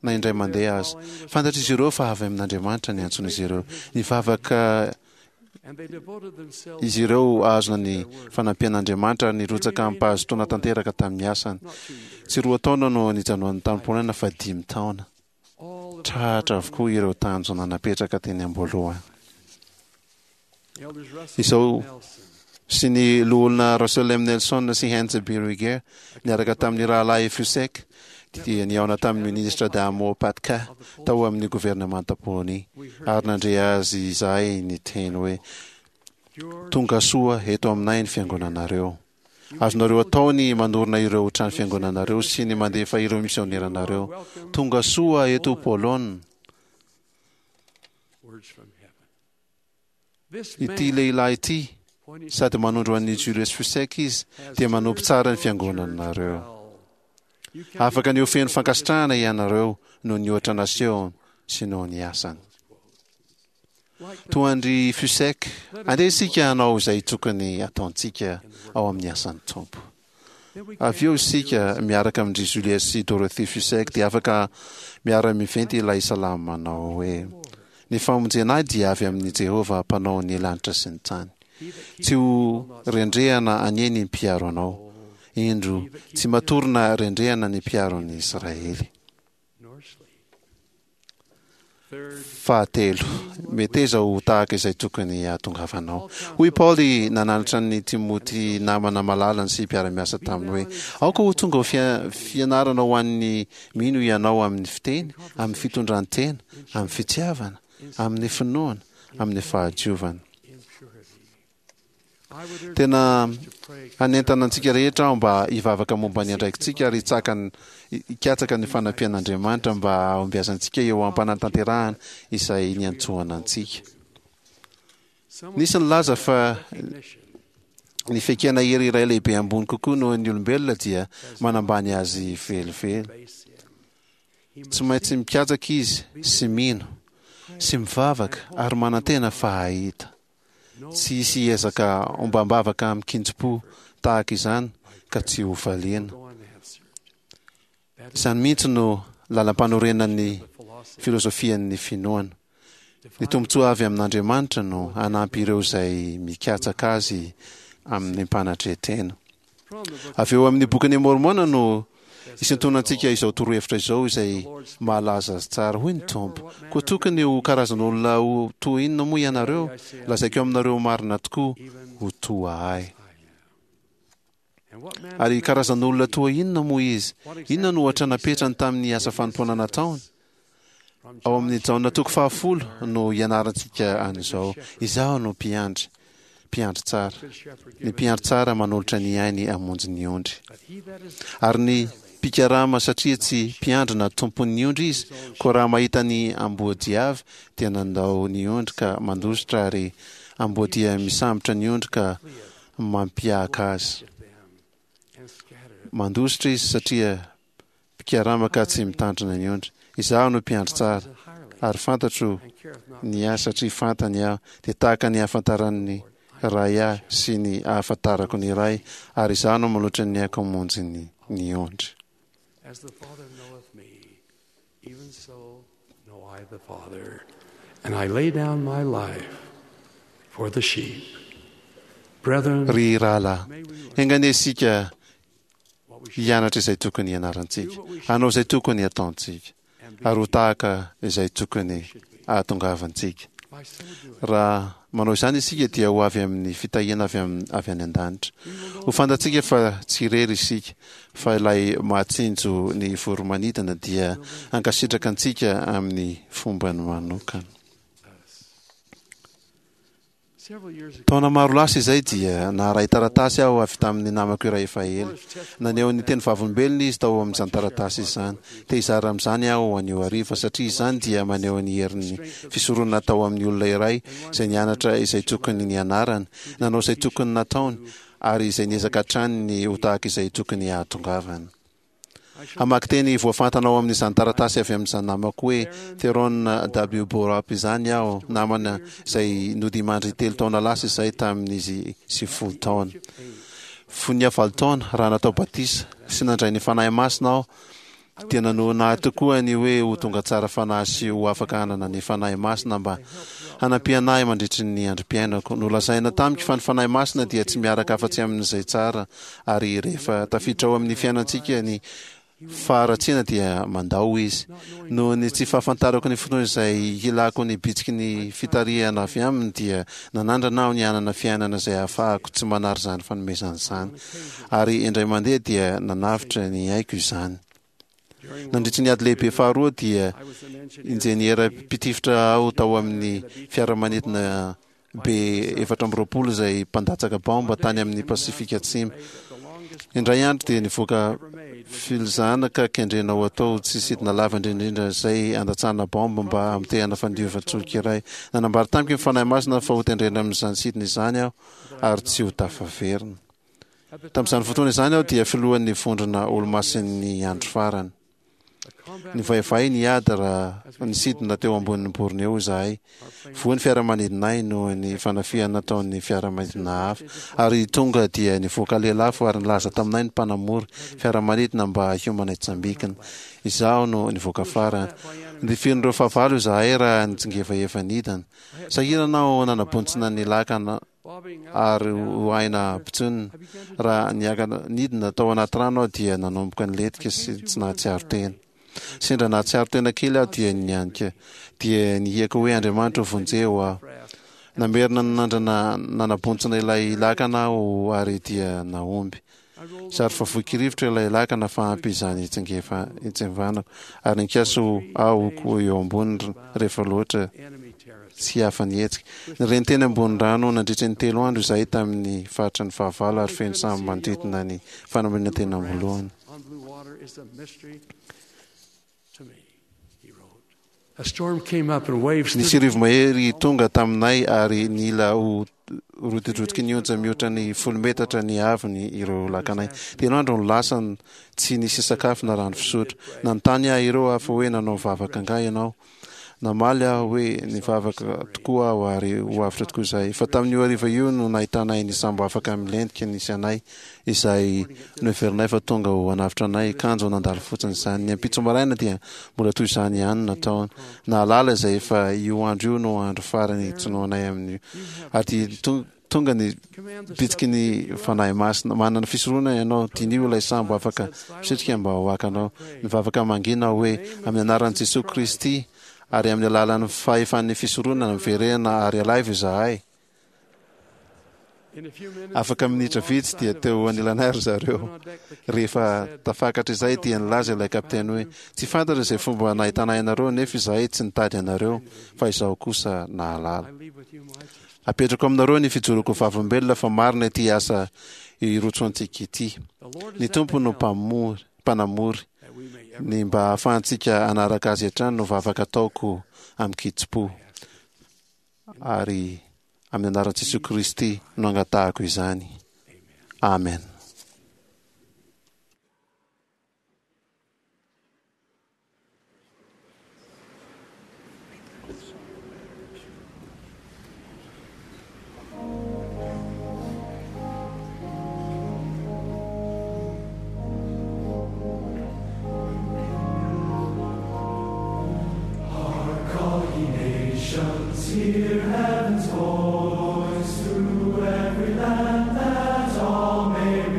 na indray mandeha aza. Fantatr'izy ireo fa avy amin'Andriamanitra ny antson'izy ireo. Nivavaka izy ireo hahazoana ny fanampian'Andriamanitra ary nirotsaka amim-pahazotoana tanteraka tamin'ny asany. Tsy 2 taona no nijanonany tany Polonina fa 5 taona. Tratra avokoa ireo tanjona napetraka teny am-boalohany. Izao sy ny Loholona Russell M. Nelson sy Heinz B. Ruger niaraka tamin'ny Rahalahy Fussek dia nihaona tamin'ny Minisitra Adamo Patka tao amin'ny governemanta Polonia ary nandre azy izahay niteny hoe, Tonga soa eto aminay ny fiangonanareo. Azonareo atao ny manorina ireo trano fiangonanareo sy ny mandefa ireo misioneranareo. Tonga soa eto Polonina. Ity lehilahy ity, sady manondro an'i Julius Fussek izy, dia manompo tsara ny fiangonanareo. Afaka ny ho feno fankasitrahana ianareo noho ny ohatra nasehony sy noho ny asany. Toa an-dry Fussek, andeha isika hanao izay tokony hataontsika ao amin'ny asan'ny Tompo. Avy eo isika, miaraka amin-dry Julius sy Dorothy Fussek, dia afaka miara-miventy ilay salamo manao hoe, Ny famonjena ahy dia avy amin'i Jehovah Mpanao ny lanitra sy ny tany. Tsy ho rendrehana anie ny mpiaro anao. Indro, tsy matory na rendrehana ny mpiaro an'i Israely. Fahatelo, meteza ho tahaka izay tokony hahatongavanao. Hoy Paoly nananatra an'i Timoty namana malalany sy mpiara-miasa taminy hoe, Aoka ho tonga ho fianarana ho an'ny mino ianao amin'ny fiteny, amin'ny fitondran-tena, amin'ny fitiavana, amin'ny finoana, amin'ny fahadiovana. Tena hanentana antsika rehetra aho mba hivavaka momba ny andraikitsika ary hikatsaka ny fanampian'Andriamanitra mba hahombiazantsika eo am-panatanterahana izay niantsoana antsika. Nisy nilaza fa ny fiaikena hery iray lehibe ambony kokoa noho ny olombelona dia manambany azy velively. Tsy maintsy mikatsaka izy sy mino sy mivavaka ary manantena fa hahita. Tsy hisy hiezaka ombam-bavaka amin-kinjim-po tahaka izany ka tsy ho valiana. Izany mihitsy no lalam-panorenan'ny filozofian'ny finoana. Ny tombontsoa avy amin'Andriamanitra no hanampy ireo izay mikatsaka Azy amin'ny mpanatreha-tena. Avy eo amin'ny Bokin'i Môrmôna no isintonantsika izao torohevitra izao izay mahalaza azy tsara. Hoy ny Tompo, Koa tokony ho karazan'olona ho toa inona moa ianareo? Lazaiko aminareo marina tokoa, ho toa Ahy. Ary karazan'olona toa inona moa Izy? Inona no ohatra napetrany tamin'ny asa fanompoana nataony? Ao amin'ny Jaona toko fahafolo no ianarantsika an'izao, Izaho no mpiandry, mpiandry tsara. Ny mpiandry tsara manolotra ny ainy hamonjy ny ondry. Ary ny mpikarama satria tsy mpiandry na tompon'ny ondry izy, koa raha mahita ny amboadia avy dia nandao ny ondry ka mandositra ary amboadia misambotra ny ondry ka mampiaka azy. Mandositra izy satria Mpikarama ka tsy mitandrina ny ondry. Izaho no mpiandry tsara, ary fantatro ny ahy satria fantany aho, dia tahaka ny ahafantaran'ny Ray ahy sy ny ahafantarako ny Ray, ary izaho no manolotra ny aiko hamonjy ny ny ondry. As the Father knoweth me, even so know I the Father, and I lay down my life for the sheep. Brethren, Ry rahalahy, enga anie isika hianatra izay tokony hianarantsika, hanao izay tokony hataontsika, ary ho tahaka izay tokony hahatongavantsika. Raha manao izany isika dia ho avy amin'ny fitahiana avy avy any an-danitra. Ho fantatsika fa tsy irery isika, fa ilay mahatsinjo ny voro-manidina dia hankasitraka antsika amin'ny fombany manokana. Taona maro lasa izay dia naharay taratasy aho avy tamin'ny namako iray efa ela. Naneho ny teny vavolombelona izy tao amin'izany taratasy izany. Te hizara amin'izany aho anio hariva satria izany dia maneho ny herin'ny fisoronana tao amin'ny olona iray izay nianatra izay tokony nianarany, nanao izay tokony nataony, ary izay niezaka hatrany ny ho tahaka izay tokony hahatongavany. Hamaky teny voafantana ao amin'izany taratasy avy amin'izany namako hoe Theron W. Borup izany aho, namana izay nodimandry telo taona lasa izay tamin'izy 90 taona. Fony aho valo taona, raha natao batisa sy nandray ny Fanahy Masina aho, dia nanohina ahy tokoa ny hoe ho tonga tsara fanahy sy ho afaka hanana ny Fanahy Masina mba hanampiana ahy mandritry ny androm-piainako. Nolazaina tamiko fa ny Fanahy Masina dia tsy miaraka afa-tsy amin'izay tsara ary rehefa tafiditra ao amin'ny fiainantsika ny faharatsiana dia mandao izy. Noho ny tsy fahafantarako ny fotoana izay hilako ny bitsiky ny fitarihana avy aminy dia nanandrana aho ny hanana fiainana izay ahafahako tsy manary izany fanomezana izany. Ary indray mandeha dia nanavotra ny aiko izany. Nandritry ny ady lehibe faharoa dia injeniera mpitifitra aho tao amin'ny fiaramanidina B-24 izay mpandatsaka baomba tany amin'ny Pasifika Atsimo. Indray andro dia nivoaka filzana ka kendrena ho atao tsy sidina lava indrindra izay andatsahana baomba mba hamotehana fandiovan-tsolika iray. Nanambara tamiko ny Fanahy Masina fa hotendrena amin'izany sidina izany aho ary tsy ho tafaverina. Tamin'izany fotoana izany aho dia filohan'ny vondrona Olomasin'ny Andro Farany. Nivaivay ny ady raha nisidina teo ambonin'ny Borneo izahay. Voa ny fiaramanidinay noho ny fanafihana nataon'ny fiaramanidina hafa, ary tonga dia nivoaka lelafo ary nilaza taminay ny mpanamory fiaramanidina mba hiomana hitsambikina. Izaho no nivoaka farany. Notifirin'ireo fahavalo izahay raha nitsingevaheva nidina. Sahirana aho nanabontsina ny lakana ary ho aina ampitsonina. Raha niakatra nidina tao anaty rano aho dia nanomboka nilentika sy tsy nahatsiaro tena. Sendra nahatsiaro tena kely aho dia nianika, dia nihiaka hoe Andriamanitra ô vonjeo aho. Namerina nanandrana nanabontsina ilay lakana aho ary dia nahomby. Zary fa voky rivotra ilay lakana fa ampy izany hitsingevanako ary nikasa aho ho eo amboniny rehefa loatra tsy afa-nihetsika. Nireny teny ambony rano nandritra ny 3 andro izahay tamin'ny faritry ny fahavalo ary feno sambo manodidina ny fanamariana tena am-boalohany. Nisy rivo-mahery tonga taminay ary nila ho rotidrotiky ny onja mihoatra ny 10 metatra ny haavony ireo lakanay. 3 andro no lasa tsy nisy sakafo na rano fisotro. Nanontany ahy ireo hafa hoe nanao vavaka angaha ianao? Namaly aho hoe nivavaka tokoa aho ary ho avotra tokoa izahay. Fa tamin'io hariva io no nahitanay ny sambo afaka milentika nisy anay, izay noheverinay fa tonga ho hanavotra anay, kanjo nandalo fotsiny izany. Ny ampitso maraina dia mbola toy izany ihany no nataony. Nahalala izay efa io andro io no andro farany hijinoanay amin'io. Ary dia tonga ny bitsiky ny Fanahy Masina. Manana fisoronana ianao, diniho ilay sambo afaka misitrika mba ho hakanao. Mivavaka mangina aho hoe, amin'ny anaran'i Jesoa Kristy ary amin'ny alalan'ny fahefan'ny fisoronana, miverena ary alaivo izahay. Afaka minitra vitsy dia teo anilanay ry zareo. Rehefa tafakatra izay dia nilaza ilay kapiteny hoe, Tsy fantatra izay fomba nahitanay anareo nefa izahay tsy nitady anareo fa izaho kosa nahalala. Apetrako aminareo ny fijoroako vavolombelona fa marina ity asa irotsoantsika ity. Ny Tompo no mpamory, mpanamory. Ny mba hahafahantsika hanaraka Azy hatrany no vavaka ataoko amin-kitsim-po. Ary amin'ny anaran'i Jesoa Kristy no angatahako izany. Amen. Hark all ye nations, hear heaven's voice through every land that all may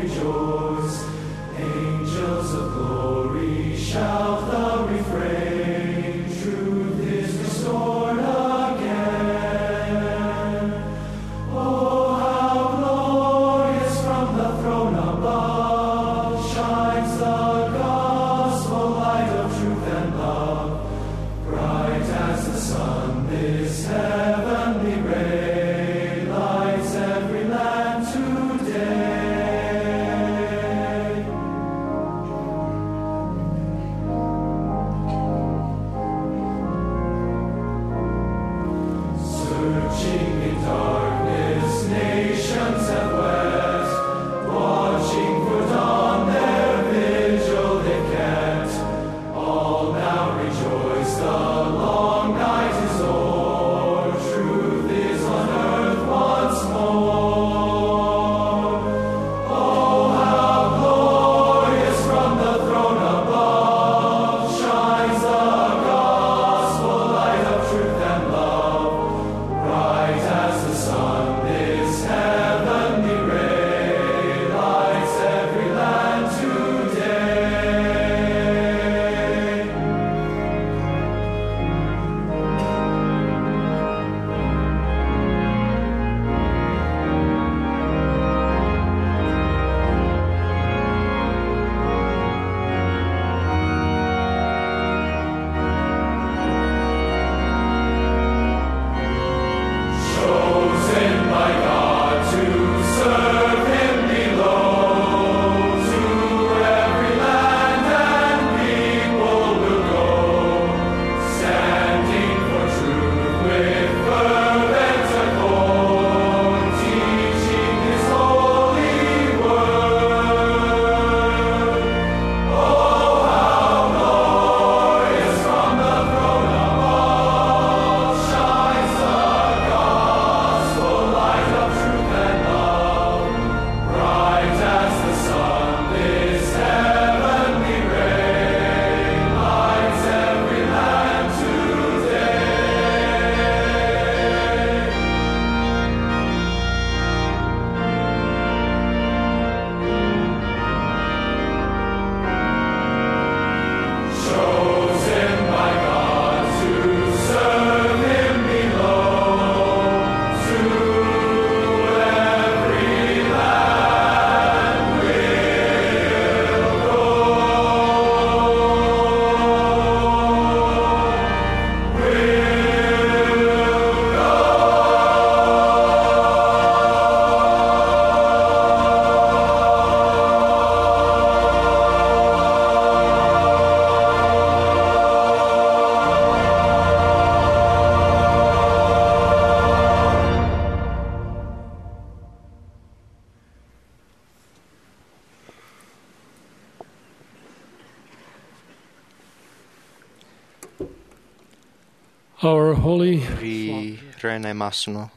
Our holy Ry Rainay Masina,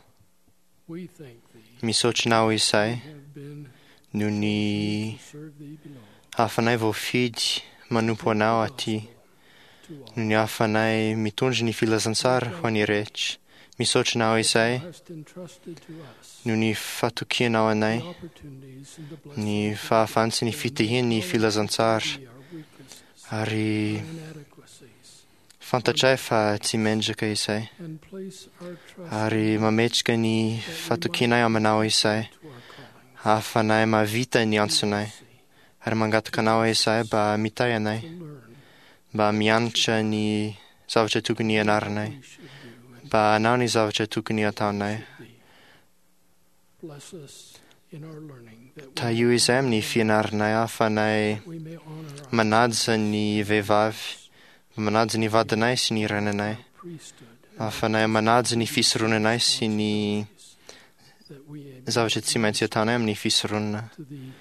we thank thee misaotra anao izay have been noho ny serve thee below hafanay voafidy manompo anao aty, noho ny hafanay mitondra ny filazantsara ho an'ny rehetra. Misaotra anao izay hast entrusted to us noho ny fatokianao anay, the opportunities and the ny blessings fahafahana sy ny fitahian'ny filazantsara, of our weaknesses, ary inadequacies, fantatray fa tsy mendrika izay, and place our trust ary mametraka ny fatokianay aminao izay, to our calling. ahafanay mahavita ny antsonay, ary mangataka anao izay mba mitahy anay, To learn mba mianatra ny zavatra tokony hianaranay, we should do and mba hanao ny zavatra tokony hataonay. thee. Bless us in our learning that we, Tahio izay amin'ny fianaranay ahafanay we may honor our manaja ny vehivavy, manaja ny vadinay sy ny renanay, priesthood, ahafanay manaja ny fisoronanay sy ny that we may zavatra tsy maintsy ataonay amin'ny fisoronana, to the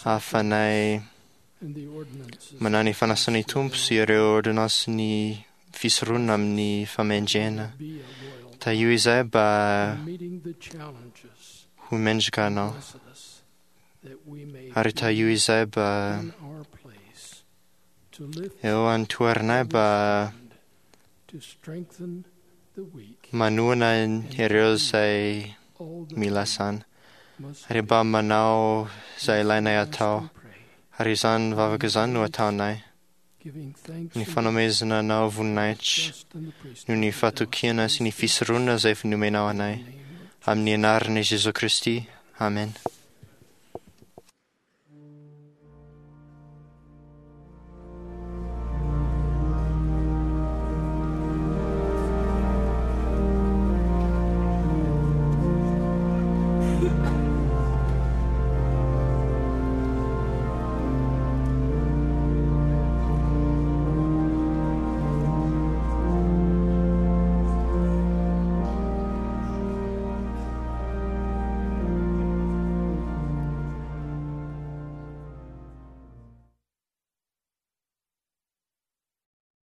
ahafanay and the ordinances manao ny fanasan'ny Tompo sy ireo ordonansin'ny fisoronana amin'ny famendrena. be a loyal Tahio izay mba in meeting the challenges. ho mendrika anao, Bless us that we may ary tahio izay mba in our place to lift eo an-toeranay mba to strengthen the weak manohana ireo izay all that mila izany, must ary mba manao izay ilainay atao, and pray, ary izany vavaka izany no ataonay, giving thanks ny and fanomezana anao voninahitra trust in the priesthood noho ny that thou fatokiana sy ny fisoronana izay efa nomenao anay, hast named amin'ny anaran'i Jesoa Kristy. Amen.